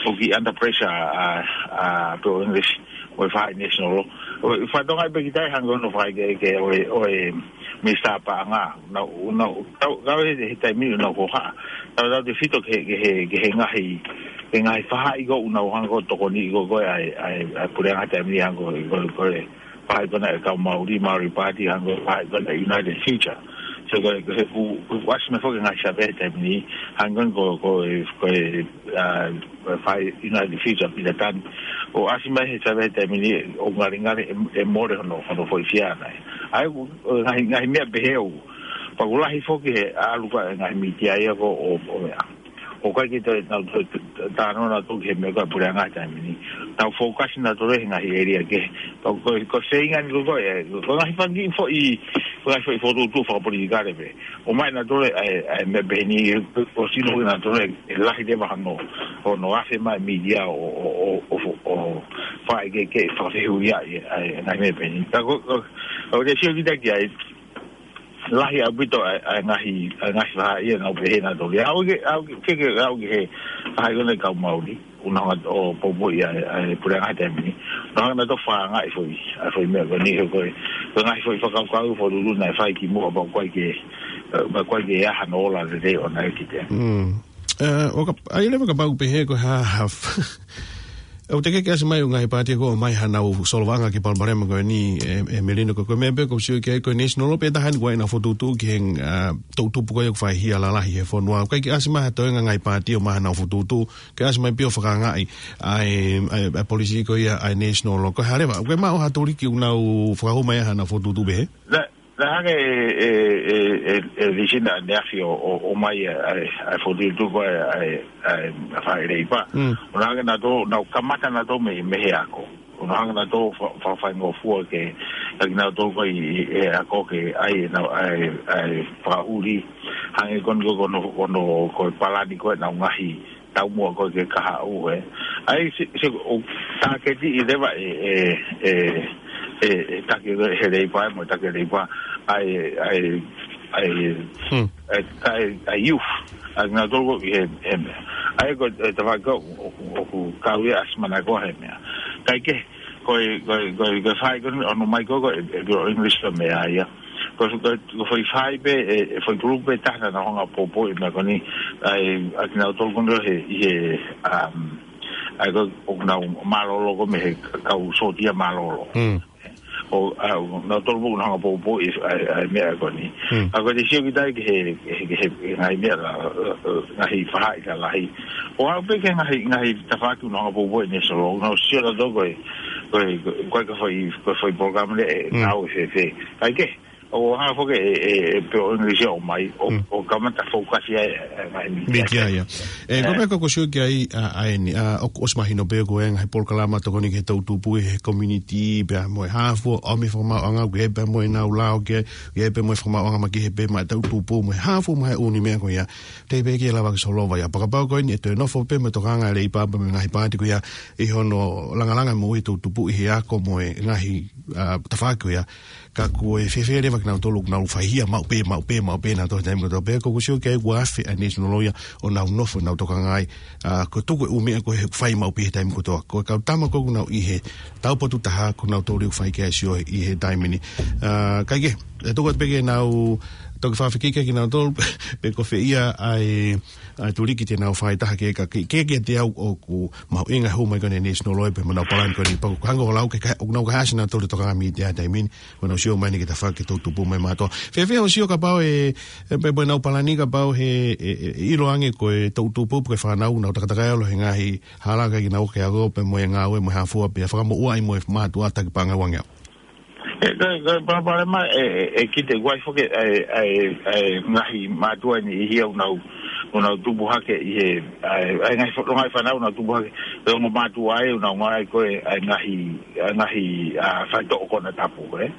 ʻo kiʻi under pressure ʻa, ʻa, pe ko e English, ʻo e Far East National. ʻO, fatongia pē ki ai hanga ʻo nofo ai ke, ke, ʻo e, ʻo e, Minisitā Paʻanga. Naʻa, naʻa, tau, tau he, he taimi ni naʻa ku ʻohake. Tau, tau te fito ki he, ki he, ki he ngaahi, ki he ngaahi faʻahi ko ē naʻa ku hanga ʻo tokoni ko ē ʻa e, ʻa e, ʻa e puleʻanga taimi ni hanga ʻo, ko, ko e, faʻahi ko ena ʻa e kau Maori, Maori Party, hangē ko e faʻahi ko ena ʻa e United Future. So, ko e, ko e, ku, ku, ʻasi mai foki e ngaahi savea he taimi ni, hangē ko e, ko e, ko e, ʻa, ko e faʻahi United Future, Peter Dunn. ʻO ʻasi mai he savea he taimi ni, ʻoku ngalingali ʻe, ʻe mole hono, hono foʻi siana. ʻA ia, ʻo, ʻo ngaahi, ngaahi meʻa pehē ʻoku, pea ʻoku lahi foki he ʻalu ko ē ngaahi mītia ia ko ē ʻo, ʻo meʻa. ʻOku ʻikai ke toe, nau toe, talanoa nautolu ki he meʻa ko ē ʻa e puleʻanga he taimi ni. Nau fokasi nautolu he ngaahi ʻēlia kehe. Ko, ko, ko e feinga ni ko ē, ko e ngaahi fanga kiʻi foʻi, ko e ngaahi foʻi fokotuʻutuʻu fakapolitikale pē. ʻOmai nautolu ʻa e, ʻa e meʻa pehē ni, ʻo sino nautolu ʻe lahi leva hono, hono ʻave mai e mītia ʻo, ʻo, ʻo, ʻo, ʻo, paʻi ke, ke fakafehuʻia ʻa e, ʻa e ngaahi meʻa pehē ni. Ka ko, ko, ko te sio kita ki ai, lahi ʻaupito ʻa e, ʻa e ngaahi, ʻa e ngaahi faʻahi ʻa e ngāue pehē naʻa tau ʻi ai. ʻOku ke, ʻoku ke, ke, ʻoku ke he, ʻa e kau Maori. ʻOku nau hanga ʻo poupouʻi ʻa e, ʻa e puleʻanga he taimi ni. ʻOku nau hanga ʻo fakaangaʻi foʻi, ʻa e foʻi meʻa ko eni he ko e, ko e ngaahi foʻi fakakaukau foʻi lulu naʻe fai kimuʻa pea ʻoku ʻikai ke, ē, pea ʻoku ʻikai ke ʻi ai hano ola lelei ʻoʻona ʻe kita. Mm. Ē, ʻo ka, ʻai leva kapau pehē ko e hā, hā, ʻoku teʻeki ke ʻasi mai ʻa e ngaahi pāti ko ē ʻo ʻomai haʻanau solovaʻanga ki he palopalema ko eni, ē, ē Melino, ko e, ko e meʻa pē ʻoku ou sio ki ai ko e National Law pē taha eni ʻoku ʻi ai ʻena fokotuʻutuʻu ki he, ā, toʻutupu ko ia ʻoku faihia lalahi he fonua. ʻOku ʻikai ke ʻasi mai ha toe ngaahi pāti ʻo ʻomai haʻanau fokotuʻutuʻu, ke ʻasi mai pē ʻo fakaangaʻi ʻa e, ʻa e, ʻa e policy ko ia ʻa e National Law. Ko e hā leva, ʻoku ke maʻu ha tuliki ʻoku nau fakahū mai ai haʻanau fokotuʻutuʻu pehē? Naʻe, naʻe hanga ʻe, ʻe, ʻe, ʻe, ʻe Lisina ʻaneafi ʻo, ʻo, ʻomai ʻa e, ʻa e, ʻa e fokotuʻutuʻu ko ē ʻa e, ʻa e, ʻa e faʻahi leipa. Mm. ʻOku nau hanga ʻe nautolu, nau kamata nautolu mei, mei he ako. ʻOku nau hanga ʻe nautolu fa-, fa-, faingofua ke, ʻa kinautolu ko ē ʻi, ʻi he ako ke ʻai ʻenau, ʻa e, ʻa e fakaʻuli. Hangē ko eni ko, ko hono, ko hono, ko e palani ko ē ʻenau ngaahi taumuʻa ko ē ke kahaʻu, ē. ʻA ia se, se ʻoku tāketiʻi leva ʻe, ʻe, ʻe, ʻe, ʻe taki he leipa, mo e taki leipa, ʻa e, ʻa e, ʻa e, Hmm. ʻa e, ʻa e, ʻa e youth, ʻa kinautolu ko ē he, he meʻa. ʻA ia ko e, ʻe, tafaʻaki ʻoku, ʻoku, ʻoku kau ia ʻa Simana ko ē he meʻa. Kae kehe, ko e, ko e, ko e, ko e faʻahi ko eni ʻoku nau ʻomai ko ē, ko e, ʻe, ko e English ko e meʻa ia. Ko, ko, ko e foʻi faʻahi pē, ʻe, ʻe foʻi kulupu pē taha naʻa nau hanga ʻo poupouʻi e meʻa ko eni, ʻa e, ʻa kinautolu ko eni he, ʻi he, um, ʻa ia ko, ʻoku nau mālōlō ko ē mei he kau sōtia mālōlō. Mm. ʻO, ʻa, ʻoku nautolu ʻoku nau hanga ʻo poupouʻi ʻa e, ʻa e meʻa ko eni. Mm. ʻA ia ko te sio kita ki he, he, he, he ngaahi meʻa la, la, la, ngaahi faʻahi lalahi. ʻO aʻu pē ki he ngaahi, ngaahi tafaʻaki ʻoku nau hanga ʻo poupouʻi ʻe he National Law, ʻoku nau sio nautolu ko e, ko e, ko e, ko e ka foʻi, ko e foʻi polokalama lelei ʻe Mm. ngāue fēfē. Kae kehe, ʻoku hanga foki ʻe, ʻe, ʻe pē ʻo English ʻo ʻomai, ʻo, Mm. ʻo kamata focus ia ʻa e, ʻa e ngaahi media. Media ia. Ē, ko e meʻa ko ē ʻoku ou sio ki ai, ʻa, ʻa eni, ʻa, ʻoku ʻosi mahino pē ko e ngaahi polokalama tokoni ki he toʻutupu ʻi he community, pea mo e hā fua, ʻomi fakamaauʻanga, ʻoku ʻi ai pē mo ʻenau lao ke, ʻoku ʻi ai pē mo e fakamaauʻanga makehe pē maʻa e toʻutupu, mo e hā fua mo e ʻū meʻa ko ia. Teʻeki pē ke lava ke solova ia. Pea kapau ko eni ʻe toe nofo pē mo e tokanga ʻa e leipa pea mo e ngaahi pāti ko ia ʻi hono langalanga mo e toʻutupu ʻi he ako mo e ngaahi, ʻa, tafaʻaki ko ia. Ka ko e fēfē leva kinautolu ʻoku nau faihia maʻu pē, maʻu pē, maʻu pē nautolu he taimi kotoa pē, ʻoku ou sio ki ai ʻoku afe ʻa e National Law ia ʻo nau nofo, nau tokangaʻi, ʻa, ko e tuku e ʻū meʻa ko ē ʻoku fai maʻu pē he taimi kotoa. Ko e kau tama ko ē ʻoku nau ʻi he taupotu taha, ko nautolu ʻoku fai ki ai e sio ʻi he taimi ni. ʻA, kae kehe, ʻe tuku atu pē ke nau toki fakafekiki kinautolu, pe ko fē ia ʻa e, ʻa e tuliki te nau fai taha ke ka ke, ke, ke te au ʻoku mahuʻinga e hū mai ko eni ʻa e National Law pea mo ʻenau palani ko eni, pea ʻoku hanga ʻo lau ke ka, ʻoku nau kaihaʻasi nautolu ʻo tokanga mei he taimi ni, ʻoku nau sio mai eni ki he tafaʻaki toʻutupu mai mātuʻa. Fēfē hoʻo sio kapau ʻe, ʻe pē mo ʻenau palani kapau he, ʻe, ʻe, ʻe ʻilo ange ko e toʻutupu pe ko e fānau ʻoku nau takatakai ʻalu he ngaahi hala ʻikai ke nau ō ki he ako pea mo e ngāue mo e hā fua pea fakamoʻua ai mo e mātuʻa taki paʻanga ʻe uangeau. ʻE, ko e, ko e palopalema ʻe, ʻe, ʻe kita ʻoku ʻi ai foki ʻa e, ʻa e, ʻa e ngaahi mātuʻa ʻe niʻihi ʻoku nau, ʻoku nau tupu hake ʻi he, ʻa e, ʻa e ngaahi fo-, ngaahi fānau ʻoku nau tupu hake, ʻi he ongo mātuʻa ʻoku nau ngāue ko ē ʻa e ngaahi, ʻa e ngaahi, ʻa, faitoʻo konatapu, ē.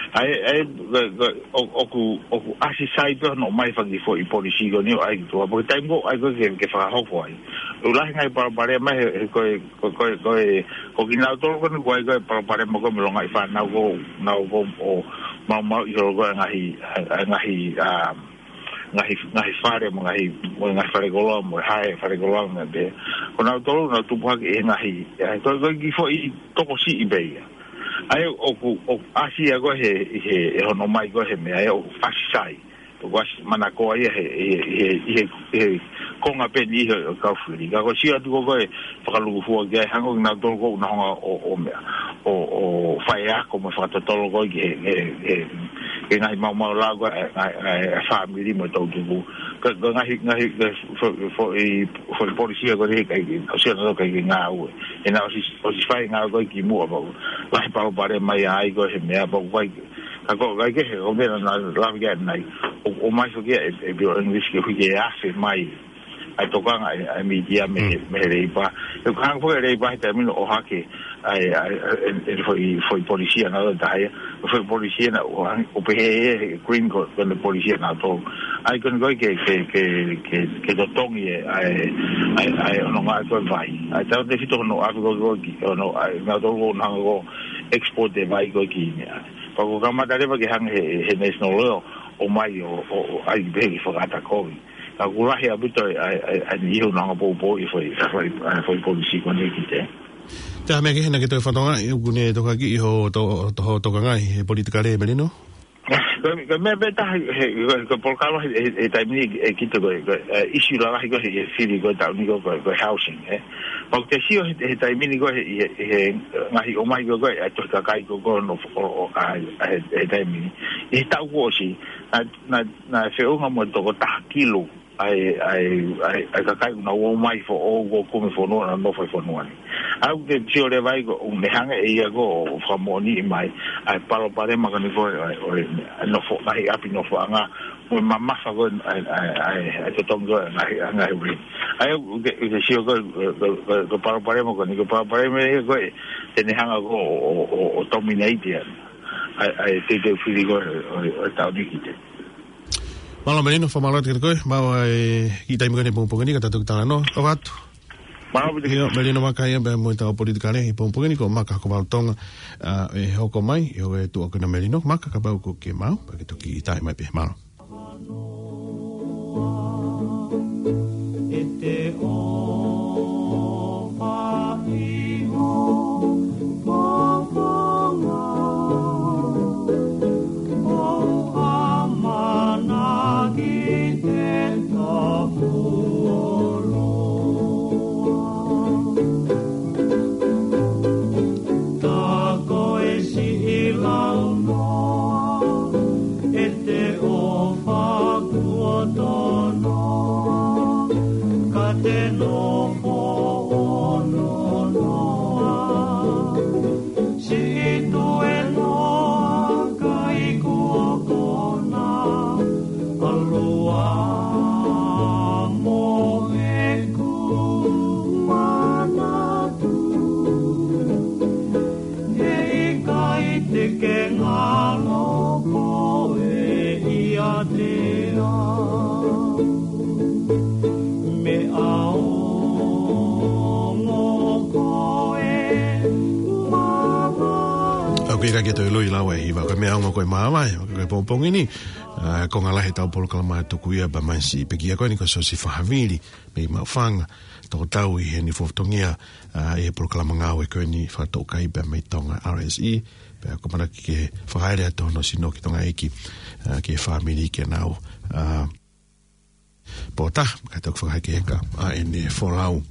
ʻA e, ʻa e, ko e, ko e, ʻo-, ʻoku, ʻoku ʻasi sai pē hono ʻomai fanga kiʻi foʻi policy ko eni ʻo ʻai ki tuʻa. Pea ko e taimi ko ē ʻoku ʻai ko ē ke, ke fakahoko ai. ʻOku lahi e ngaahi palopalema he, he ko e, ko, ko, ko e, ko kinautolu ko eni ʻoku ʻi ai ko ē palopalema ko ē mo e ngaahi fānau ʻoku nau ō ʻo maumauʻi holo ko ē ngaahi, ʻa, ʻa, ngaahi, ʻa, ngaahi, ngaahi fale mo e ngaahi, mo e ngaahi fale koloa mo e hae fale koloa mo e pē. Ko nautolu ʻoku nau tupu hake ʻi he ngaahi, ʻa, ko, ko e kiʻi foʻi tokosiʻi pē ia. ʻA ia ʻoku, ʻoku ʻasi ia ko ē he, he, he hono ʻomai ko ē he meʻa ia ʻoku ʻasi sai. ʻOku ʻasi manakoa ia he, he, he, he, he konga pē eni ʻo e kau fili. Ka ko e sio atu ko ē ko e fakalūkufua ki ai, hangē ko kinautolu ʻoku nau hanga ʻo, ʻo meʻa, ʻo, ʻo faiako mo fakatotolo ko ē ki he, he, he, he ngaahi maumau lao ko ē, ʻa e, ʻa e, ʻa e fāmili mo e toʻutupu. Ka, ka ngaahi, ngaahi, ka fo-, fo-, foʻi, foʻi policy ko eni ʻikai ke, ʻosi ʻana ʻikai ke ngāue. ʻE naʻa ʻosi, ʻosi fai ngāue ko ē kimuʻa pea ʻoku lahi e palopalema ia ai ko ē he meʻa pea ʻoku ʻikai, ka ko e ʻikai ke he, ʻo meʻa naʻa lave ki ai ʻanenai. ʻO, ʻomai foki ʻe, ʻe Bill English ke hui ke afe mai ʻa e tokanga ʻa e, ʻa e mītia mei he, mei he Leipa. ʻOku hanga foki ʻe he Leipa he taimi ni ʻo ʻohake ʻa e, ʻa e, ʻa e, ʻa e foʻi, foʻi polisi ʻanautolu ia. Foʻi polisi naʻa ʻoku hanga, ʻo pehē ʻe he Green ko, ko ʻene polisi ʻanautolu. ʻA ia ko eni ko ē ke, ke, ke, ke, ke totongi ʻa e, ʻa e, ʻa e, ʻa e ʻononga ko ē e vai. ʻA ia tautefito hono ʻave ko ē ki, hono, ʻa e, nautolu ʻoku nau hanga ʻo export e vai ko ē ki heni. Pea kuo kamata leva ke hanga ʻe he, he National Oil ʻo ʻomai ʻo, ʻo, ʻo ʻai pē ke fakaʻata kovi. Ka ʻoku lahi ʻaupito ʻa e, ʻa e, ʻa e, ʻa e niʻihi ʻoku nau hanga ʻo poupouʻi e foʻi, ʻa e foʻi, ʻa e foʻi polisi ko eni ki te. Te ha meʻa kehe naʻa ke toe fakatokangaʻi, ʻoku ne toka ki ʻi hoʻo to-, to-, hoʻo tokanga ʻi he politikale, Melino? Ko e, ko e meʻa pē taha he, he, ko e, ko e polokalama he, he, he taimi ni ʻe kita ko e, ko e, ʻe, ʻisiū lalahi ko e he, he fili ko e taʻu ni ko e, ko e, ko e housing, ē. Pea ʻoku te sio he, he taimi ni ko e he, he, he ngaahi ʻomai ko e, ko e, ʻa e tohi kakai ko e, ko e, no, ʻo, ʻo, ʻa, ʻa, he, he taimi ni. ʻI he taʻu kuo ʻosi, naʻe, naʻe, naʻe feʻunga mo e toko taha kilu ʻa e, ʻa e, ʻa e, ʻa e kakai ʻoku nau ō mai foʻou ʻo kumi fonua, nau nofo ʻi fonua ni. ʻA ia ʻoku te sio leva ai ko e, ʻoku ne hanga ʻe ia ko ē ʻo fakamoʻoniʻi mai ʻa e palopalema ko eni ko e, ʻa e, ʻo e, ʻa e nofo, ngaahi ʻapi nofoʻanga, mo e mamafa ko ē, ʻa e, ʻa e, ʻa e, ʻa e totongi ko ē, ngaahi, ngaahi ʻuli. ʻA ia ʻoku te, ʻoku te sio ko e, ko e, ko e, ko e palopalema ko eni, ko e palopalema ia ko e, te ne hanga ko ē ʻo, ʻo, ʻo, ʻo dominate ia ʻa e, ʻa e teuteu fili ko ē, ʻo, ʻo, ʻo e taʻu ni ki te. Mālō Melino, fakamālō atu kiate koe, maʻu e kiʻi taimi ko eni he pongipongi ni, ka tau toki talanoa, ʻoatu. Mālō, Pita. ʻIo, Melino Maka ia pea mo ʻetau politikale he pongipongi ni, ko Maka Hokovalu Tonga, ʻa, ʻe hoko mai, ʻi he tuʻa ko ena Melino Maka, kapau ʻoku ke maʻu, pea ke toki ʻita mai pē, mālō. ʻE te ʻofa ʻi ho fofonga, ʻo ʻamanaki te tapu ʻoloa. Tā ko e siʻi launoa, ʻe te ʻofa kuo tonoa, ka te nofo ʻo nonoa. Siʻi tuenoa kai kuo kona, ʻalu ā mo ʻeku manatu. Heʻikai te ke ngalo koe ʻiate au. Meʻa ongo ko e māvae. ʻOku ʻikai ke toe loi lau e hiva, ko e meʻa ongo ko e māvae, ko e pongipongi ni, ʻa, konga lahi ʻetau polokalama tuku ia pea mei he siʻi pekia ko eni ko Siosifa Havili, mei Maʻufanga, toko tau ʻi heʻene fatongia, ʻa, ʻi he polokalama ngāue ko eni fakatoʻukai pea mei Tonga R S E, pea ko e ʻamanaki ke fakaele atu hono sino ki Tonga ʻEiki, ʻa, ki he fāmili ke nau, ʻa, pō taha, kae toki fakahekeheka ʻa ʻene folau,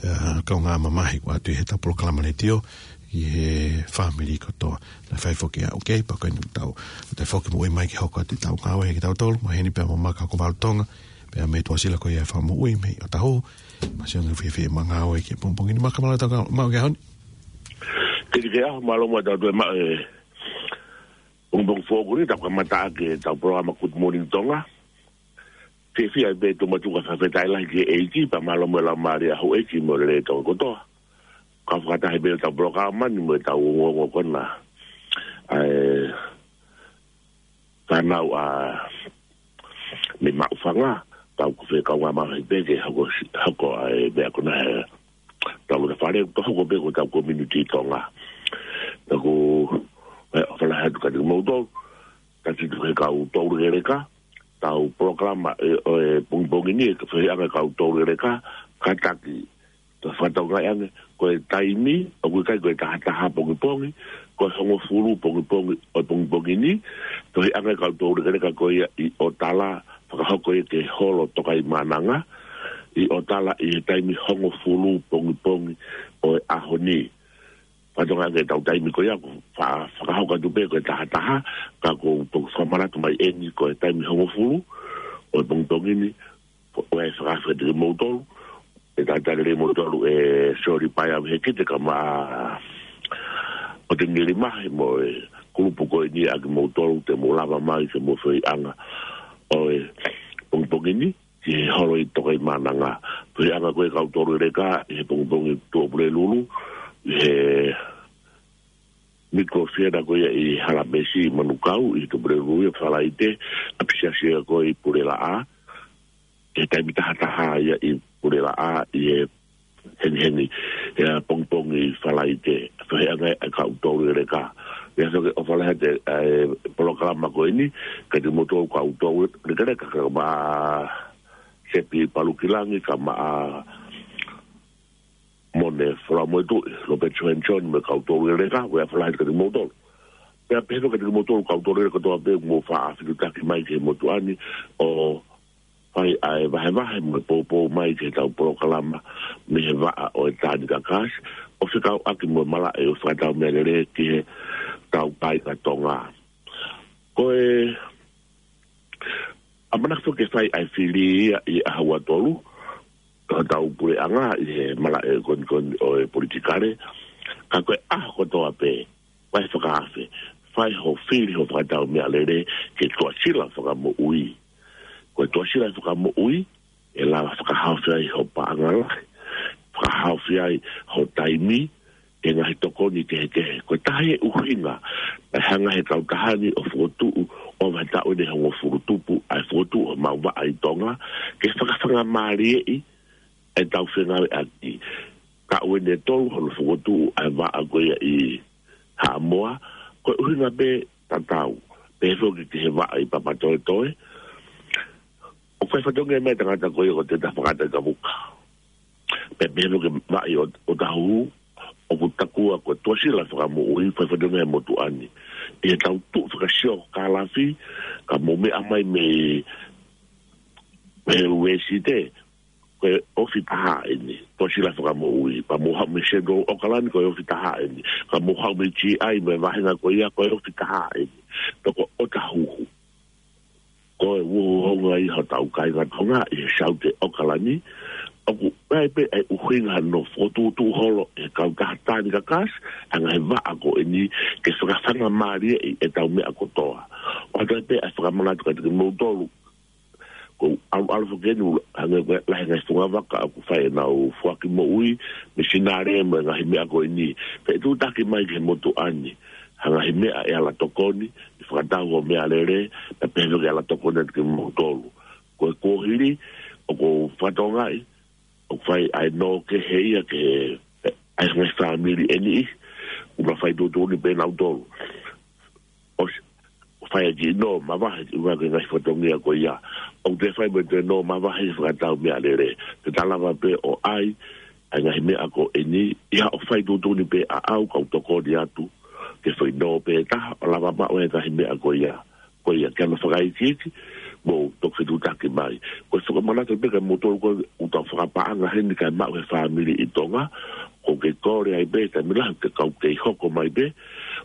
ʻa, kaungā mamahi ʻoatu ʻi heʻetau polokalama letiō, ʻi he fāmili kotoa. Naʻe fai foki ʻa, okay, pea ko eni tau, tau foki moʻui mai ke hoko atu ʻetau ngāue ʻe kitautolu, maheni pea mo Maka Hokovalu Tonga, pea mei Tuʻasila ko ia e fakamoʻui mei ʻOtahuhu, Masiona Fiefia mo e ngāue ki he pongipongi ni. Maka, mālō e tau ka, maʻu ki he ʻaho ni. Tiki ke aho, mālō mo e tau toe maʻu e pongipongi foʻou ni, tau kamata ʻaki ʻetau polokalama Good Morning Tonga. Fiefia pē ʻi he tau matuʻa, fakafetaʻi lahi ki he ʻEiki, pea mālō mo e laumālie ʻa houʻeiki mo e lelei ʻo Tonga kotoa. Kau fakataha pē ʻetau polokalama ni mo ʻetau ongoongo ko ena ʻa e fānau ʻa mei Maʻufanga, tau ko e fē kaungā mamahi pē ke hoko, hoko ʻa e meʻa ko ena he tau lota fale, tau hoko pē ko ʻetau community Tonga. Pea ʻoku, ʻe, ʻofa lahi atu kiate kimoutolu, taki tuku he kau toulekeleka, ʻetau polokalama ʻe, ʻo e pongipongi ni, ʻe fehiʻa ange e kau toulekeleka, kātaki, tau fakatokangaʻi ange, ko e taimi, ʻoku ʻikai ko e taha taha pongipongi, ko e hongofulu pongipongi, ʻo e pongipongi ni, fehiʻa ange e kau toulekeleka ko ia ʻi ʻOtala, fakahoko ia ki he holo Tokaimaʻananga, ʻi ʻOtala ʻi he taimi hongofulu pongipongi ʻo e ʻaho ni. Fakatokangaʻi ange ʻetau taimi ko ia, ʻoku fa-, fakahoko atu pē ko e taha taha, ka ʻoku ou fakamanatu mai eni ko e taimi hongofulu ʻo e pongipongi ni, ʻoku ou fakafetaʻi kimoutolu, ʻe talitali lelei kimoutolu ʻe Soli Paea Vehikite kae ʻumaʻā ʻa Tengili Mahe mo e kulupu ko eni ʻa kimoutolu te mou lava mai ke mou fehiʻa ange ʻo e pongipongi ni. ki he holo ʻi Tokaʻimaʻananga. Pea ʻi he anga ko ē ʻa e kau tolu ʻi Leka, ʻi he pongipongi Tuʻapulelulu, ʻi he Micro Theatre ko ia ʻi Halamesi ʻi Manukau, ʻi Tuʻapulelulu ia Falaite, ʻapisiasi ia ko ē ʻi Pulelaʻa, ʻi he taimi taha taha ia ʻi Pulelaʻa, ʻi he hengihengi, ʻi he pongipongi Falaite, pea ʻi he anga ʻa e kau tolu ʻi Leka. ʻIo, so ke ʻofa lahi atu ʻa e polokalama ko eni, kiate kimoutolu kau tolu ʻi Leka, Leka, ka ma Sepi Palukilangi, ka ma Mone Folamoetuʻi, Lopeti Johansson, mo e kau tolu ʻi Leka, ʻofa lahi atu kiate kimoutolu. Pea pehē foki kiate kimoutolu kau tolu ʻi Leka kotoa pē, mou faʻa fetutaki mai ki he motuʻa ni, ʻo fai ʻa e vahevahe mo e poupou mai ki heʻetau polokalama mei he vaʻa ʻo e Tāni Kakasi, ʻo fekauʻaki mo e malaʻe ʻo e fakatau meʻalele ki heʻetau kāinga Tonga. Ko e ʻamanaki foki ke fai ʻa e fili ia ʻi he ʻaho ua tolu, ʻo hotau puleʻanga ʻi he malaʻe konikoni ʻo e politikale, ka ko e ʻaho kotoa pē, fai fakaafe, fai hoʻo fili hoʻo fakatau meʻalele ki he Tuʻasila Fakamoʻui. Ko e Tuʻasila Fakamoʻui, ʻe lava fakahaofi ai hoʻo paʻanga lahi, fakahaofi ai hoʻo taimi, ki he ngaahi tokoni kehekehe. Ko e taha e ʻuhinga, naʻe hanga ʻe he kautaha ni ʻo fokotuʻu ʻo ʻova he taʻu ʻeni ʻe hongofulu tupu, ʻa e fokotuʻu ʻo homau vaʻa ʻi Tonga, ke fakafangamalieʻi ʻetau fengāueʻaki. Taʻu ʻeni ʻe tolu hono fokotuʻu ʻa e vaʻa ko ia ʻi Haʻamoa, ko e ʻuhinga pē tatau. Pehē foki ki he vaʻa ʻi Papatoetoe, ʻoku fai fatongia mai e tangata ko ia ko Teta Fakaʻataʻaikavuka. Pea pehē foki ki he vaʻa ʻi ʻOt-, ʻOtahuhu, ʻoku takua ko e Tuʻasila Fakamoʻui, fai fatongia he motuʻa ni. ʻI heʻetau tuʻu fakasiokālafi, ka mou meʻa mai mei, mei he Uēsite, ko e ofi taha ʻeni, Tuʻasila Fakamoʻui, pea mou haʻu mei Central ʻAokalani, ko e ofi taha ʻeni, pea mou haʻu mei GI, mei he vāhenga ko ia, ko e ofi taha ʻeni, toko ʻOtahuhu. Ko e uhouhonga ia hotau kāinga Tonga ʻi he Saute ʻAokalani, ʻoku ʻi ai pē ʻa e ʻuhinga hono fokotuʻutuʻu holo ʻe he kautaha Tāni Kakasi, ʻa e ngaahi vaʻa ko eni ke fakafangamalieʻi ʻetau meʻa kotoa. ʻOatu ai pē ʻa e fakamanatu kiate kimoutolu, ko e ʻaluʻalu foki eni, hangē ko e lahi e ngaahi fungavaka ʻoku fai ʻenau foaki moʻui, misinale mo e ngaahi meʻa ko eni. Pea ʻe tuʻutaki mai ki he motuʻa ni ha ngaahi meʻa ʻe ala tokoni, ʻi he fakatau hoʻo meʻalele, pea pehē foki ke ala tokoni atu kimoutolu. Ko e kuohili, ʻoku ou fakatokangaʻi, ʻoku fai ʻa e nō kehe ia ki he, ʻa e ngaahi fāmili ʻe niʻihi, ʻoku nau fai tuʻutuʻuni pē nautolu. ʻOsi, fai ʻaki e nō mavahe, ʻi he ʻuhinga ki he ngaahi fatongia ko ia. ʻOku toe fai mo e toe nō mavahe ʻi he fakatau meʻalele. Te ta lava pē ʻo ʻai ʻa e ngaahi meʻa ko eni, ʻi haʻo fai tuʻutuʻuni pē ʻaʻau, kau tokoni atu, ke fai nō pē taha, ʻo lava maʻu e ngaahi meʻa ko ia. Ko ia, ke ʻoua naʻa fakaikiiki, mou toki fetutaki mai. Ko e fakamanatu pē kiate kimoutolu ko ē ʻoku tau fakapaʻanga heni kae maʻu ʻe he fāmili ʻi Tonga, ʻoku ke kole ai pē, taimi lahi ʻoku ke kau kei hoko mai pē,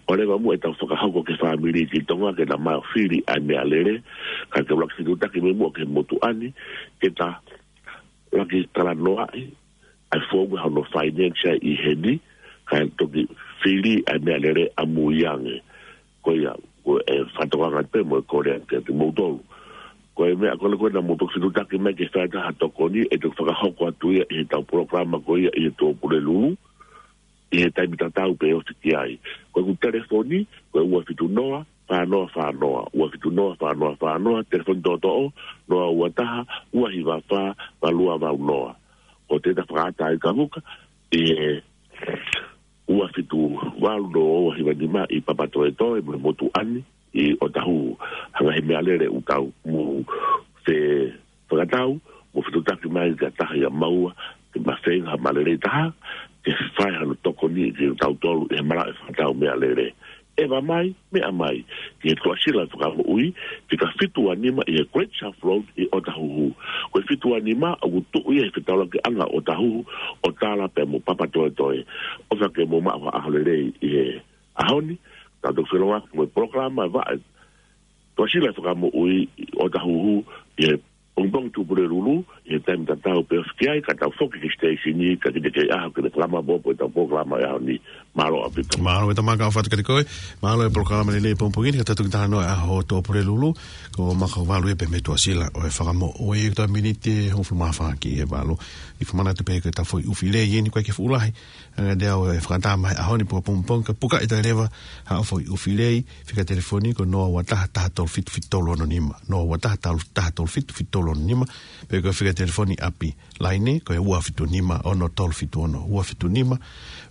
ʻo leva muʻa ʻetau fakahoko ki he fāmili ʻi Tonga ke na maʻu fili ʻa e meʻalele, ka ke ʻuluaki fetutaki mai muʻa ki he motuʻa ni, ke ta ʻuluaki talanoaʻi ʻa e founga hono finance ʻi heni, kae toki fili ʻa e meʻalele ʻamuiange. Ko ia, ko e fakatokanga pē mo e kole kiate kimoutolu. Ko e meʻa ko ē ko ē naʻa mou toki fetutaki mai ke fai atu ha tokoni, ʻe toki fakahoko atu ia ʻi heʻetau polokalama ko ia ʻi he Tuʻapulelulu, ʻi he taimi tatau pē ʻe ofi ki ai. Ko ʻeku telefoni, ko e ua fitu noa, fā noa fā noa, ua fitu noa, fā noa fā noa, telefoni toʻotoʻo, noa ua taha, ua hiva fā, valu ua valu noa. Ko Teta Fakaʻataʻaikavuka, ʻi he ua fitu valu noa ua hiva nima ʻi Papatoetoe mo e motuʻa ni ʻi ʻOtahuhu. Ha ngaahi meʻalele ʻoku tau mou fefakatau, mou fetutaki mai ki ha taha ʻia maua, ke ma feinga ha malelei taha, ke fai hano tokoni kiate kitautolu ʻi he malaʻe fakatau meʻalele. ʻEva mai, meʻa mai, ki he Tuʻasila Fakamoʻui, fika fitu ua nima ʻi he Great South Road ʻi ʻOtahuhu. Ko e fitu ua nima, ʻoku tuʻu ia he fetaulakiʻanga ʻo ʻOtahuhu, ʻo tala pea mo Papatoetoe. ʻOfa ke mou maʻu ha ʻaho lelei ʻi he ʻaho ni, tau toki felonga mo e polokalama vaʻa ʻa e Tuʻasila Fakamoʻui ʻi ʻOtahuhu, ʻi he pongipongi Tuʻapulelulu, ʻi he taimi tatau pē ʻe ofi ki ai, ka tau foki ki he siteisini, ka kiʻi teʻeki ai ʻaho ke ne fakamaopoopo ʻetau polokalama ʻi he ʻaho ni. Mālō ʻaupito. Mālō e tamaka o fatu kati koe. Mālō e polokalama lelei pongipongi ni, ka tau toki talanoa ʻa e ʻaho Tuʻapulelulu. Ko Makavalu e pē mei Tuʻasila ʻo e Fakamoʻui, ko e miniti ʻe hongofulu mā fā ki he valu. ʻI fakamanatu pē ko e tau foʻi ʻufi lei eni, ko e ke fuʻu lahi. Anga de au e fakatama he ʻaho ni pe ko pongipongi, ka puka ʻi tai leva haʻo foʻi ʻufi lei, fika telefoni ko noa ua taha, taha tolu fitu, fitu tolu ono nima. Noa ua taha, taha tolu fitu, fitu tolu ono nima. Pe ko e fika telefoni ʻapi laine, ko e ua fitu nima, ono tolu fitu ono. Ua fitu nima,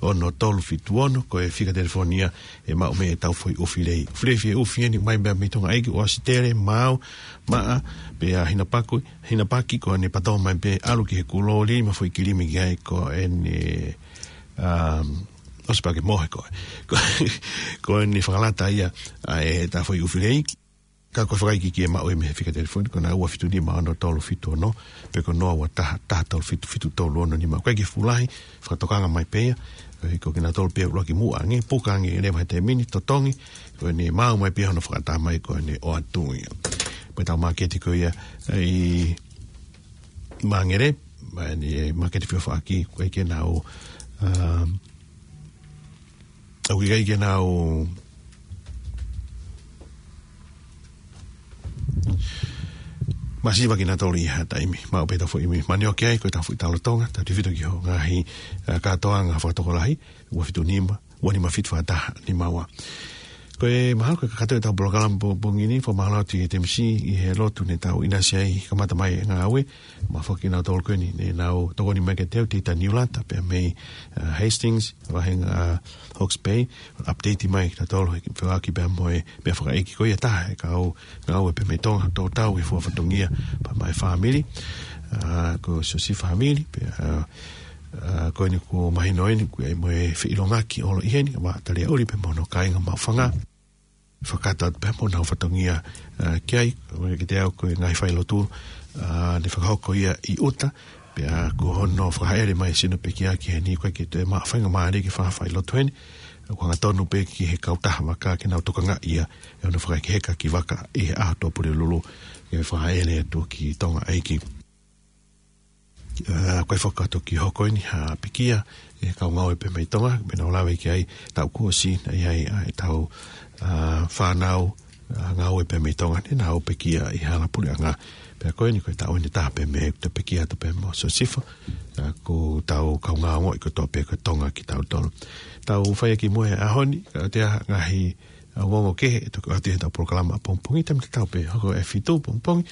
ono tolu fitu ono, ko e fika telefoni ia ʻe maʻu mei ai e tau foʻi ʻufi lei. ʻUfi lei fie ʻufi eni, mai mei Tonga ʻEiki, ʻo ʻAositelē, Maau, Maʻa, pea Hinapaki, Hinapaki, ko ʻene pato mai pē ʻalu ki he kulō, lima foʻi kilimi ki ai, ko ʻene, um, ʻosi pē ke mohe ko ē. Ko, ko ʻene fakalata ia ʻa e tau foʻi ʻufi lei. Ka ko e fakaikiiki ʻe maʻu ia mei he fika telefoni, ko ena ua fitu nima, ono tolu fitu ono, pe ko noa ua taha, taha tolu fitu, fitu tolu ono nima. Ko e ke fuʻu lahi, fakatokanga mai pē ia, ʻe, ko kinautolu pē ʻuluaki muʻa ange, puka ange leva he taimi ni, totongi, ko ʻene maau mai pē ia hono fakatama ia ko ʻene ʻoatu ia. Pea tau māketi ko ia ʻi Mangere, mai ni e māketi fio faki, ko e ke nau, um, ʻoku ʻikai ke nau masiva kinautolu ʻi ha taimi. Maʻu pē tau foʻi ʻimi manioke ai, ko e tau foʻi tau lolotonga, tau tefito ki ho ngaahi, ʻa, kātoanga fakatokolahi, ua fitu nima, ua nima fitu fā taha nima ua. Ko e mahalo ko e kakato e tau polokalama pongipongi ni, fakamālō atu ki he T M C ʻi he lotu ne tau ʻinasi ai, kamata mai e ngāue, mo e foki kinautolu ko eni, ne nau tokoni mai kiate au, Tita Niulata, pea mei, ʻa, Hastings, vahenga, ʻa, Hawke's Bay, update mai kinautolu, he feʻaki pea mo e, pea fakaʻeiki ko ia taha, e kau ngāue pē mei Tonga, tō tau e fua fatongia, pea mo e fāmili, ʻa, ko Siosifa Hamili, pea, ʻa, ʻa, ko eni kuo mahino eni, kuo ʻi ai mo e feʻilongaki ʻo ʻalu ʻi heni, ma tali ʻuli pē mo hono kāinga Maʻufanga. Fakataha pē mo nau fatongia, ʻa, ki ai, ʻo kiate au ko e ngaahi failotu, ʻa, ne fakahoko ia ʻi ʻuta, pea ko hono fakahaʻele mai sino pekia ki heni ko e ke te ma faingamālie ke fa failotu heni, ko e hangatonu pē ki he kautaha vaka ke nau tokangaʻi ia, ʻi hono fakaheka ki vaka ʻi he ʻaho Tuʻapulelulu, ke fakahaʻele atu ki Tonga ʻEiki. ʻA, ko e fakatoki hoko eni ha pekia, ʻe kau ngāue pē mei Tonga, pea nau lave ki ai, tau kuo ʻosi, naʻe ʻi ai, ʻa, e tau, ʻa, fānau, ʻa, ngāue pē mei Tonga, ne nau pekia ʻi hala puleʻanga. Pea ko eni ko e tau eni taha pē mei, te pekia atu pē mo Siosifa, ʻa, ko e tau kau ngāue ko e tō pē ko Tonga kitautolu. Tau fai ʻaki mo e ʻaho ni, ka te a ngaahi ʻa, ongoongo kehe, ʻe toki ʻoatu he tau polokalama pongipongi, taimi tatau pē, hoko e fitu pongipongi,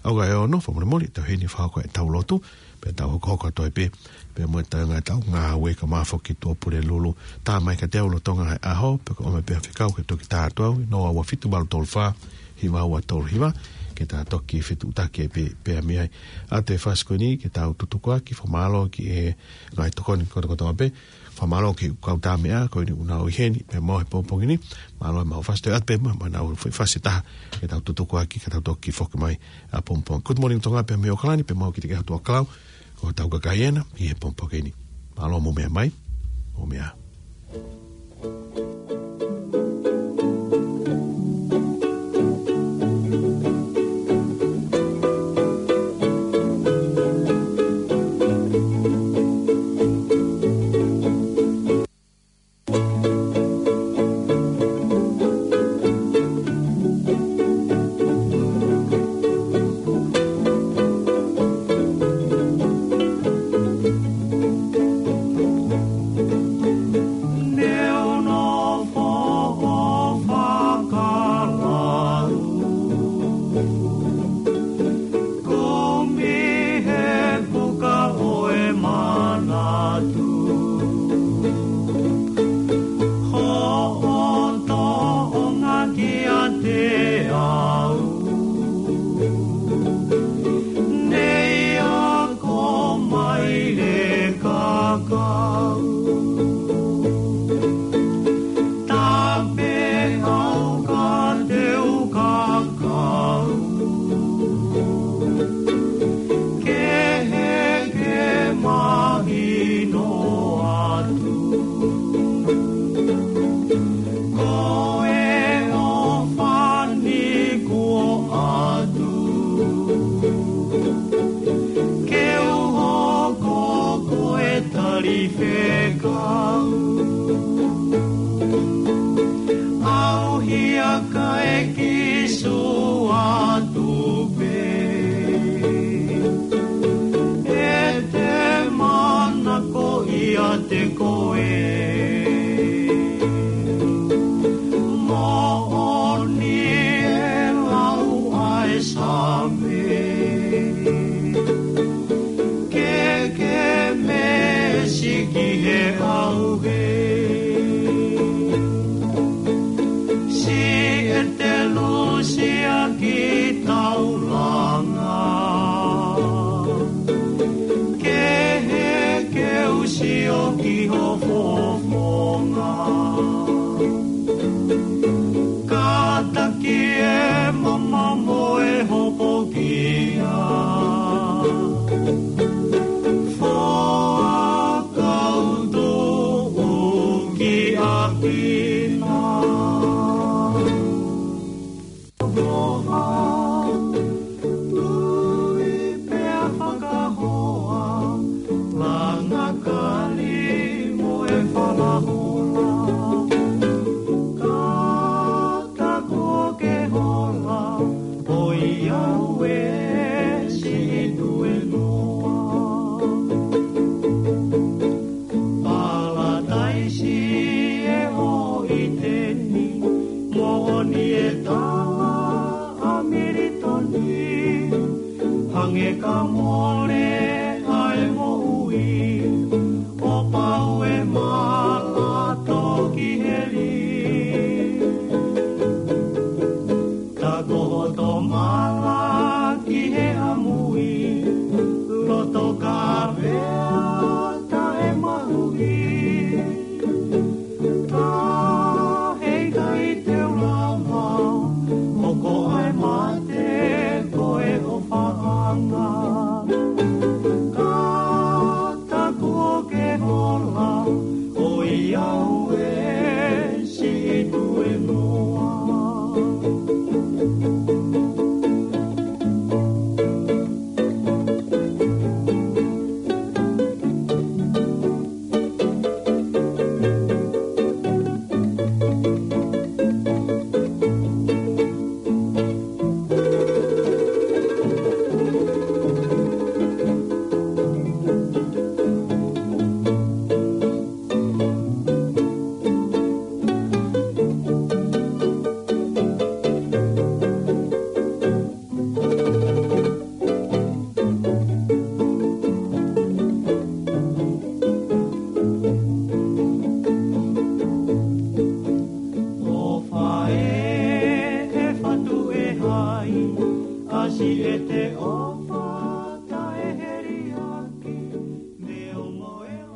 ʻalu ki he ono, fakamolemole, tau heni fakahoko e tau lotu, pea tau hokohoko atu ai pē, pea mo e tau ngā tau ngāue ka mafoki Tuʻapulelulu, tā mai kiate au lolotonga e ʻaho, pea ko e ʻomai pē ha fekau ke toki tā atu au, noa ua fitu valu tolu fā, hiva ua tolu hiva, ke tau toki fetuʻutaki pē, pea mei ai. ʻA e fasi ko eni, ke tau tutukuaki, fakamālō ki he ngaahi tokoni kotokotoa pē, fakamālō ki he kau tā meʻa, ko eni ʻoku nau ʻi heni, pea mo e pongipongi ni, mālō e mau fasi te at pē mo, mo nau foʻi fasi taha, ke tau tutukuaki, ke tau toki foki mai ʻapongipongi. Good morning Tonga pea mei ʻOkalani, pea mau ki te ke hatu a klau, ko tau kakai ena, ʻi he pongipongi ni. Mālō mo meʻa mai, mo meʻa. Kumi he puka ʻo e manatu. Hoʻo toʻonga kiate au. Nei ako mai le kakau. Tape au ka teu kakau. Ke he ke mahino atu. Ko e ʻofa ni kuo ʻatu. Ke u hoko ko e talifekau. te koe. Moʻoni e lau ʻa e Saame, ke ke meesi ki he ʻauhē. Siʻi ʻetelu siʻa ki taulanga, kehe ke u sio ki ho fofonga.